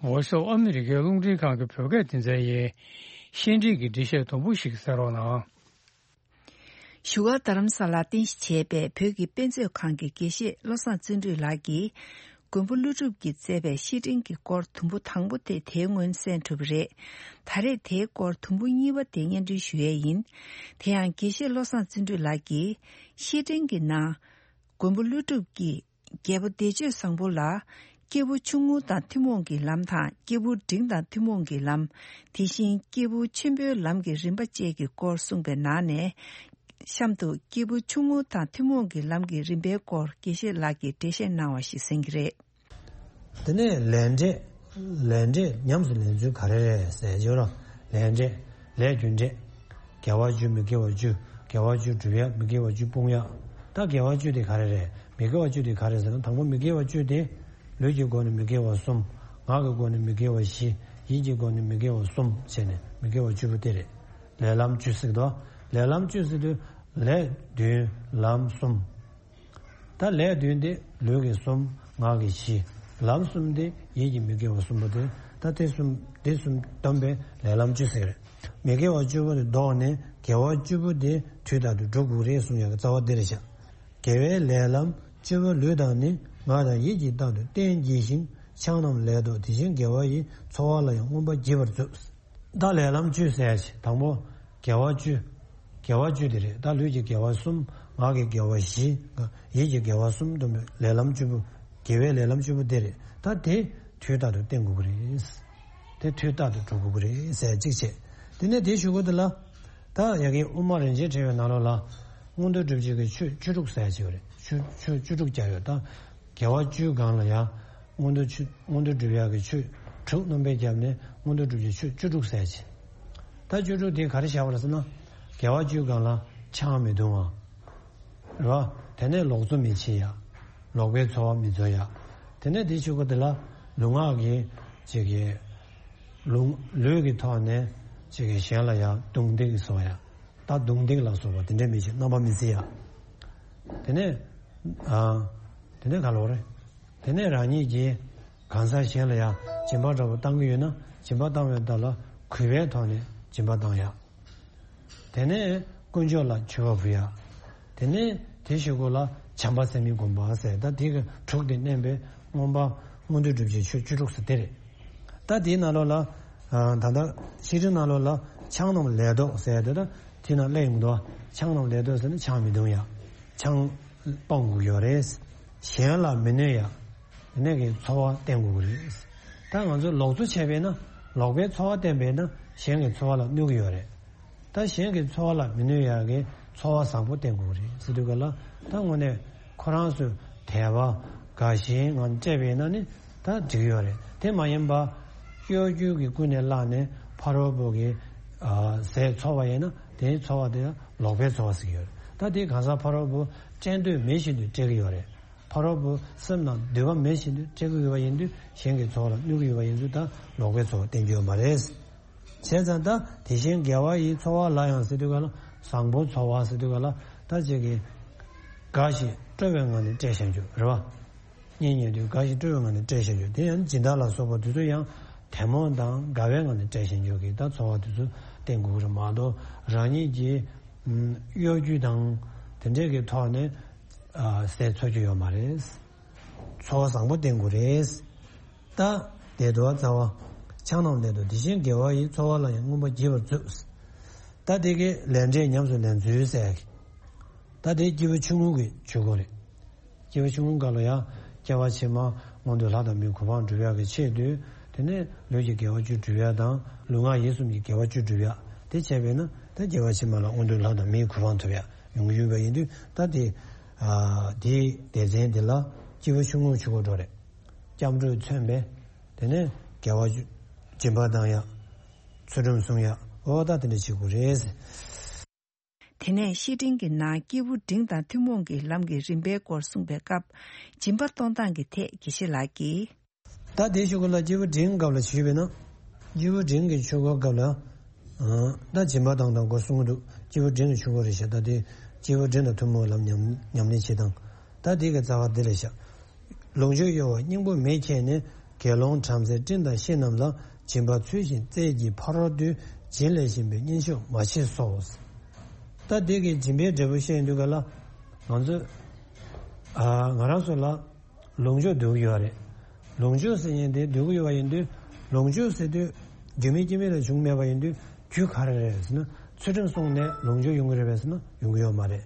Voice of America རླུང་འཕྲིན་ཁང་གི་བོད་སྐད་སྡེ་ཚན་ཡིན། བཤད་ཁྲིད་ཀྱི་འགྲེལ་བཤད་དུམ་བུ་ཞིག་གསན་རོགས་གནང་། བཞུགས་སྒར་རྡ་རམ་ས་ལར་རྟེན་གཞི་བྱས་པའི་བོད་ཀྱི་དཔེ་མཛོད་ཁང་གི་དགེ་བཤེས་བློ་བཟང་བརྩོན་འགྲུས་ལགས་ཀྱིས། མགོན་པོ་ཀླུ་སྒྲུབ་ཀྱིས་མཛད་པའི་བཤེས་སྤྲིང་གི་སྐོར་དུམ་བུ་དང་པོ་དེ་དེའི་སྔོན་གསན་གྲུབ་པ་རེད། ད་རེས་དེའི་སྐོར་དུམ་བུ་གཉིས་པ་དེ་སྙན་སྒྲོན་ཞུ་ཡས་ཡིན། དེ་ཡང་དགེ་བཤེས་བློ་བཟང་བརྩོན་འགྲུས་ལགས་ཀྱིས། བཤེས་སྤྲིང་གི་ནང་། མགོན་པོ་ཀླུ་སྒྲུབ་ཀྱིས། རྒྱལ་པོ་བདེ་སྤྱོད་བཟང་པོ་ལ། སྐྱེས་བུ་ཆུང་ངུ་དང་ཐུན་མོང་གི་ལམ་དང་། སྐྱེས་བུ་འབྲིང་དང་ཐུན་མོང་གི་ལམ། དེ་བཞིན་སྐྱེས་བུ་ཆེན་པོའི་ལམ་གྱི་རིམ་པ་བཅས་ཀྱི་སྐོར་གསུངས་པའི་ནང་ནས། གཤམ་དུ་སྐྱེས་བུ་ཆུང་ངུ་དང་ཐུན་མོང་གི་ལམ་གྱི་རིམ་པའི་སྐོར་དགེ་བཤེས་ལགས་ཀྱིས་འགྲེལ་བཤད་གནང་བ་ཞིག་གསན་གྱི་རེད། དེ་ནས་ལས་འབྲས། ལས་འབྲས་ཉམས་སུ་ལེན་ཚུལ་ག་རེ་རེད་ཟེར་བྱས་རོ། ལས་འབྲས། ལས་རྒྱུ་འབྲས། དགེ་བ་བཅུ་མི་དགེ་བ་བཅུ། དགེ་བ་བཅུ་སྒྲུབ་ཡ། མི་དགེ་བ་བཅུ་སྤོང་ཡ། ད་དགེ་བ་བཅུ་དེ་ག་རེ་རེད། མི་དགེ་བ་བཅུ་དེ་ག་རེ་ཟེར་ན། དང་པོ་མི་དགེ་བ་བཅུ་དེ། ལུས་ཀྱི་སྒོ་ནས་མི་དགེ་བ་གསུམ། ངག་གི་སྒོ་ནས་མི་དགེ་བ་བཞི། ཡིད་ཀྱི་སྒོ་ནས་མི་དགེ་བ་གསུམ་བྱས་ནས་མི་དགེ་བ་བཅུ་པོ་དེ་རེད། ལས་ལམ་བཅུ་ཟེར་དོ། ལས་ལམ་བཅུ་ཟེར་དུས་ལས་བདུན་ལམ་གསུམ། ད་ལས་བདུན་དེ་ལུས་ཀྱི་གསུམ། ངག་གི་བཞི། ལམ་གསུམ་དེ་ཡིད་ཀྱི་མི་དགེ་བ་གསུམ་པོ་དེ། ད་དེ་གསུམ་དེ་གསུམ་བསྡོམས་པས་ལས་ལམ་བཅུ་ཟེར་རེད། མི་དགེ་བ་བཅུ་པོ་དེ་ལྡོག་ནས་དགེ་བ་བཅུ་པོ་དེ་དུས་རྟག་ཏུ་སྒྲུབ་དགོས་རེད་གསུང་ཡག་གི་རྩ་བ་དེ་རེད་ཤག་དགེ་བའི་ལས་ལམ་བཅུ་པོ་ལུས་དང་ནི། ངག་དང་ཡིད་ཀྱིས་རྟག་ཏུ་བསྟེན་བགྱི་ཞིང་། ཆང་རྣམས་ལས་ལྡོག་དེ་བཞིན་དགེ་བ་ཡི། འཚོ་བ་ལ་ཡང་མངོན་པར་བགྱིད་པར་མཛོད། ད་ལས་ལམ་བཅུ་ཟེར་ཡ་ཆེ། དང་པོ་དགེ་བ་བཅུ། དགེ་བ་བཅུ་དེ་རེད། ད་ལུས་ཀྱི་དགེ་བ་གསུམ། ངག་གི་དགེ་བ་བཞི། ཡིད་ཀྱི་དགེ་བ་གསུམ་བསྡོམས་པའི་ལས་ལམ་བཅུ་པོ། དགེ་བའི་ལས་ལམ་བཅུ་པོ་དེ་རེད། ད་དེ་དུས་རྟག་ཏུ་བསྟེན་དགོས་ཀྱི་རེད། དེ་དུས་རྟག་ཏུ་སྒྲུབ་དགོས་ཀྱི་རེད་ཟེར་གཅིག་བྱས། དེ་ནས་དེའི་གཞུག་གུ་དེ་ལ། ད་ཡ་གི་དབུ་མ་རིན་ཆེན་ཕྲེང་བའི་ནང་ལོགས་ལ། མངོན་མཐོ་སྒྲུབ་བྱེད་ཀྱི་ཆོས་བཅུ་དྲུག་ཟེར་ཡ་ཅིག་ཡོད་རེད། ཆོས་ཆོས་བཅུ་དྲུག་བརྒྱབ་ཡོད་ད། དགེ་བ་བཅུའི་སྒང་ལ་ཡང་། མངོན་མཐོ་ཆོས་མངོན་མཐོ་སྒྲུབ་ཡག་གི་ཆོས་དྲུག་རྣམ་པར་བརྒྱབ་ནས་མངོན་མཐོ་སྒྲུབ་ཀྱི་ཆོས་བཅུ་དྲུག་ཟེར་ཅིང་། ད་བཅུ་དྲུག་དེ་ག་རེ་བཞག་པ་རེད་ཟེར་ན། དགེ་བ་བཅུའི་སྒང་ལ་ཆང་མི་འཐུང་བ། རེད་བ། དེ་ནས་ལོག་འཚོ་མི་བྱེད་ཡ། ལོག་པའི་འཚོ་བ་མི་འཚོ་ཡ། དེ་ནས་དེའི་གཞུག་གུ་དེ་ལ་ལུས་ངག་གི་ཅིག་གི་ལུས་ལུས་ཀྱི་ཐོག་ནས་ཅིག་གི་གཞན་ལ་ཡ་རྡུང་རྡེག་བཟོ་ཡ། ད་རྡུང་རྡེག་ལ་སོགས་པ་དེ་འདྲ་མི་བྱེད། རྣམ་པ་མི་བརྩི་ཡ། དེ་ནས་ཨ། དེ་ནས་ག་ལོག་རེད། དེ་ནས་རང་ཉིད་ཀྱིས་གང་ཟག་གཞན་ལ་ཡང་སྦྱིན་པ་འདྲ་པོ་བཏང་གི་ཡོད་ན། སྦྱིན་པ་བཏང་བའི་བར་ལ་གུས་པའི་ཐོག་ནས་སྦྱིན་པ་བཏང་ཡ། དེ་ནས་དཀོན་མཆོག་ལ་མཆོད་པ་ཕུལ་ཡ། དེ་ནས་དེའི་གཞུག་གུ་ལ་བྱམས་པ་སེམས་ཉིད་བསྒོམ་པ་ཟེར། ད་དེ་གི་དྲུག་དེ་བསྣན་པའི་མངོན་པ་མངོན་མཐོ་སྒྲུབ་བྱེད་ཆོས་བཅུ་དྲུག་ཟེར་དེ་རེད། ད་དེའི་ནང་ལོགས་ལ། ཨ། ད་ལྟ་བཤེས་སྤྲིང་ནང་ལོགས་ལ་ཆང་རྣམས་ལས་ལྡོག་ཟེར་ཡ་དེ། ད་དེ་ནང་སླེབས་ཡོང་གི་འདུག་ཆང་རྣམས་ལས་ལྡོག་ཟེར་ན་ཆང་མི་འཐུང་ཡ། ཆང་སྤང་དགོས་ཡོད་རེད། གཞན་ལ་མི་གནོད་ཡ། དེ་ནས་ཀྱི་འཚོ་བ་བསྟེན་དགོས་ཀྱི་རེད། ད་ང་ཚོ་ལོག་འཚོ་བྱས་པས་ན། ལོག་པའི་འཚོ་བ་བསྟེན་པས་ན་གཞན་གྱི་འཚོ་བ་ལ་གནོད་ཀྱི་ཡོད་རེད། ད་གཞན་གྱི་འཚོ་བ་ལ་མི་གནོད་ཡག་གི་འཚོ་བ་བཟང་པོ་བསྟེན་དགོས་རེད་ཟེར་དུས་ག་ལ། ད་དངོས་གནས་ཁོ་རང་ཚོས་དད་པ་དགའ་ཞེན་ངང་སྤྲད་པས་ན་ནི་ད་འགྲིག་ཡོད་རེད། དེ་མ་ཡིན་པ་གཡོ་སྒྱུ་གི་ཀུན་ནས་བསླངས་ནས་ཕ་རོལ་པོ་གི་ཟས་འཚོ་བ་ཡིན་ན། དེའི་འཚོ་བ་དེ་ལོག་པའི་འཚོ་བ་ཟེར་གྱི་ཡོད་རེད། ད་དེ་གང་ཟག་ཕ་རོལ་པོ་སྤྲད་འདོད་མེད་བཞིན་དུ་སྤྲད་ཀྱི་ཡོད་རེད། ཕ་རོལ་པོ་སེམས་ནང་འདོད་པ་མེད་བཞིན་དུ་སྤྲད་ཀྱི་ཡོད་པ་ཡིན་དུས། གཞན་གྱི་འཚོ་བ་ལ་གནོད་ཀྱི་ཡོད་པ་ཡིན་ཚུལ་ད་ལོག་པའི་འཚོ་བ་བསྟེན་རྒྱུ་ཡོད་མ་རེད། བྱས་ཙང་ད་དེ་བཞིན་དགེ་བ་ཡིས་འཚོ་བ་ལ་ཡང་ཟེར་དུས་ག་ལ། བཟང་པོ་འཚོ་བ་ཟེར་དུས་ག་ལ། ད་ཅིག་གི་དགའ་ཞིང་སྤྲོ་བའི་ངང་ནས་སྤྲད་བཞག་རྒྱུ་རེད་བ། གཉེན་ཉེ་དུས་དགའ་ཞིང་སྤྲོ་བའི་ངང་ནས་སྤྲད་བཞག་རྒྱུ་དེ་ཡང་སྦྱིན་བདག་ལ་སོགས་པ་དེ་ཚོ་ཡང་དད་མོས་དང་དགའ་བའི་ངང་ནས་སྤྲད་བཞག་རྒྱུ་གི་ད་འཚོ་བ་དེ་ཚོ་བསྟེན་དགོས་ཀྱི་རེད་མ་གཏོགས། རང་ཉིད་ཀྱི་གཡོ་སྒྱུ་དང་དེ་འདྲས་ཀྱི་ཐོག་ནས། ཟས་འཚོ་རྒྱུ་ཡོད་མ་རེད། འཚོ་བ་བཟང་པོ་བསྟེན་དགོས་རེད། ད་བདེ་འགྲོ་རྩ་བ་ཆགས་རྣམས་ལས་དང་། དེ་བཞིན་དགེ་བ་ཡིས། འཚོ་བ་ལ་ཡང་མངོན་པར་བགྱིད་པར་མཛོད། ད་དེ་གི་ལས་འབྲས་ཉམས་སུ་ལེན་ཚུལ་ཟེར་གི། ད་དེ་སྐྱེས་བུ་ཆུང་ངུ་གི་ཆོས་སྐོར་རེད། སྐྱེས་བུ་ཆུང་ངུ་སྐབས་ལ་ཡང་སྐྱེ་བ་ཕྱི་མ་མངོན་མཐོའི་ལྷ་དང་མིའི་གོ་འཕང་སྒྲུབ་ཡག་གི་ཆེད་དུ། དེ་ནས་ལུས་ཀྱི་དགེ་བ་བཅུ་སྒྲུབ་ཡག་དང་ལུས་ངག་ཡིད་གསུམ་གྱི་དགེ་བ་བཅུ་སྒྲུབ་ཡག་དེ་བྱས་པས་ན། ད་སྐྱེ་བ་ཕྱི་མ་ལ་མངོན་མཐོའི་ལྷ་དང་མིའི་གོ་འཕང་ཐོབ་ཡག་ཡོང་གི་ཡོད་པ་ཡིན་དུས། ད་དེ་ཨ་དེའི་སྡེ་ཚན་དེ་ལ་སྐྱེས་བུ་ཆུང་ངུའི་ཆོས་སྐོར་འགྲོ་རེད། སྐྱབས་འགྲོས་མཚོན་པས། དེ་ནས་དགེ་བ་བཅུ། སྦྱིན་པ་བཏང་ཡག་ཚུལ་ཁྲིམས་སྲུང་ཡག་འོ་ད་དེ་འདྲ་བྱེད་དགོས་རེད། དེ་ནས་བཤེས་སྤྲིང་གི་ནང་སྐྱེས་བུ་འབྲིང་དང་ཐུན་མོང་གི་ལམ་གྱི་རིམ་པའི་སྐོར་གསུངས་པའི་སྐབས། སྦྱིན་པ་གཏོང་སྟངས་ཀྱི་ཐད་དགེ་བཤེས་ལགས་ཀྱིས། ད་དེའི་ཆོས་སྐོར་ལ་སྐྱེས་བུ་འབྲིང་སྐབས་ལ་ཞུས་པས་ན། སྐྱེས་བུ་འབྲིང་གི་ཆོས་སྐོར་སྐབས་ལ། ཨ་ད་སྦྱིན་པ་བཏང་སྟངས་སྐོར་གསུང་གི་འདུག་སྐྱེས་བུ་འབྲིང་གི་ཆོས་སྐོར་རེད་ཤག་ད་དེ་སྐྱེས་བུ་འབྲིང་དང་ཐུན་མོང་ལམ་ཉམས་ཉམས་ལེན་བྱེད་སྟངས། ད་དེ་གི་རྩ་བ་འདི་རེད་ཤག་ལོངས་སྤྱོད་གཡོ་བ་སྙིང་པོ་མེད་ཁྱེར་ནས། དགེ་སློང་བྲམ་ཟེ་སྤྲིན་དང་བཤེས་རྣམས་ལ། སྦྱིན་པ་ཚུལ་བཞིན་སྩལ་གྱིས་ཕ་རོལ་ཏུ། སྦྱིན་ལས་གཞན་པའི་གཉེན་ཤོག་མ་མཆིས་སོ། ད་དེ་གི་སྦྱིན་པའི་འབྲས་བུ་བཤད་ཡོང་དུས་ག་ལ། ང་ཚོས་ཨ་ང་རང་ཚོ་ལ་ལོངས་སྤྱོད་འདོད་ཀྱི་ཡོད་རེད། ལོངས་སྤྱོད་ཟེར་མཁན་དེ་འདོད་ཀྱི་ཡོད་པ་ཡིན་དུས། ལོངས་སྤྱོད་ཟེར་དུས་རྒྱུ་མེད་རྐྱེན་མེད་ལས་བྱུང་མེད་པ་ཡིན་དུས། རྒྱུ་ག་རེ་རེད་ཟེར་ན། ཚུལ་ཁྲིམས་བསྲུངས་ནས་ལོངས་སྤྱོད་ཡོང་གི་རེད་པས་ཟེར་ན་ཡོང་གི་ཡོད་མ་རེད།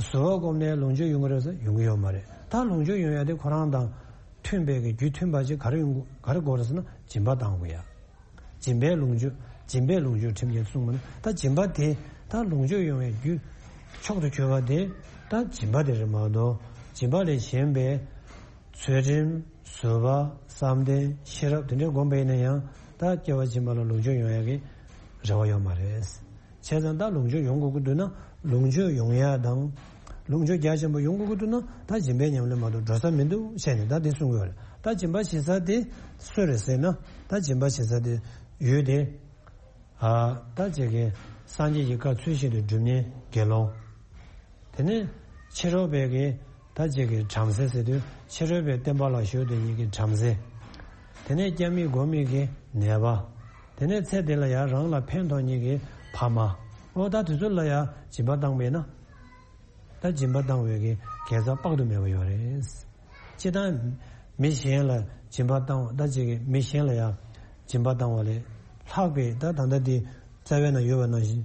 ཟོལ་བ་བཀོལ་ནས་ལོངས་སྤྱོད་ཡོང་གི་རེད་ཟེར་ཡོང་གི་ཡོད་མ་རེད། ད་ལོངས་སྤྱོད་ཡོང་ཡ་དེ་ཁོ་རང་དང་མཐུན་པའི་གི་རྒྱུ་མཐུན་པ་ཅིག་ག་རེ་ཡོང་གི་ག་རེ་དགོས་རེད་ཟེར་ན། སྦྱིན་པ་བཏང་དགོས་ཡ། སྦྱིན་པའི་ལོངས་སྤྱོད། སྦྱིན་པས་ལོངས་སྤྱོད་ཁྲིམས་ཀྱིས་གསུངས་པ་ན། ད་སྦྱིན་པ་དེ་ད་ལོངས་སྤྱོད་ཡོང་བའི་རྒྱུ་མཆོག་ཏུ་གྱུར་པ་དེ་ད་སྦྱིན་པ་དེ་རེད་མ་གཏོགས། སྦྱིན་པ་ལས་གཞན་པའི་ཚུལ་ཁྲིམས། ཟོལ་བ། བསམ་གཏན། ཤེས་རབ་དེ་འདྲའི་སྒོམ་པ་ཡིན་ན་ཡང་། ད་སྐྱེ་བ་ཕྱི་མ་ལ་ལོངས་སྤྱོད་ཡོང་ཡ་གི་རེ་བ་ཡོད་མ་རེད། བྱས་ཙང་ད་ལོངས་སྤྱོད་ཡོང་དགོས་ཀྱི་འདུག་ན། ལོངས་སྤྱོད་ཡོང་ཡ་དང་། ལོངས་སྤྱོད་རྒྱ་ཆེན་པོ་ཡོང་དགོས་ཀྱི་འདུག་ན། ད་སྦྱིན་པའི་ཉམས་ལེན་མ་གཏོགས་འགྲོ་ས་མི་འདུག་བྱས་ནས་ད་འདི་གསུང་གི་ཡོད་རེད། ད་སྦྱིན་པ་བྱེད་ས་དེ་སུ་རེད་ཟེར་ན། ད་སྦྱིན་པ་བྱེད་ས་དེ་ཡུལ་དེ། ཨ་ད་ཅིག་གི་སངས་རྒྱས་ཀྱི་བཀའ་ཚུལ་བཞིན་དུ་སྒྲུབ་མཁན་དགེ་སློང་། དེ་ནས་ཕྱི་རོལ་པའི་གི་ད་ཅིག་གི་བྲམ་ཟེ་ཟེར་དུས། ཕྱི་རོལ་པའི་བསྟན་པ་ལ་ཞུགས་དེ་ཉིད་ཀྱི་བྲམ་ཟེ། དེ་ནས་སྐྱབས་མེད་མགོན་མེད་ཀྱི་ནད་པ། དེ་ནས་ཚེ་འདི་ལ་ཡང་རང་ལ་ཕན་ཐོགས་མཁན་གྱི་ཕ་མ། འོ་ད་དེ་ཚོ་ལ་ཡང་སྦྱིན་པ་བཏང་བས་ན། ད་སྦྱིན་པ་བཏང་བའི་གི་དགེ་རྩ་དཔག་ཏུ་མེད་པ་ཡོད་རེད། སྤྱིར་བཏང་མི་གཞན་ལ་སྦྱིན་པ་བཏང་བ། ད་ཅིག་གི་མི་གཞན་ལ་ཡང་སྦྱིན་པ་བཏང་བ་ལས་ལྷག་པའི། ད་ད་ལྟ་དེ་རྩ་བའི་ནང་ཡོད་པ་ནང་བཞིན།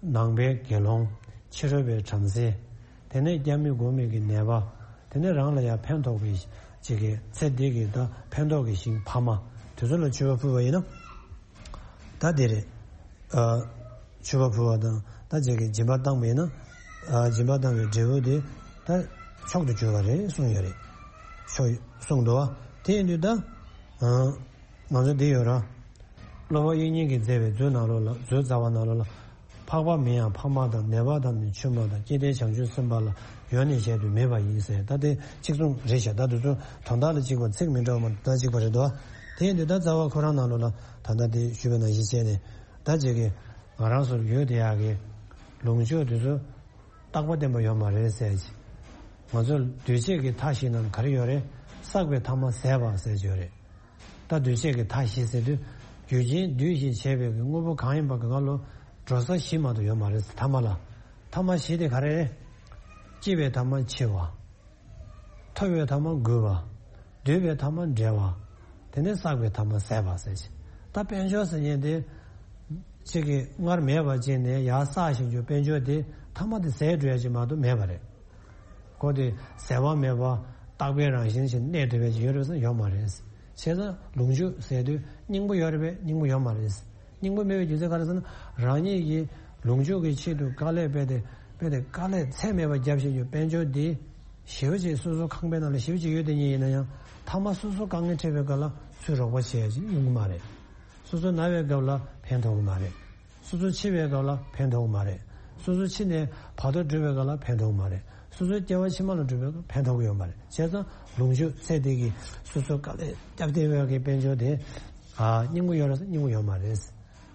ནང་པའི་དགེ་སློང་། ཕྱི་རོལ་པའི་བྲམ་ཟེ། དེ་ནས་སྐྱབས་མེད་མགོན་མེད་ཀྱི་ནད་པ། དེ་ནས་རང་ལ་ཡང་ཕན་ཐོགས་པའི་ཅིག་གི་ཚེ་འདི་གི་ད་ཕན་ཐོགས་ཀྱི་ཞིང་ཕ་མ་དེ་ཚོ་ལ་མཆོད་པ་ཕུལ་བ་ཡིན་ན། ད་དེ་རེད། ཨ་མཆོད་པ་ཕུལ་བ་དང་ད་ཅིག་གི་སྦྱིན་པ་བཏང་བ་ཡིན་ན། ཨ་སྦྱིན་པ་བཏང་བའི་འབྲས་བུ་དེ་ད་མཆོག་ཏུ་གྱུར་པ་རེད་གསུངས་ཡོད་རེད། མཆོག་གསུངས་འདུག་བ། དེ་ཡིན་དུས་ད་ཨ་ང་ཚོ་འདི་ཡོད་ར། སློབ་དཔོན་དབྱིག་གཉེན་གྱིས་མཛད་པའི་མཛོད་ནང་ལོགས་ལ། མཛོད་རྩ་བ་ནང་ལོགས་ལ། འཕགས་པ་མིན་ཡང་ཕ་མ་དང་། ནད་པ་དང་ནི་ཆུང་མ་དང་། སྐྱེ་མཐའི་བྱང་ཆུབ་སེམས་དཔའ་ལ། ཡོན་ནི་གཞལ་དུ་མེད་པ་ཡིན་ཟེར། ད་དེ་གཅིག་མཚུངས་རེད་ཤག་ད་དེ་ཚོ་དོན་དག་ལ་གཅིག་པ། ཚིག་མི་འདྲ་བ་མ་གཏོགས་གཅིག་པ་རེད་དོ། དེ་ཡིན་དུས་ད་རྩ་བ་ཁོ་རང་ནང་ལོགས་ལ་ད་ལྟ་དེ་ཞུས་པ་ནང་བཞིན་བྱས་ནས། ད་ཅིག་གི་ང་རང་ཚོར་ཡོད་དེ་ཡག་གི་ལོངས་སྤྱོད་དེ་ཚོ་རྟག་པ་བརྟན་པ་ཡོད་མ་རེད་ཟེར་གྱི། ང་ཚོ་འདུས་བྱས་ཀྱི་མཐའ་བཞི་ནང་ག་རེ་ཡོད་རེད། བསགས་པའི་ཐ་མ་ཟད་པ་ཟེར་གྱི་ཡོད་རེད། ད་འདུས་བྱས་ཀྱི་མཐའ་བཞི་ཟེར་དུས། རྒྱུ་རྐྱེན་འདུས་ཤིང་བྱས་པའི་གི་དངོས་པོ་གང་ཡིན་པ་གི་ང་ལོ་འགྲོ་ས་བཞི་མ་གཏོགས་ཡོད་མ་རེད། ཐ་མ་ལ། ཐ་མ་བཞི་དེ་ག་རེ་རེད། སྐྱེ་བའི་ཐ་མ་འཆི་བ། ཐོབ་པའི་ཐ་མ་རྒུད་པ། འདོད་པའི་ཐ་མ་བྲལ་བ། དེ་ནས་བསགས་པའི་ཐ་མ་ཟད་པ་ཟེར་ཅིག་ད་དཔལ་འབྱོར་ཟེར་མཁན་དེ། གཅིག་གིས་སྔར་མེད་པ་ཅིག་ནས་ཡར་བསགས་བཞིན་རྒྱུ་དཔལ་འབྱོར་དེ་ཐ་མ་དེ་ཟད་འགྲོ་ཡ་ཅིག་མ་གཏོགས་མེད་པ་རེད། ཁོ་དེ་ཟད་པ་མེད་པ་རྟག་པའི་རང་བཞིན་ཞིག་གནས་ཐུབ་པའི་ཅིག་ཡོད་རེད་ཟེར་ན་ཡོད་མ་རེད། བྱས་ཙང་ལོངས་སྤྱོད་ཟེར་དུས་སྙིང་པོ་ཡོད་རེད་པས། སྙིང་པོ་ཡོད་མ་རེད། སྙིང་པོ་མེད་པའི་རྒྱུ་མཚན་ག་རེ་ཟེར་ན། རང་ཉིད་ཀྱི་ལོངས་སྤྱོད་ཀྱི་ཆེད་དུ་དཀའ་ལས་དཔེ་དེ་དཔེ་དེ་དཀའ་ལས་ཚད་མེད་པ་བརྒྱབ་བཞིན་རྒྱུ་དཔལ་འབྱོར་དེ་ཞེ་པོ་ཅིག་སོ་སོ་ཁང་པའི་ནང་ལ་ཞེ་པོ་ཅིག་ཡོད་དེ་ཉིད་ཡིན་ན་ཡང་། ཐ་མ་སོ་སོ་དཀའ་ངལ་འཕྲད་པའི་སྐབས་ལ་ཚུར་རོགས་པ་བྱེད་ཡ་ཅིག་ཡོང་གི་མ་རེད། སོ་སོ་ན་བའི་སྐབས་ལ་ཕན་ཐོགས་ཀྱི་མ་རེད། སོ་སོ་འཆི་བའི་སྐབས་ལ་ཕན་ཐོགས་ཀྱི་མ་རེད། སོ་སོ་འཆི་ནས་བར་དོ་སྒྲུབ་པའི་སྐབས་ལ་ཕན་ཐོགས་ཀྱི་མ་རེད། སོ་སོའི་སྐྱེ་བ་ཕྱི་མ་ལ་སྒྲུབ་པའི་སྐབས་ཕན་ཐོགས་ཀྱི་ཡོད་མ་རེད། བྱས་ཙང་ལོངས་སྤྱོད་ཚད་དེ་གི་སོ་སོ་དཀའ་ལས་བརྒྱབ་བསྡད་པའི་གི་དཔལ་འབྱོར་དེ། ཨ་སྙིང་པོ་ཡོད་རེད་ཟེར་ན་སྙིང་པོ་ཡོད་མ་རེད།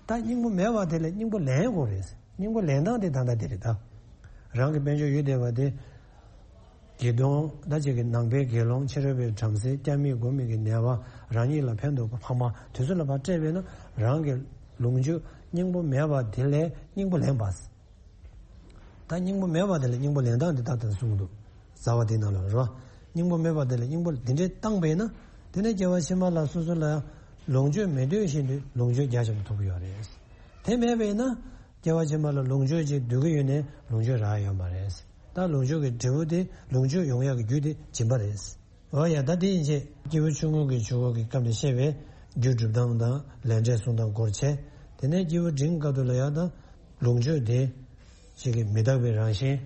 ད་སྙིང་པོ་མེད་པ་དེ་ལས་སྙིང་པོ་ལེན་དགོས་རེད། སྙིང་པོ་ལེན་སྟངས་དེ་ད་ལྟ་དེ་རེད་ད། རང་གི་དཔལ་འབྱོར་ཡོད་བསྡད་པ་དེ། དགེ་འདུན་ད་ཅིག་གི་ནང་པའི་དགེ་སློང་། ཕྱི་རོལ་པའི་བྲམ་ཟེ། སྐྱབས་མེད་མགོན་མེད་ཀྱི་ནད་པ། རང་ཉིད་ལ་ཕན་ཐོགས་པ་ཕ་མ། དེ་ཚོ་ལ་ཕར་སྤྲད་པས་ན། རང་གི་ལོངས་སྤྱོད་སྙིང་པོ་མེད་པ་དེ་ལས་སྙིང་པོ་ལེན་པ། ད་སྙིང་པོ་མེད་པ་དེ་ལས་སྙིང་པོ་ལེན་སྟངས་དེ་ད་ལྟ་གསུངས་འདུག་རྩ་བ་དེའི་ནང་ལ་རོ། སྙིང་པོ་མེད་པ་དེ་ལ་སྙིང་པོ་འདི་འདྲས་བཏང་པས་ན། དེ་ནས་སྐྱེ་བ་ཕྱི་མ་ལ་སོ་སོ་ལ་ཡང་ལོངས་སྤྱོད་མེད་དུས་བཞིན་དུ་ལོངས་སྤྱོད་རྒྱ་ཆེན་པོ་ཐོབ་ཀྱི་ཡོད་རེད། དེ་མེད་པས་ན། སྐྱེ་བ་ཕྱི་མ་ལ་ལོངས་སྤྱོད་ཅིག་འདོད་ཀྱི་ཡོད་ནས་ལོངས་སྤྱོད་རག་ཡོད་མ་རེད། ད་ལོངས་སྤྱོད་ཀྱི་འབྲས་བུ་དེ་ལོངས་སྤྱོད་ཡོང་ཡག་གི་རྒྱུ་དེ་སྦྱིན་པ་རེད། འོ་ཡ། ད་དེ་ཡིན་ཚེ་སྐྱེས་བུ་ཆུང་ངུ་གི་ཆུ་འགོ་གི་སྐབས་ནས་བཤད་པའི་རྒྱུ་སྒྲུབ་སྟངས་དང་ལས་འབྲས་སྲུང་སྟངས་སྐོར་བྱས། དེ་ནས་སྐྱེས་བུ་འབྲིང་སྐབས་དུ་ལ་ཡང་ད་ལོངས་སྤྱོད་དེ་ཞིག་གི་མི་རྟག་པའི་རང་བཞིན་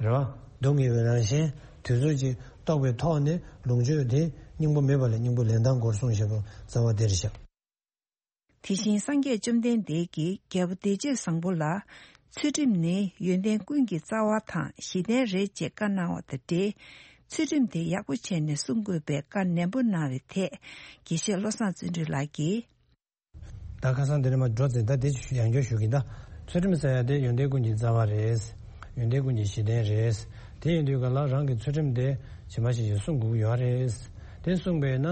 རེད་བ། སྡུག་བསྔལ་བའི་རང་བཞིན་དུས་ཚོད་ཅིག་རྟོགས་པའི་ཐོག་ནས་ལོངས་སྤྱོད་དེ་སྙིང་པོ་མེད་པ་ལས་སྙིང་པོ་ལེན་སྟངས་སྐོར་གསུངས་བཞག་པ་རྩ་བ་དེ་རེད་ཤག་དེ་བཞིན་སངས་རྒྱས་བཅོམ་ལྡན་འདས་ཀྱིས་རྒྱལ་པོ་བདེ་སྤྱོད་བཟང་པོ་ལ། ཚུལ་ཁྲིམས་ནི་ཡོན་ཏན་ཀུན་གྱི་རྩ་བ་དང་གཞི་རྟེན་རེད་ཅེས་བཀའ་གནང་བ་དང་འབྲེལ། ཚུལ་ཁྲིམས་དེ་ཡག་པོ་བྱས་ནས་སྲུང་དགོས་པའི་བཀའ་ནན་པོ་གནང་བའི་ཐད་དགེ་བཤེས་བློ་བཟང་བརྩོན་འགྲུས་ལགས་ཀྱིས། ད་ཁ་སང་དེ་ནས་མར་འགྲོ་ཚེ་ད་དེ་ཡང་བསྐྱར་ཞུ་གི་ཡིན། ད་ཚུལ་ཁྲིམས་ཟེར་ཡ་དེ་ཡོན་ཏན་ཀུན་གྱི་རྩ་བ་རེད། ཡོན་ཏན་ཀུན་གྱི་གཞི་རྟེན་རེད། དེ་ཡིན་དུས་ག་ལ་རང་གི་ཚུལ་ཁྲིམས་དེ་ཇི་མ་ཇི་བཞིན་སྲུང་དགོས་ཀྱི་ཡོད་རེད། དེ་སྲུང་བས་ན་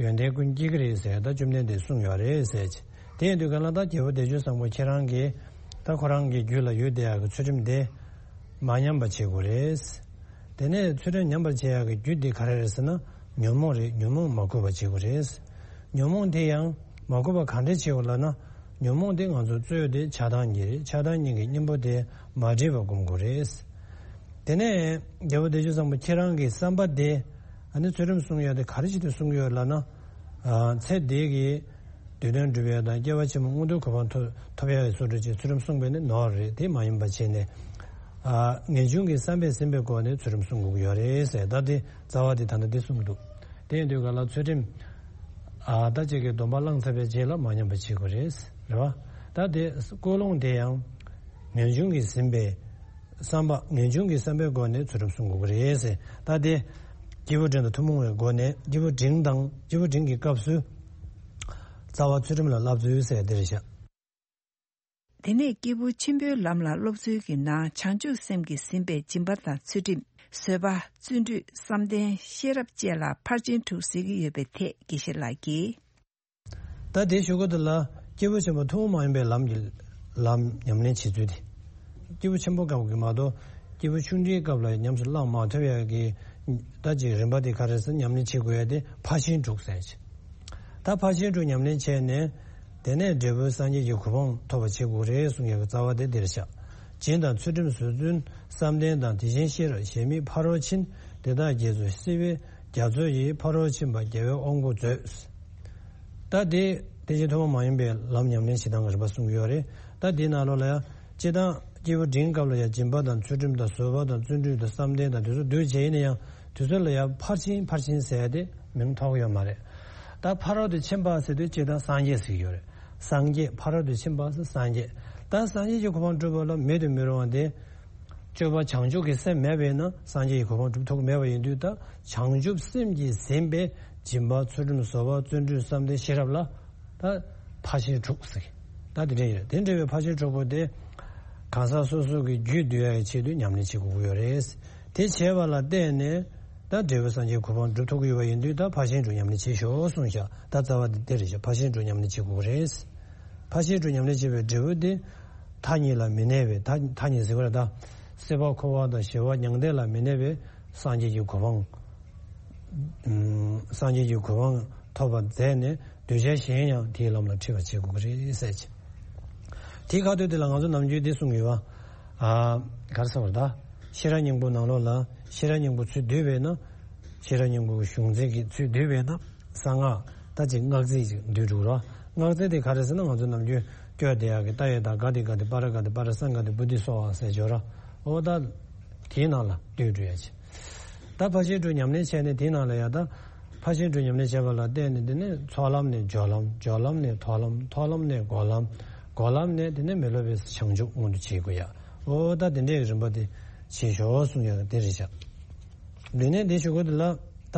ཡོན་ཏན་ཀུན་སྐྱེ་གི་རེད་ཟེར། ད་བཅོམ་ལྡན་འདས་གསུངས་ཡོད་རེད་ཟེར། དེ་ཡིན་དུས་ག་ལ་ད་རྒྱལ་པོ་བདེ་སྤྱོད་བཟང་པོ་ཁྱེད་རང་གིས་ད་ཁོ་རང་གི་རྒྱུད་ལ་ཡོད་བསྡད་ཡག་གི་ཚུལ་ཁྲིམས་དེ་མ་ཉམས་པ་བྱེད་དགོས་རེད། དེ་ནས་ཚུལ་ཁྲིམས་ཉམས་པར་བྱེད་ཡག་གི་རྒྱུ་དེ་ག་རེ་རེད་ཟེར་ན། ཉོན་མོངས་རེད། ཉོན་མོངས་མ་གོས་པ་བྱེད་དགོས་རེད། ཉོན་མོངས་དེ་ཡང་མ་གོས་པ་ག་འདྲས་བྱེད་དགོས་ལབ་ན། ཉོན་མོངས་དེ་ང་ཚོ་རྩོད་དེ་ཆགས་སྡང་གཉིས་རེད། ཆགས་སྡང་གཉིས་ཀྱི་གཉེན་པོ་དེ་མ་འདྲེས་པ་སྒོམ་དགོས་རེད། དེ་ནས་རྒྱལ་པོ་བདེ་སྤྱོད་བཟང་པོ་ཁྱེད་རང་གི་བསམ་པ་དེ། ཨ་ནི་ཚུལ་ཁྲིམས་སྲུང་ཡག་དེ་ག་རེ་བྱེད་དུ་སྲུང་གི་ཡོད་ལབ་ན། ཨ། ཚེ་འདི་གི་དུས་གདོན་སྒྲུབ་ཡག་དང་སྐྱེ་བ་ཕྱི་མ་མངོན་མཐོའི་གོ་འཕང་ཐོབ་ཐོབ་ཡག་གི་སྲོལ་འདྲ་ཅིག་ཚུལ་ཁྲིམས་སྲུང་བས་ནི་ནོར་རེད། དེ་མ་ཡིན་པ་བྱས་ནས། ཨ། ངེས་འབྱུང་གི་བསམ་པས་ཟིན་པའི་སྒོ་ནས་ཚུལ་ཁྲིམས་སྲུང་དགོས་ཀྱི་ཡོད་རེད་ཟེར། ད་དེ་རྩ་བ་དེ་ད་ལྟ་འདི་གསུངས་འདུག་དེ་ཡིན་དུས་ག་ལ་ཚུལ་ཁྲིམས། ཨ། ད་ཅིག་གི་སྡོམ་པ་བླངས་ཚར་བའི་རྗེས་ལ་མ་ཉམས་པ་བྱེད་དགོས་རེད། རེད་བ། ད་དེ་ཀུན་སློང་དེ་ཡང་ངེས་འབྱུང་གིས་ཟིན་པའི་བསམ་པ། ངེས་འབྱུང་གི་བསམ་པའི་སྒོ་ནས་ཚུལ་ཁྲིམས་སྲུང་དགོས་ཀྱི་རེད་ཟེར། ད་དེ་སྐྱེས་བུ་འབྲིང་དང་ཐུན་མོང་བའི་སྒོ་ནས། སྐྱེས་བུ་འབྲིང་དང་སྐྱེས་བུ་འབྲིང་གི་སྐབས་སུ་རྩ་བ་ཚུལ་ཁྲིམས་ལ་བསླབ་ཚུལ་ཟེར་དེ་རེད་ཤག་དེ་ནས་སྐྱེས་བུ་ཆེན་པོའི་ལམ་ལ་སློབ་ཚུལ་གྱི་ནང་བྱང་ཆུབ་སེམས་ཀྱིས་ཟིན་པའི་སྦྱིན་པ་དང་ཚུལ་ཁྲིམས། བཟོད་པ། བརྩོན་འགྲུས། བསམ་གཏན། ཤེས་རབ་བཅས་ལ་ཕར་ཕྱིན་དྲུག་ཟེར་གྱི་ཡོད་པའི་ཐད་དགེ་བཤེས་ལགས་ཀྱིས། ད་དེ་ཞུ་གི་འདུག་ལ། སྐྱེས་བུ་ཆེན་པོ་ཐུན་མོང་མ་ཡིན་པའི་ལམ་གྱི་ལམ་ཉམས་ལེན་བྱེད་ཚུལ་དེ། སྐྱེས་བུ་ཆེན་པོ་སྐབས་ཀྱི་མ་གཏོགས་སྐྱེས་བུ་ཆུང་འབྲིང་སྐབས་ལ་ཉམས་སུ་བླང་མ་ཐུབ་ཡག་གི། ད་ཅིག་རིམ་པ་དེ་ག་རེ་ཟེར། ཉམས་ལེན་བྱེད་དགོས་ཡ་དེ་ཕར་ཕྱིན་དྲུག་ཟེར་ཅིག་ད་ཕར་ཕྱིན་དྲུག་ཉམས་ལེན་བྱས་ནས། དེ་ནས་འབྲས་བུ་སངས་རྒྱས་ཀྱི་གོ་འཕང་ཐོབ་པ་བྱེད་དགོས་རེད་གསུང་ཡག་གི་རྩ་བ་དེ་འདིར་བཞག་བྱིན་དང་ཚུལ་ཁྲིམས་བཟོད་བརྩོན་བསམ་གཏན་དང་དེ་བཞིན་ཤེས་རབ་གཞན་མི་ཕ་རོལ་ཕྱིན། དེ་དག་རྗེས་སུ་བསིལ་བའི་རྒྱ་མཚོ་ཡིས། ཕ་རོལ་ཕྱིན་པ་རྒྱལ་བའི་དབང་བསྐུར་མཛོད། ད་དེ་དེ་བཞིན་ཐུན་མོང་མ་ཡིན་པའི་ལམ་ཉམས་ལེན་བྱེད་སྟངས་ཀྱི་རིམ་པ་གསུངས་ཡོད་རེད། ད་དེའི་ནང་ལོགས་ལ་ཡང་སྤྱིར་བཏང་སྐྱེས་བུ་འབྲིང་སྐབས་ལ་ཡང་སྦྱིན་པ་དང་ཚུལ་ཁྲིམས་དང་བཟོད་པ་དང་བརྩོན་འགྲུས་དང་བསམ་གཏན་དང་དེ་ཚོ་འདུས་བྱས་ཡིན་ན་ཡང་དུས་ཚོད་ལ་ཡང་ཕར་ཕྱིན་ཕར་ཕྱིན་ཟེར་ཏེ་མིང་ཐོགས་ཡོད་མ་རེད། ད་ཕ་རོལ་ཏུ་ཕྱིན་པ་ཟེར་དུས་སྤྱིར་བཏང་སངས་རྒྱས་ཟེར་གྱི་ཡོད་རེད། སངས་རྒྱས། ཕ་རོལ་ཏུ་ཕྱིན་པ་ཟེར་སངས་རྒྱས། ད་སངས་རྒྱས་ཀྱི་གོ་འཕང་སྒྲུབ་པ་ལ་མེད་དུ་མི་རུང་བ་དེ། སྤྱོད་པ་བྱང་ཆུབ་ཀྱི་སེམས་མེད་པས་ན་སངས་རྒྱས་ཀྱི་གོ་འཕང་སྒྲུབ་ཐུབ་ཀྱི་མེད་པ་ཡིན་དུས། ད་བྱང་ཆུབ་སེམས་ཀྱིས་ཟིན་པའི་སྦྱིན་པ་ཚུལ་ཁྲིམས་བཟོད་པ་བརྩོན་འགྲུས་བསམ་གཏན་ཤེས་རབ་ལ་ད་ཕར་ཕྱིན་དྲུག་ཟེར། ད་དེ་འདྲ་ཡོད་རེད། དེ་འདྲ་བའི་ཕར་ཕྱིན་དྲུག་པོ་དེ་གང་ཟག་སོ་སོ་གི་རྒྱུད་འདུལ་ཡག་གི་ཆེད་དུ་ཉམས་ལེན་བྱེད་དགོས་ཀྱི་ཡོད་རེད། དེ་བྱས་པ་ལ་བརྟེན་ནས་ད་འབྲས་བུ་སངས་རྒྱས་གོ་འཕང་སྒྲུབ་ཐུབ་ཀྱི་ཡོད་པ་ཡིན་དུས། ད་ཕར་ཕྱིན་དྲུག་ཉམས་ལེན་བྱེད་ཤོག་གསུངས་ཤག་ད་རྩ་བ་དེ་དེ་རེད་ཤག་ཕར་ཕྱིན་དྲུག་ཉམས་ལེན་བྱེད་དགོས་ཀྱི་རེད། ཕར་ཕྱིན་དྲུག་ཉམས་ལེན་བྱེད་པའི་འབྲས་བུ་དེ། མཐའ་གཉིས་ལ་མི་གནས་པའི། མཐའ་མཐའ་གཉིས་ཟེར་བ་རེད་ད། སྲིད་པ་འཁོར་བ་དང་ཞི་བ་མྱང་འདས་ལ་མི་གནས་པའི་སངས་རྒྱས་ཀྱི་གོ་འཕང་། ཨུམ། སངས་རྒྱས་ཀྱི་གོ་འཕང་ཐོབ་པར་མཛད་ནས་གདུལ་བྱ་གཞན་ཡང་དེའི་ལམ་ལ་ཁྲིད་པར་བྱེད་དགོས་ཀྱི་རེད་ཟེར་གྱི། དེའི་ཁ་ཐུག་དེ་ལ་ང་ཚོ་ནམ་རྒྱུན་འདི་གསུང་གི་ཡོད་པ། ཨ། ག་རེ་ཟེར་བ་རེད་ད། ཤེས་རབ་སྙིང་པོ་ནང་ལོགས་ལ་ཤེས་རབ་སྙིང་པོ་ཚུར་བསྡུས་པས་ན། ཤེས་རབ་སྙིང་པོའི་གཞུང་ཚིག་གི་ཚུར་བསྡུས་པས་ན། གསང་སྔགས་ད་ཅིག་སྔགས་ཚིག་ཅིག་འདུས་འགྲོ་ར། སྔགས་ཚིག་དེ་ག་རེ་ཟེར་ན། ང་ཚོ་ནམ་རྒྱུན་སྐྱོར་བསྡད་ཡག་གི་ཏདྱ་ཐཱ་ག་ཏེ་ག་ཏེ་པཱ་ར་ག་ཏེ་པཱ་ར་སཾ་ག་ཏེ་བོ་དྷི་སྭཱ་ཧཱ་ཟེར་ཅིག་ཡོད་ར། འོ་ད་དེའི་ནང་ལ་འདུས་འགྲོ་ཡག་ཅིག་ད་ཕར་ཕྱིན་དྲུག་ཉམས་ལེན་བྱས་ནས་དེའི་ནང་ལ་ཡ་ད་ཕར་ཕྱིན་དྲུག་ཉམས་ལེན་བྱས་པ་ལ་བརྟེན་ནས། དེ་ནས་ཚོགས་ལམ་ནས་སྦྱོར་ལམ། སྦྱོར་ལམ་ནས་མཐོང་ལམ། མཐོང་ལམ་ནས་སྒོམ་ལམ། སྒོམ་ལམ་ནས་དེ་ནས་མི་སློབ་པའི་བྱང་ཆུབ་མངོན་དུ་བྱེད་དགོས་ཡ། འོ་ད་དེ་འདྲའི་རིམ་པ་དེ་བྱེད་ཤོག་གསུང་ཡག་དེ་རེད་ཤག་དེ་ནས་དེ་ཞུ་དགོས་དེ་ལ། ད་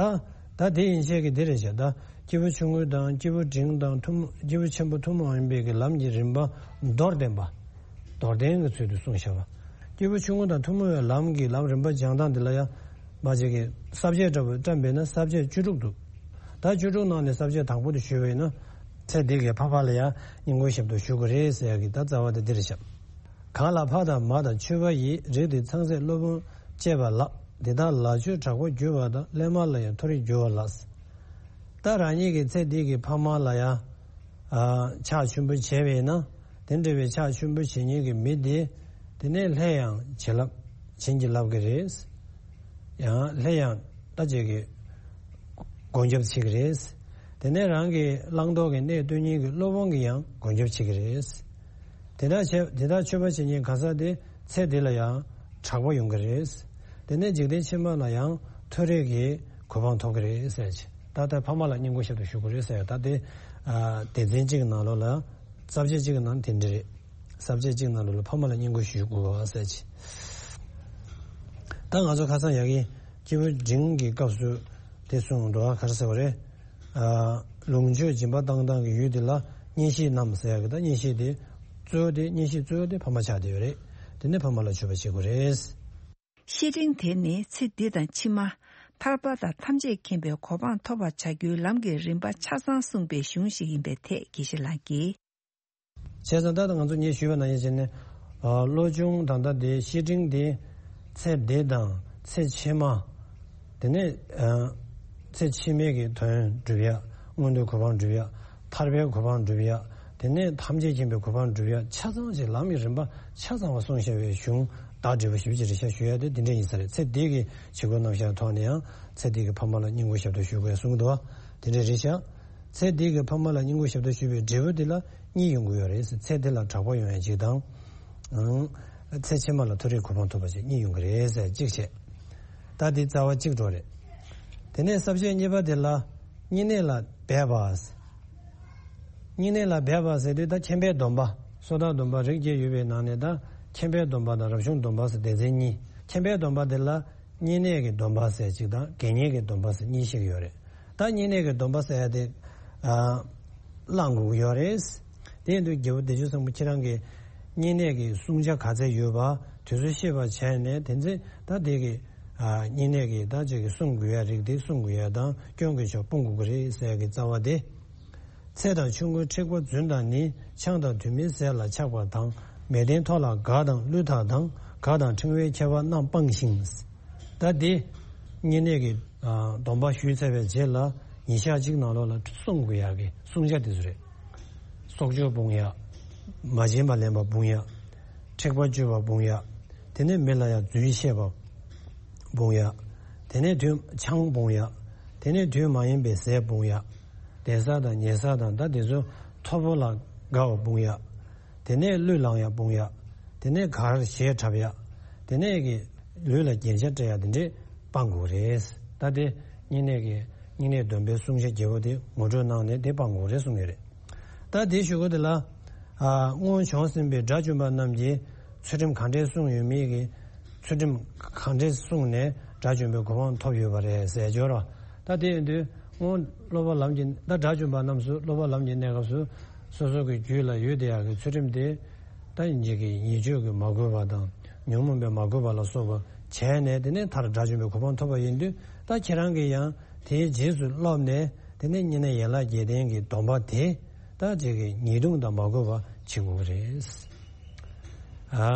ད་དེ་ཡན་ཆད་ཀྱི་དེ་རེད་ཤག་ད་སྐྱེས་བུ་ཆུང་ངུ་དང་། སྐྱེས་བུ་འབྲིང་དང་། ཐུན་སྐྱེས་བུ་ཆེན་པོ་ཐུན་མོང་མ་ཡིན་པའི་གི་ལམ་གྱི་རིམ་པ་མདོར་བསྟན་པ། མདོར་བསྟན་གྱི་ཚུལ་དུ་གསུངས་བཞག་པ། སྐྱེས་བུ་ཆུང་ངུ་དང་ཐུན་མོང་བའི་ལམ་གྱི་ལམ་རིམ་པ་སྦྱང་སྟངས་འདི་ལ་ཡང་། མ་ཅིག་གི་ས་བཅད་འདྲ་བོ་བཀྲམ་པས་ན་ས་བཅད་བཅུ་དྲུག་འདུག་ད་བཅུ་དྲུག་ནང་ནས་ས་བཅད་དང་པོ་དེ་ཞུས་པས་ན། ཚེ་འདི་གའི་ཕ་ཕ་ལ་ཡང་སྙིང་པོ་ཞིབ་ཏུ་ཞུ་དགོས་རེད་ཟེར་ཡག་གི་ད་རྩ་བ་དེ་འདི་རེད་ཤག་གང་ལ་ཕ་དང་མ་དང་མཆོད་པ་ཡིས། རིགས་དེ་ཚངས་སྲས་སློབ་དཔོན་བཅས་པ་ལགས། འདི་དག་ལ་ཆོས་དྲག་པོ་བརྒྱུད་པ་དང་། སླད་མ་ལ་ཡང་མཐོ་རིས་འགྱུར་བ་ལགས། ད་རང་ཉིད་ཀྱི་ཚེ་འདི་གི་ཕ་མ་ལ་ཡང་ཨ་ཕྱག་མཆོད་འབུལ་བྱས་པས་ན། དེ་འདྲ་བའི་ཕྱག་མཆོད་འབུལ་བྱེད་མཁན་གྱི་མི་དེ། དེ་ནས་སླད་ཡང་བྱིན་རླབས་བྱིན་གྱིས་བརླབས་ཀྱི་རེད། ཡང་སླད་ཡང་ད་ཅིག་གི་སྒོམ་རྒྱབ་བྱེད་ཀྱི་རེད། དེ་ནས་རང་གི་བླང་དོར་གྱི་གནས་སྟོན་མཁན་གྱི་སློབ་དཔོན་གྱིས་ཡང་སྒོམ་རྒྱབ་བྱེད་ཀྱི་རེད། དེ་དག་བྱས་དེ་དག་མཆོད་པ་བྱེད་མཁན་གང་ཟག་དེ་ཚེ་འདི་ལ་ཡང་དྲག་པོ་ཡོང་གི་རེད། དེ་ནས་འཇིག་རྟེན་ཕྱི་མ་ལ་ཡང་མཐོ་རིས་ཀྱི་གོ་འཕང་ཐོབ་ཀྱི་རེད་ཟེར་གྱི། ད་ལྟ་ཕ་མ་ལ་བསྙེན་བཀུར་ཞབས་ཏོག་ཞུ་དགོས་རེད་ཟེར། ད་དེ་ཨ་སྡེ་ཚན་གཅིག་གི་ནང་ལོགས་ལ་ས་བཅད་གཅིག་གི་ནང་དེ་འདྲ་རེད། ས་བཅད་གཅིག་ནང་ལོགས་ལ་ཕ་མ་ལ་བསྙེན་བཀུར་ཞུ་དགོས་པ་ཟེར་གྱི། ད་ང་ཚོ་ཁ་སང་ཡ་གི་སྐྱེས་བུ་འབྲིང་གི་སྐབས་སུ་དེ་གསུངས་འདུག་ག་ག་རེ་ཟེར་བ་རེད། ཨ་ལོངས་སྤྱོད་སྦྱིན་པ་བཏང་སྟངས་ཀྱི་ཡུལ་དེ་ལ་གཉེན་བཤེས་རྣམས་ཟེར་ཡ་གི། ད་གཉེན་བཤེས་དེ་གཙོ་བོ་དེ་གཉེན་བཤེས་གཙོ་བོ་དེ་ཕ་མ་ཆགས་བསྡད་ཡོད་རེད། དེ་ནས་ཕ་མ་ལ་མཆོད་པ་བྱེད་དགོས་རེད། བཤེས་སྤྲིང་དེ་ནི་ཚེ་འདི་དང་ཕྱི་མ། ཐར་པ་དང་ཐམས་ཅད་མཁྱེན་པའི་གོ་འཕང་ཐོབ་པར་བྱ་རྒྱུའི་ལམ་གྱི་རིམ་པ་ཆ་ཚང་གསུངས་པའི་གཞུང་ཞིག་ཡིན་པའི་ཐད་དགེ་བཤེས་ལགས་ཀྱིས། བྱས་ཙང་ད་ལྟ་ང་ཚོ་ངས་ཞུས་པ་ནང་བཞིན་བྱས་ནས། ཨ་བློ་སྦྱོང་ད་ལྟ་དེ་བཤེས་སྤྲིང་དེ་ཚེ་འདི་དང་ཚེ་ཕྱི་མ། དེ་ནས་ཨ་ཚེ་ཕྱི་མའི་གི་དོན་སྒྲུབ་ཡ། མངོན་མཐོའི་གོ་འཕང་སྒྲུབ་ཡ། ཐར་པའི་གོ་འཕང་སྒྲུབ་ཡ། དེ་ནས་ཐམས་ཅད་མཁྱེན་པའི་གོ་འཕང་སྒྲུབ་ཡ། ཆ་ཚང་ཞིག་ལམ་གྱི་རིམ་པ་ཆ་ཚང་བ་གསུངས་བཞག་པའི་གཞུང་བདག་འབྲས་བུ་ཞེ་པོ་ཅིག་རེད་ཤག་ཞུ་ཡ་དེ་དེ་འདྲ་ཡིན་ས་རེད། ཚེ་འདི་གི་བྱེད་སྒོ་རྣམ་གཞག་ཐོག་ནས་ཡང་ཚེ་འདི་གི་ཕ་མ་ལ་བསྙེན་བཀུར་ཞབས་ཏོག་ཞུ་དགོས་གསུངས་འདུག་བ། དེ་འདྲ་རེད་ཤག། ཚེ་འདི་གི་ཕ་མ་ལ་བསྙེན་བཀུར་ཞབས་ཏོག་ཞུས་པའི་འབྲས་བུ་འདི་ལ་གཉིས་ཡོང་གི་ཡོད་རེད། ཚེ་འདི་ལ་དྲག་པོ་ཡོང་ཡ་གཅིག་དང་། ཨང་། ཚེ་ཕྱི་མ་ལ་མཐོ་རིས་གོ་འཕང་ཐོབ་པ་ཞིག་གཉིས་ཡོང་གི་རེད་ཟེར་གཅིག་བྱས། ད་འདི་རྩ་བ་གཅིག་འགྲོ་རེད། དེ་ནས་ས་བཅད་གཉིས་པ་དེ་ལ་བསྙེན་གནས་ལ་འབད་པ། བསྙེན་གནས་ལ་འབད་པ་ཟེར་དུས་ད་མཁྱེན་པའི་སྡོམ་པ། སོ་ཐར་སྡོམ་པ་རིགས་བརྒྱད་ཡོད་པའི་ནང་ནས་ད་མཁྱེན་པའི་སྡོམ་པ་དང་རབ་བྱུང་སྡོམ་པ་ཟེར་སྡེ་ཚན་གཉིས། མཁྱེན་པའི་སྡོམ་པ་དེ་ལ་བསྙེན་གནས་ཀྱི་སྡོམ་པ་ཟེར་གཅིག་དང་དགེ་བསྙེན་གྱི་སྡོམ་པ་ཟེར་གཉིས་ཤིག་ཡོད་རེད། ད་བསྙེན་གནས་ཀྱི་སྡོམ་པ་ཟེར་ཡ་དེ་ཨ་བླང་དགོས་ཀྱི་ཡོད་རེད། དེ་ཡིན་དུས་རྒྱལ་པོ་བདེ་སྤྱོད་བཟང་པོ་ཁྱེད་རང་གིས་བསྙེན་གནས་ཀྱི་བསྲུང་བྱ་ག་ཚད་ཡོད་པ་དེ་ཚོ་ཤེས་པ་བྱས་ནས། དེ་ཚེ་ད་དེ་གི་ཨ་བསྙེན་གནས་ཀྱི་ད་ཅིག་གི་བསྲུང་དགོས་ཡ་རིགས་དེ་བསྲུང་དགོས་ཡ་དང་སྐྱོན་གྱི་ཕྱོགས་སྤོང་དགོས་ཀྱི་རེད་ཟེར་ཡ་གི་རྩ་བ་དེ། ཚེ་དང་ཆུང་ངུའི་མཁྲེགས་པོ་རྫུན་དང་ནི། ཆང་དང་དུ་མའི་ཟས་ལ་ཆགས་པ་དང་། མལ་སྟན་མཐོ་ལ་དགའ་དང་བསླུས་དག་དང་། དགའ་དང་ཕྲེང་བའི་ཁྱད་པར་རྣམས་སྤངས་ཤིང་། ད་འདི་བསྙེན་གནས་ཀྱི་ཨ་སྡོམ་པ་ཞུས་ཚར་བའི་རྗེས་ལ་ཉིན་ཞག་གཅིག་ནང་ལོགས་ལ་བསྲུང་དགོས་ཡག་གི་བསྲུང་བྱ་དེ་ཚོ་རེད། སྲོག་གཅོད་སྤོང་ཡག། མ་བྱིན་པ་ལེན་པ་སྤོང་ཡག། མཁྲེགས་པ་གཅོད་པ་སྤོང་ཡག། དེ་ནས་མི་ལ་ཡང་རྫུན་བཤད་པ་སྤོང་ཡག། དེ་ནས་དུས་ཆང་སྤོང་ཡག། དེ་ནས་དུས་མ་ཡིན་པའི་ཟས་སྤོང་ཡག། བདེ་ས་དང་ཉེ་ས་དང་ད་དེ་ཚོ་མཐོ་པོ་ལ་དགའ་བ་སྤོང་ཡག། དེ་ནས་གླུ་བླངས་ཡག་སྤོང་ཡག། དེ་ནས་གར་གཞས་འཁྲབ་ཡག། དེ་ནས་ཀྱི་ལུས་ལ་རྒྱན་ཆ་སྤྲས་ཡག་དེ་འདྲས་སྤང་དགོས་རེད། ད་དེ་བསྙེན་གནས་ཀྱི་བསྙེན་གནས་སྡོམ་པའི་བསྲུང་བྱ་བརྒྱད་པོ་དེ་ངོ་སྤྲོད་གནང་ནས་དེ་སྤང་དགོས་རེད་གསུངས་ཡོད་རེད། ད་དེ་ཞུ་གི་དེ་ལ། ཨ་སྔོན་བྱུང་ཟིན་པའི་དགྲ་བཅོམ་པ་རྣམས་ཀྱིས་ཚུལ་ཁྲིམས་གང་འདྲས་བསྲུངས་ཡོད་མེད་ཀྱི། ཚུལ་ཁྲིམས་གང་འདྲས་བསྲུངས་ནས་དགྲ་བཅོམ་པའི་གོ་འཕང་ཐོབ་ཡོད་པ་རེད་ཟེར་སྦྱོར་བ། ད་དེ་ཡིན་དུས་སྔོན་སློབ་པ་ལམ་གྱི་ད་དགྲ་བཅོམ་པ་རྣམས་སུ་སློབ་པ་ལམ་གྱི་གནས་སྐབས་སུ་སོ་སོ་གི་རྒྱུད་ལ་ཡོད་བསྡད་ཡག་གི་ཚུལ་ཁྲིམས་དེ། ད་ཡིན་གྱི་ཉེས་སྤྱོད་ཀྱིས་མ་གོས་པ་དང་ཉོན་མོངས་པས་མ་གོས་པ་ལ་སོགས་པ་བྱས་ནས། དེ་ནས་མཐར་དགྲ་བཅོམ་པའི་གོ་འཕང་ཐོབ་པ་ཡིན་དུས། ད་ཁྱེད་རང་གིས་ཡང་དེའི་རྗེས་སུ་སློབ་ནས། དེ་ནས་བསྙེན་གནས་ཡན་ལག་བརྒྱད་ལྡན་གྱི་སྡོམ་པ་དེ་ད་ཅིག་གི་ཉེས་ལྟུང་དང་མ་གོས་པ་བྱེད་དགོས་ཀྱི་རེད། ཨ་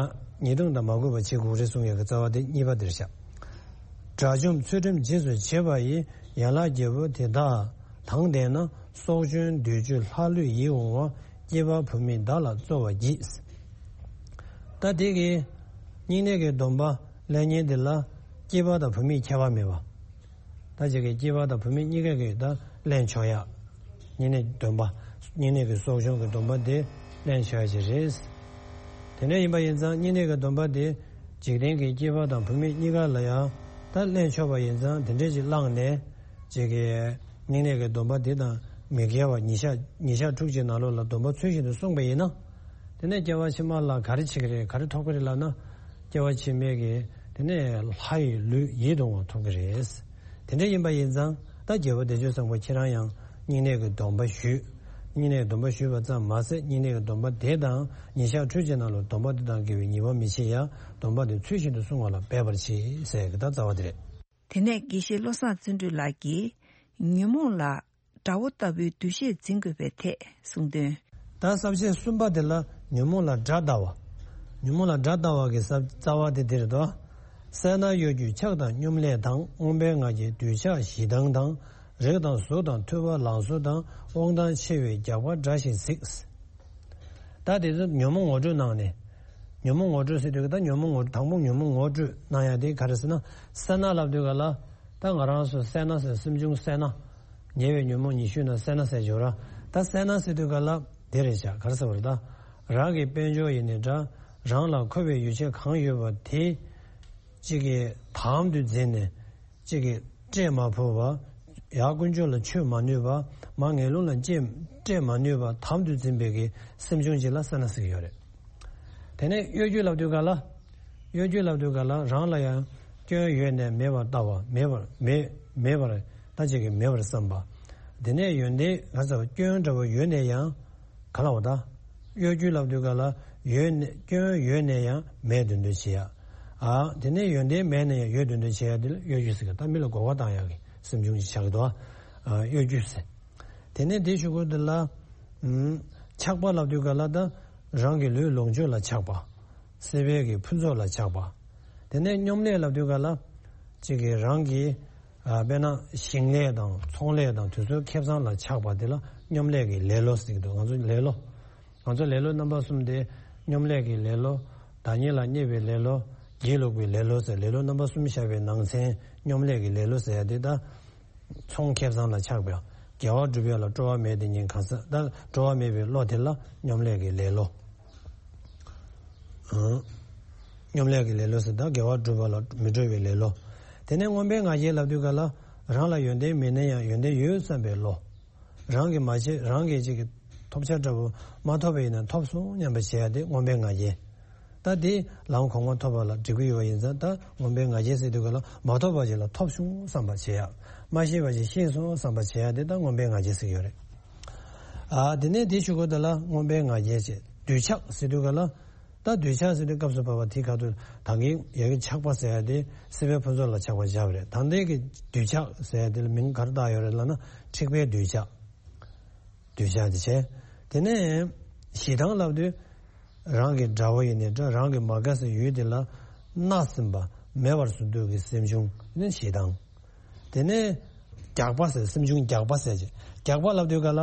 ཉེས་ལྟུང་དང་མ་གོས་པ་བྱེད་དགོས་ཀྱི་རེད་གསུངས་ཡག་གི་རྩ་བ་དེ་གཉིས་པ་དེ་རེད་ཤག། དགྲ་བཅོམ་ཚུལ་ཁྲིམས་རྗེས་སུ་བྱེད་པ་ཡི། ཡན་ལག་བརྒྱད་པོ་དེ་དག་དང་ལྡན་ན། སྲོག་གཅོད་འདོད་སྤྱོད་ལྷ་ལུས་ཡིད་འོང་བ། སྐྱེས་པ་བུད་མེད་བདག་ལ་སྩོལ་བར་བགྱི། ད་དེ་གི་བསྙེན་གནས་ཀྱི་སྡོམ་པ་ལེན་མཁན་དེ་ལ་སྐྱེས་པ་དང་བུད་མེད་ཁྱད་པར་མེད་པ། ད་ཅིག་གི་སྐྱེས་པ་དང་བུད་མེད་གཉིས་ཀ་གིས་ད་ལེན་ཆོག་ཡག། བསྙེན་གནས་སྡོམ་པ། བསྙེན་གནས་ཀྱི་སྲོག་གཅོད་ཀྱི་སྡོམ་པ་དེ་ལེན་ཆོག་ཡག་ཅིག་རེད། དེ་འདྲ་ཡིན་པ་ཡིན་ཙང་བསྙེན་གནས་ཀྱི་སྡོམ་པ་དེ་འཇིག་རྟེན་གྱི་སྐྱེས་པ་དང་བུད་མེད་གཉིས་ཀ་ལ་ཡང་ད་ལེན་ཆོག་པ་ཡིན་ཙང་། དེ་འདྲ་ཅིག་བླངས་ནས་ཅིག་གི་བསྙེན་གནས་ཀྱི་སྡོམ་པ་དེ་དང་མི་འགལ་བ་ཉིན་ཞག་ཉིན་ཞག་དྲུག་ཅུའི་ནང་ལོགས་ལ་སྡོམ་པ་ཚུལ་བཞིན་དུ་བསྲུངས་པ་ཡིན་ན། དེ་ནས་སྐྱེ་བ་ཕྱི་མ་ལ་ག་རེ་བྱེད་ཀྱི་རེད། ག་རེ་ཐོབ་ཀྱི་རེད་ལབ་ན། སྐྱེ་བ་ཕྱི་མའི་གི་དེ་ནས་ལྷ་ཡི་ལུས་ཡིད་འོང་བ་ཐོབ་ཀྱི་རེད། དེ་འདྲ་ཡིན་པ་ཡིན་ཙང་ད་རྒྱལ་པོ་བདེ་སྤྱོད་བཟང་པོ་ཁྱེད་རང་ཡང་བསྙེན་གནས་ཀྱི་སྡོམ་པ་ཞུས། བསྙེན་གནས་ཀྱི་སྡོམ་པ་ཞུས་པ་ཙམ་མ་ཟད། བསྙེན་གནས་ཀྱི་སྡོམ་པ་དེ་དང་ཉིན་ཞག་དྲུག་ཅུའི་ནང་ལ་སྡོམ་པ་དེ་དང་འགལ་བའི་ཉེས་པ་མི་བྱེད་ཡ། སྡོམ་པ་དེ་ཚུལ་བཞིན་དུ་བསྲུང་བ་ལ་འབད་པར་བྱེད་ཟེར་གྱི་ད་རྩ་བ་དེ་རེད། དེ་ནས་དགེ་བཤེས་བློ་བཟང་བརྩོན་འགྲུས་ལགས་ཀྱིས་ཉོན་མོངས་ལ་དགྲ་བོ་ལྟ་བུའི་འདུ་ཤེས་འཛིན་དགོས་པའི་ཐད་གསུངས་དོན། ད་ས་བཅད་གསུམ་པ་དེ་ལ་ཉོན་མོངས་ལ་དགྲ་ལྟ་བ། ཉོན་མོངས་ལ་དགྲ་ལྟ་བ་གི་ས་རྩ་བ་དེ་དེ་རེད་དོ། སད་ན་གཡོ་སྒྱུ་ཆགས་དང་སྙོམ་ལས་དང་། མངོན་པའི་ང་རྒྱལ་འདོད་ཆགས་ཞེ་སྡང་དང་། རེག་དང་གཟུགས་དང་ཐོས་པ་ལང་ཚོ་དང་། དབང་ཐང་ཆེ་བའི་རྒྱགས་པ་འདྲ་ཞིག་གཟིགས། ད་དེ་ཚོ་ཉོན་མོངས་ངོ་སྤྲོད་གནང་ནས། ཉོན་མོངས་ངོ་སྤྲོད་ཟེར་དུས་ད་ཉོན་མོངས་ངོ་དང་པོ་ཉོན་མོངས་ངོ་སྤྲོད་གནང་ཡ་དེ་ག་རེ་ཟེར་ན། སད་ན་ལབ་དུས་ག་ལ། ད་ང་རང་ཚོ་སད་ན་ཟེར་སེམས་བྱུང་སད་ན། ཉེ་བའི་ཉོན་མོངས་ཉི་ཤུ་ན་སད་ན་ཟེར་འཇོག་ར། ད་སད་ན་ཟེར་དུས་ག་ལ། དེ་རེད་བྱ་ག་རེ་ཟེར་བ་རེད་ད། རང་གི་དཔལ་འབྱོར་ཡིན་ནའི་འདྲ། རང་ལ་མཁོ་བའི་ཡོ་བྱད་གང་ཡོད་པ་དེ། གཅིག་གིས་དམ་དུ་འཛིན་ནས། གཅིག་གིས་སྤྲད་མ་ཕོད་པ། ཡར་དཀོན་མཆོག་ལ་མཆོད་མ་ནུས་པ། མར་ངན་སློང་ལ་སྤྲད་སྤྲད་མ་ནུས་པ་དམ་དུ་འཛིན་པའི་གི་སེམས་བྱུང་ཅིག་ལ་སད་ན་ཟེར་གྱི་ཡོད་རེད། དེ་ནས་གཡོ་སྒྱུ་ལབ་དུས་ག་ལ། གཡོ་སྒྱུ་ལབ་དུས་ག་ལ་རང་ལ་ཡང་སྐྱོན་ཡོད་ནས་མེད་པར་ལྟ་བ། མེད་པར་མེད་མེད་པར་ད་ཅིག་གིས་མེད་པར་བསམ་པ། དེ་ནས་ཡོན་ཏན་ག་ཚོད་སྐྱོན་འདྲ་བོ་ཡོད་ནས་ཡང་། ག་ལ་བ་ད། གཡོ་སྒྱུ་ལབ་དུས་ག་ལ། ཡོད་ནས་སྐྱོན་ཡོད་ནས་ཡང་མེད་འདོད་འདོད་བྱེད་ཡ། ཨ་དེ་ནས་ཡོན་ཏན་མེད་ནས་ཡང་ཡོད་འདོད་འདོད་བྱེད་ཡ་དེ་ལ་གཡོ་སྒྱུ་ཟེར་གི། ད་མི་ལ་གོ་བ་བཏང་ཡ་གི་སེམས་བྱུང་ཞིག་ཆགས་ཀྱི་འདུག་ཨ། གཡོ་སྒྱུ་ཟེར། དེ་ནས་དེ་གཞུག་གུ་དེ་ལ། ཨུམ། ཆགས་པ་ལབ་དུས་ག་ལ་ད། རང་གི་ལུས་ལོངས་སྤྱོད་ལ་ཆགས་པ། སྲིད་པའི་གི་ཕུན་ཚོགས་ལ་ཆགས་པ། དེ་ནས་སྙོམ་ལས་ལབ་དུས་ག་ལ། གཅིག་གིས་རང་གི། ཨ། དཔེར་ན་ཞིང་ལས་དང་ཚོང་ལས་དང་དེ་ཚོའི་ཁེ་བཟང་ལ་ཆགས་པ་དེ་ལ་སྙོམ་ལས་ཀྱི་ལེ་ལོ་ཟེར་གྱི་འདུག་ང་ཚོ་ལེ་ལོ། ང་ཚོ་ལེ་ལོ་རྣམ་པ་གསུམ་དེ། སྙོམ་ལས་ཀྱི་ལེ་ལོ། བདག་ཉིད་ལ་བརྙས་པའི་ལེ་ལོ། སྒྱིད་ལུག་པའི་ལེ་ལོ་ཟེར། ལེ་ལོ་རྣམ་པ་གསུམ་བཞག་པའི་ནང་ཚན་སྙོམ་ལས་ཀྱི་ལེ་ལོ་ཟེར་ཡ་དེ་ད། ཚོང་ཁེ་བཟང་ལ་ཆགས་པའི་དགེ་བ་སྒྲུབ་ཡ་ལ་སྤྲོ་བ་མེད་དེ་ཉིན་གང་ཟག་ད་སྤྲོ་བ་མེད་པའི་བློ་དེ་ལ་སྙོམ་ལས་ཀྱི་ལེ་ལོ། ཨང་། སྙོམ་ལས་ཀྱི་ལེ་ལོ་ཟེར་ད་དགེ་བ་སྒྲུབ་པ་ལ་མི་སྤྲོ་བའི་ལེ་ལོ། དེ་ནས་མངོན་པའི་ང་རྒྱལ་ལབ་དུས་ག་ལ། རང་ལ་ཡོན་ཏན་མེད་ན་ཡང་ཡོན་ཏན་ཡོད་བསམ་པའི་བློ། རང་གིས་མ་བྱས་རང་གིས་ཅིག་གི་ཐོབ་བྱ་འདྲ་བོ་མ་ཐོབ་པ་ཡིན་ན་ཐོབ་སོང་སྙམ་པ་བྱེད་ཡ་དེ་མངོན་པའི་ང་རྒྱལ། ད་དེ་ལམ་གོང་མ་ཐོབ་པ་ལ་འགྲིག་གི་ཡོད་པ་ཡིན་ཙང་ད་མངོན་པའི་ང་རྒྱལ་ཟེར་དུས་ག་ལ་མ་ཐོབ་པ་ཅིག་ལ་ཐོབ་བྱུང་བསམ་པ་བྱེད་ཡ། མ་ཤེས་པ་ཅིག་ཤེས་སོང་བསམ་པ་བྱེད་ཡ་དེ་ད་མངོན་པའི་ང་རྒྱལ་ཟེར་གྱི་ཡོད་རེད། ཨ། དེ་ནས་དེ་གཞུག་གུ་དེ་ལ་མངོན་པའི་ང་རྒྱལ་བྱེད། འདོད་ཆགས་ཟེར་དུས་ག་ལ། ད་འདོད་ཆགས་ཟེར་དུས་སྐབས་སུ་བབ་པ་དེ་ག་དུས་ད་གིན་ཡ་གི་ཆགས་པ་ཟེར་ཡ་དེ་སྲིད་པའི་ཕུན་ཚོགས་ལ་ཆགས་པ་བཞག་པ་རེད། ད་ལྟའི་གི་འདོད་ཆགས་ཟེར་ཡ་དེ་ལ་མིང་ག་རེ་བཏགས་ཡོད་རེད་ལབ་ན་འཁྲིག་པའི་འདོད་ཆགས། འདོད་ཆགས་དེ་བྱས། དེ་ནས་ཞེ་སྡང་ལབ་དུས། རང་གི་དགྲ་བོ་ཡིན་ནའི་འདྲ། རང་གི་མ་དགའ་སའི་ཡུལ་དེ་ལ་མནར་ཟིན་པ་མེད་པར་བཟོ་འདོད་ཀྱི་སེམས་བྱུང་ནི་ཞེ་སྡང་། དེ་ནས་རྒྱགས་པ་ཟེར། སེམས་བྱུང་རྒྱགས་པ་ཟེར་གྱི། རྒྱགས་པ་ལབ་དུས་ག་ལ་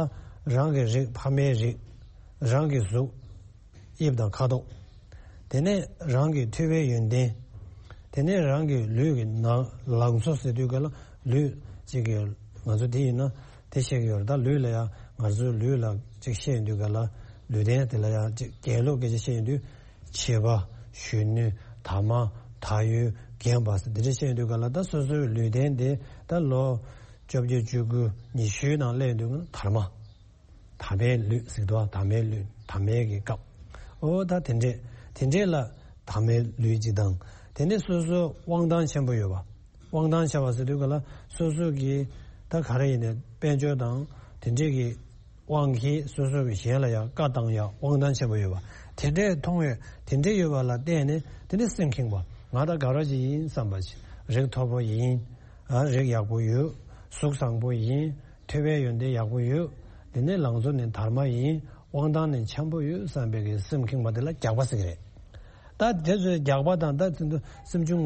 རང་གི་རིགས་ཕ་མའི་རིགས། རང་གི་གཟུགས། དབྱིབས་དང་ཁ་དོག་དེ་ནས་རང་གི་ཐོས་པའི་ཡོན་ཏན། དེ་ནས་རང་གི་ལུས་ཀྱི་ནང་ལང་ཚོ་ཟེར་དུས་ག་ལ་ལུས་གཅིག་གི་ང་ཚོ་དེ་ཡིན་ན་དེ་བཤད་ཀྱི་ཡོད་རེད། ད་ལུས་ལ་ཡང་ང་ཚོའི་ལུས་ལ་གཅིག་བཤད་ཡོང་དུས་ག་ལ་ལུས་རྟེན་དེ་ལ་ཡང་གཅིག་རྒྱན་ལུགས་སྐད་ཆ་བཤད་ཡོང་དུས་མཆེ་བ། གཞོན་ནུ། དར་མ། དར་ཡོལ། རྒན་པ་ཟེར་འདི་འདྲ་བཤད་ཡོང་དུས་ག་ལ་ད་སོ་སོའི་ལུས་རྟེན་དེ་ད་ལོ་བཅོ་བརྒྱད་བཅུ་དགུ་ཉི་ཤུའི་ནང་སླེབས་ཡོང་དུས་ག་ལ་དར་མ། དར་མའི་ལུས་ཟེར་འདུག་དར་མའི་ལུས། དར་མའི་གི་སྐབས། ཨོ་ད་དེ་འདྲས། དེ་འདྲས་ལ་དར་མའི་ལུས་གཅིག་དང་། དེ་ནས་སོ་སོ་དབང་ཐང་ཆེན་པོ་ཡོད་པ། དབང་ཐང་ཆེ་བ་ཟེར་དུས་ག་ལ་སོ་སོ་གི་ད་ག་རེ་ཡིན་ནའི་དཔལ་འབྱོར་དང་དེ་འདྲས་ཀྱི་དབང་གིས་སོ་སོ་གི་གཞན་ལ་ཡང་བཀའ་བཏང་ཡ་དབང་ཐང་ཆེན་པོ་ཡོད་པ། དེ་འདྲས་མཐོང་བས་དེ་འདྲས་ཡོད་པ་ལ་བརྟེན་ནས་དེ་ནས་སེམས་ཁེངས་པ། ང་ད་དགའ་རོགས་ཅིག་ཡིན་བསམ་པ་ཅིག་རིགས་མཐོ་པོ་ཡིན། ཨ་རིགས་ཡག་པོ་ཡོད། གཟུགས་བཟང་པོ་ཡིན། ཐོས་པའི་ཡོན་ཏན་ཡག་པོ་ཡོད། དེ་ནས་ལང་ཚོ་ནི་དར་མ་ཡིན། དབང་ཐང་ནི་འཆམ་པོ་ཡོད་བསམ་པའི་གི་སེམས་ཁེངས་པ་དེ་ལ་རྒྱགས་པ་ཟེར་གི་རེད། ད་དེ་ཚོའི་རྒྱགས་པ་དང་ད་དེ་ཚོ་སེམས་བྱུང་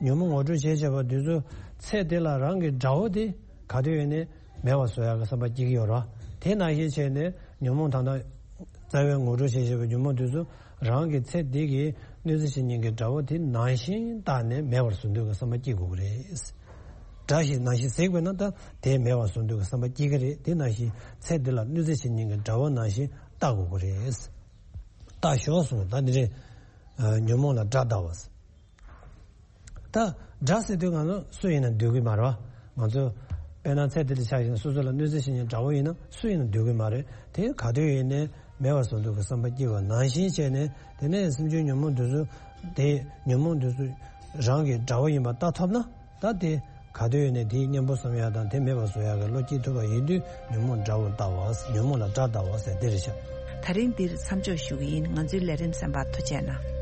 ཉོན་མོངས་ངོ་སྤྲོད་བྱས་བྱས་པ་དེ་ཚོ་ཚེ་འདི་ལ་རང་གི་དགྲ་བོ་དེ་ག་དུས་ཡོད་ནས་མེད་པ་བཟོ་ཡག་གི་བསམ་པ་སྐྱེ་གི་ཡོད་རེད། དེ་ནང་བཞིན་བྱས་ནས་ཉོན་མོངས་ད་ལྟ་རྩ་བའི་ངོ་སྤྲོད་བྱས་བྱས་པའི་ཉོན་མོངས་དེ་ཚོ་རང་གི་ཚེ་འདི་གི་གནོད་འཚེ་བྱེད་མཁན་གྱི་དགྲ་བོ་དེ་ནང་བཞིན་བཏགས་ནས་མེད་པར་བཟོ་འདོད་ཀྱི་བསམ་པ་སྐྱེ་དགོས་ཀྱི་རེད། དགྲ་ཞིག་ནང་བཞིན་གཟིགས་པས་ན་ད་དེ་མེད་པར་བཟོ་འདོད་ཀྱི་བསམ་པ་སྐྱེ་གི་རེད། དེ་ནང་བཞིན་ཚེ་འདི་ལ་གནོད་འཚེ་བྱེད་མཁན་གྱི་དགྲ་བོ་ནང་བཞིན་བལྟ་དགོས་ཀྱི་རེད། བལྟ་ཞོག་གསུངས། ད་འདི་རེད། ཨ། ཉོན་མོངས་ལ་དགྲ་བལྟ་བ། ད་དགྲ་ཟེར་དུས་ང་ཚོ་སུ་ཡིན་ན་འདོད་ཀྱི་མ་རེད་བ། ང་ཚོ་དཔེར་ན་ཚེ་འདི་ལ་ཆགས་ཤིང་སོ་སོ་ལ་གནོད་འཚེ་བྱེད་མཁན་དགྲ་བོ་ཡིན་ན་སུ་ཡིན་ན་འདོད་ཀྱི་མ་རེད། དེ་ག་དུས་ཡིན་ནའི་མེད་པར་བཟོ་འདོད་ཀྱི་བསམ་པ་སྐྱེ་བ་ནང་བཞིན་བྱས་ནས། དེ་ནས་སེམས་བྱུང་ཉོན་མོངས་དེ་ཚོ་དེ་ཉོན་མོངས་དེ་ཚོ་རང་གི་དགྲ་བོ་ཡིན་པ་ལྟ་ཐུབ་ན། ད་དེ་ག་དུས་ཡིན་ནའི་དེའི་གཉེན་པོ་བསམ་ཡག་དང་དེ་མེད་པར་བཟོ་ཡག་གི་བློ་སྐྱེ་ཐུབ་པ་ཡིན་དུས་ཉོན་མོངས་དགྲ་བོ་ལྟ་བ། ཉོན་མོངས་ལ་དགྲ་ལྟ་བ་ཟེར་དེ་རེད་ཤག་དེ་རིང་འདིར་མཚམས་འཇོག་ཞུ་གི་ཡིན། ང་ཚོའི་ལས་རིམ་གསན་པར་ཐུགས་རྗེ་གནང་།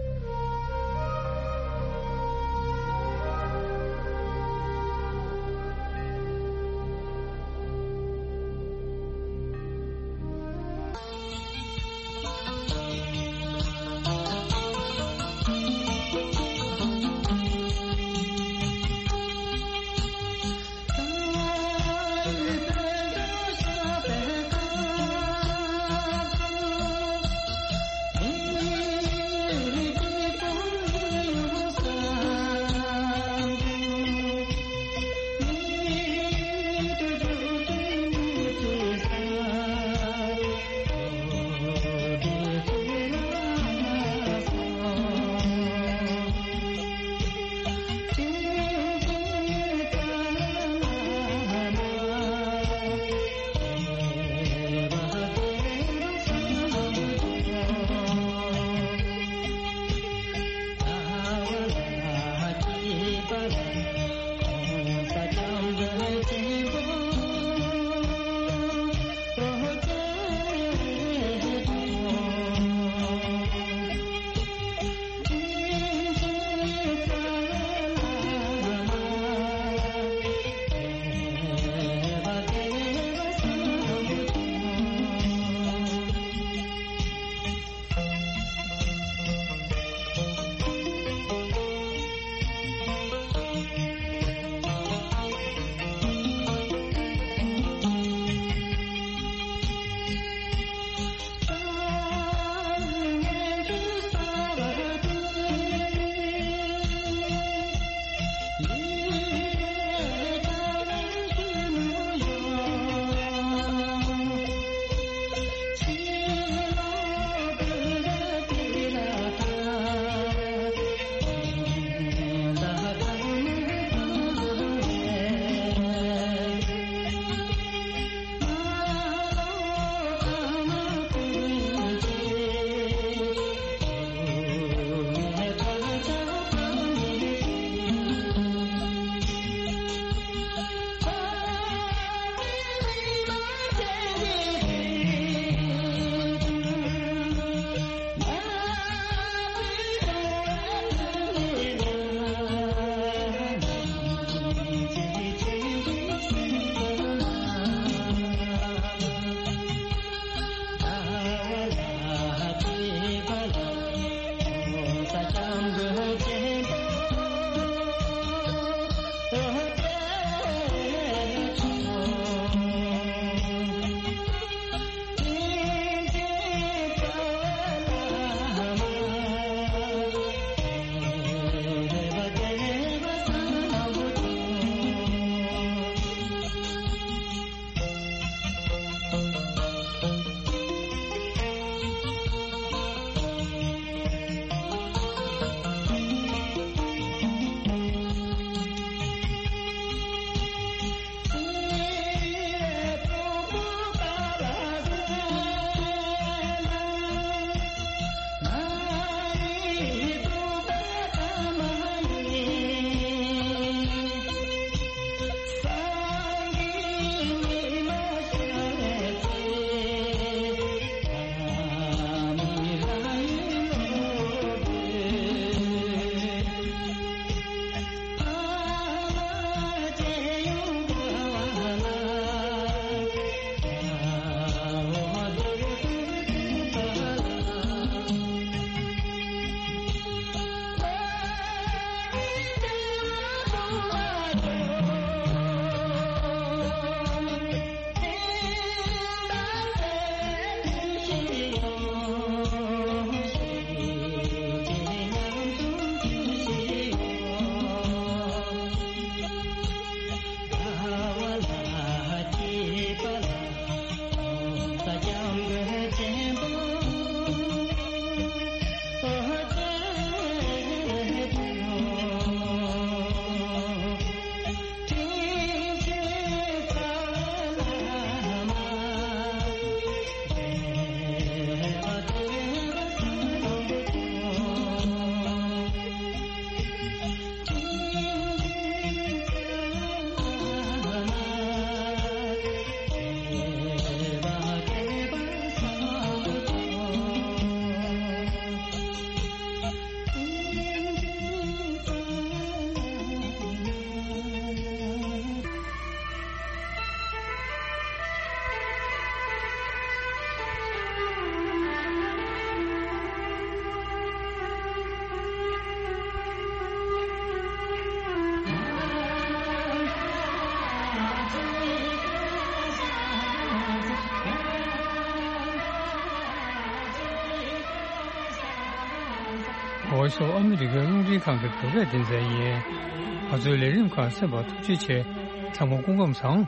Voice of America རླུང་འཕྲིན་ཁང་གི་བོད་སྐད་སྡེ་ཚན་ཡིན། ང་ཚོའི་ལས་རིམ་ཁག་གསན་པར་ཐུགས་རྗེ་ཆེ། ཚང་མ་སྐུ་ཁམས་བཟང་།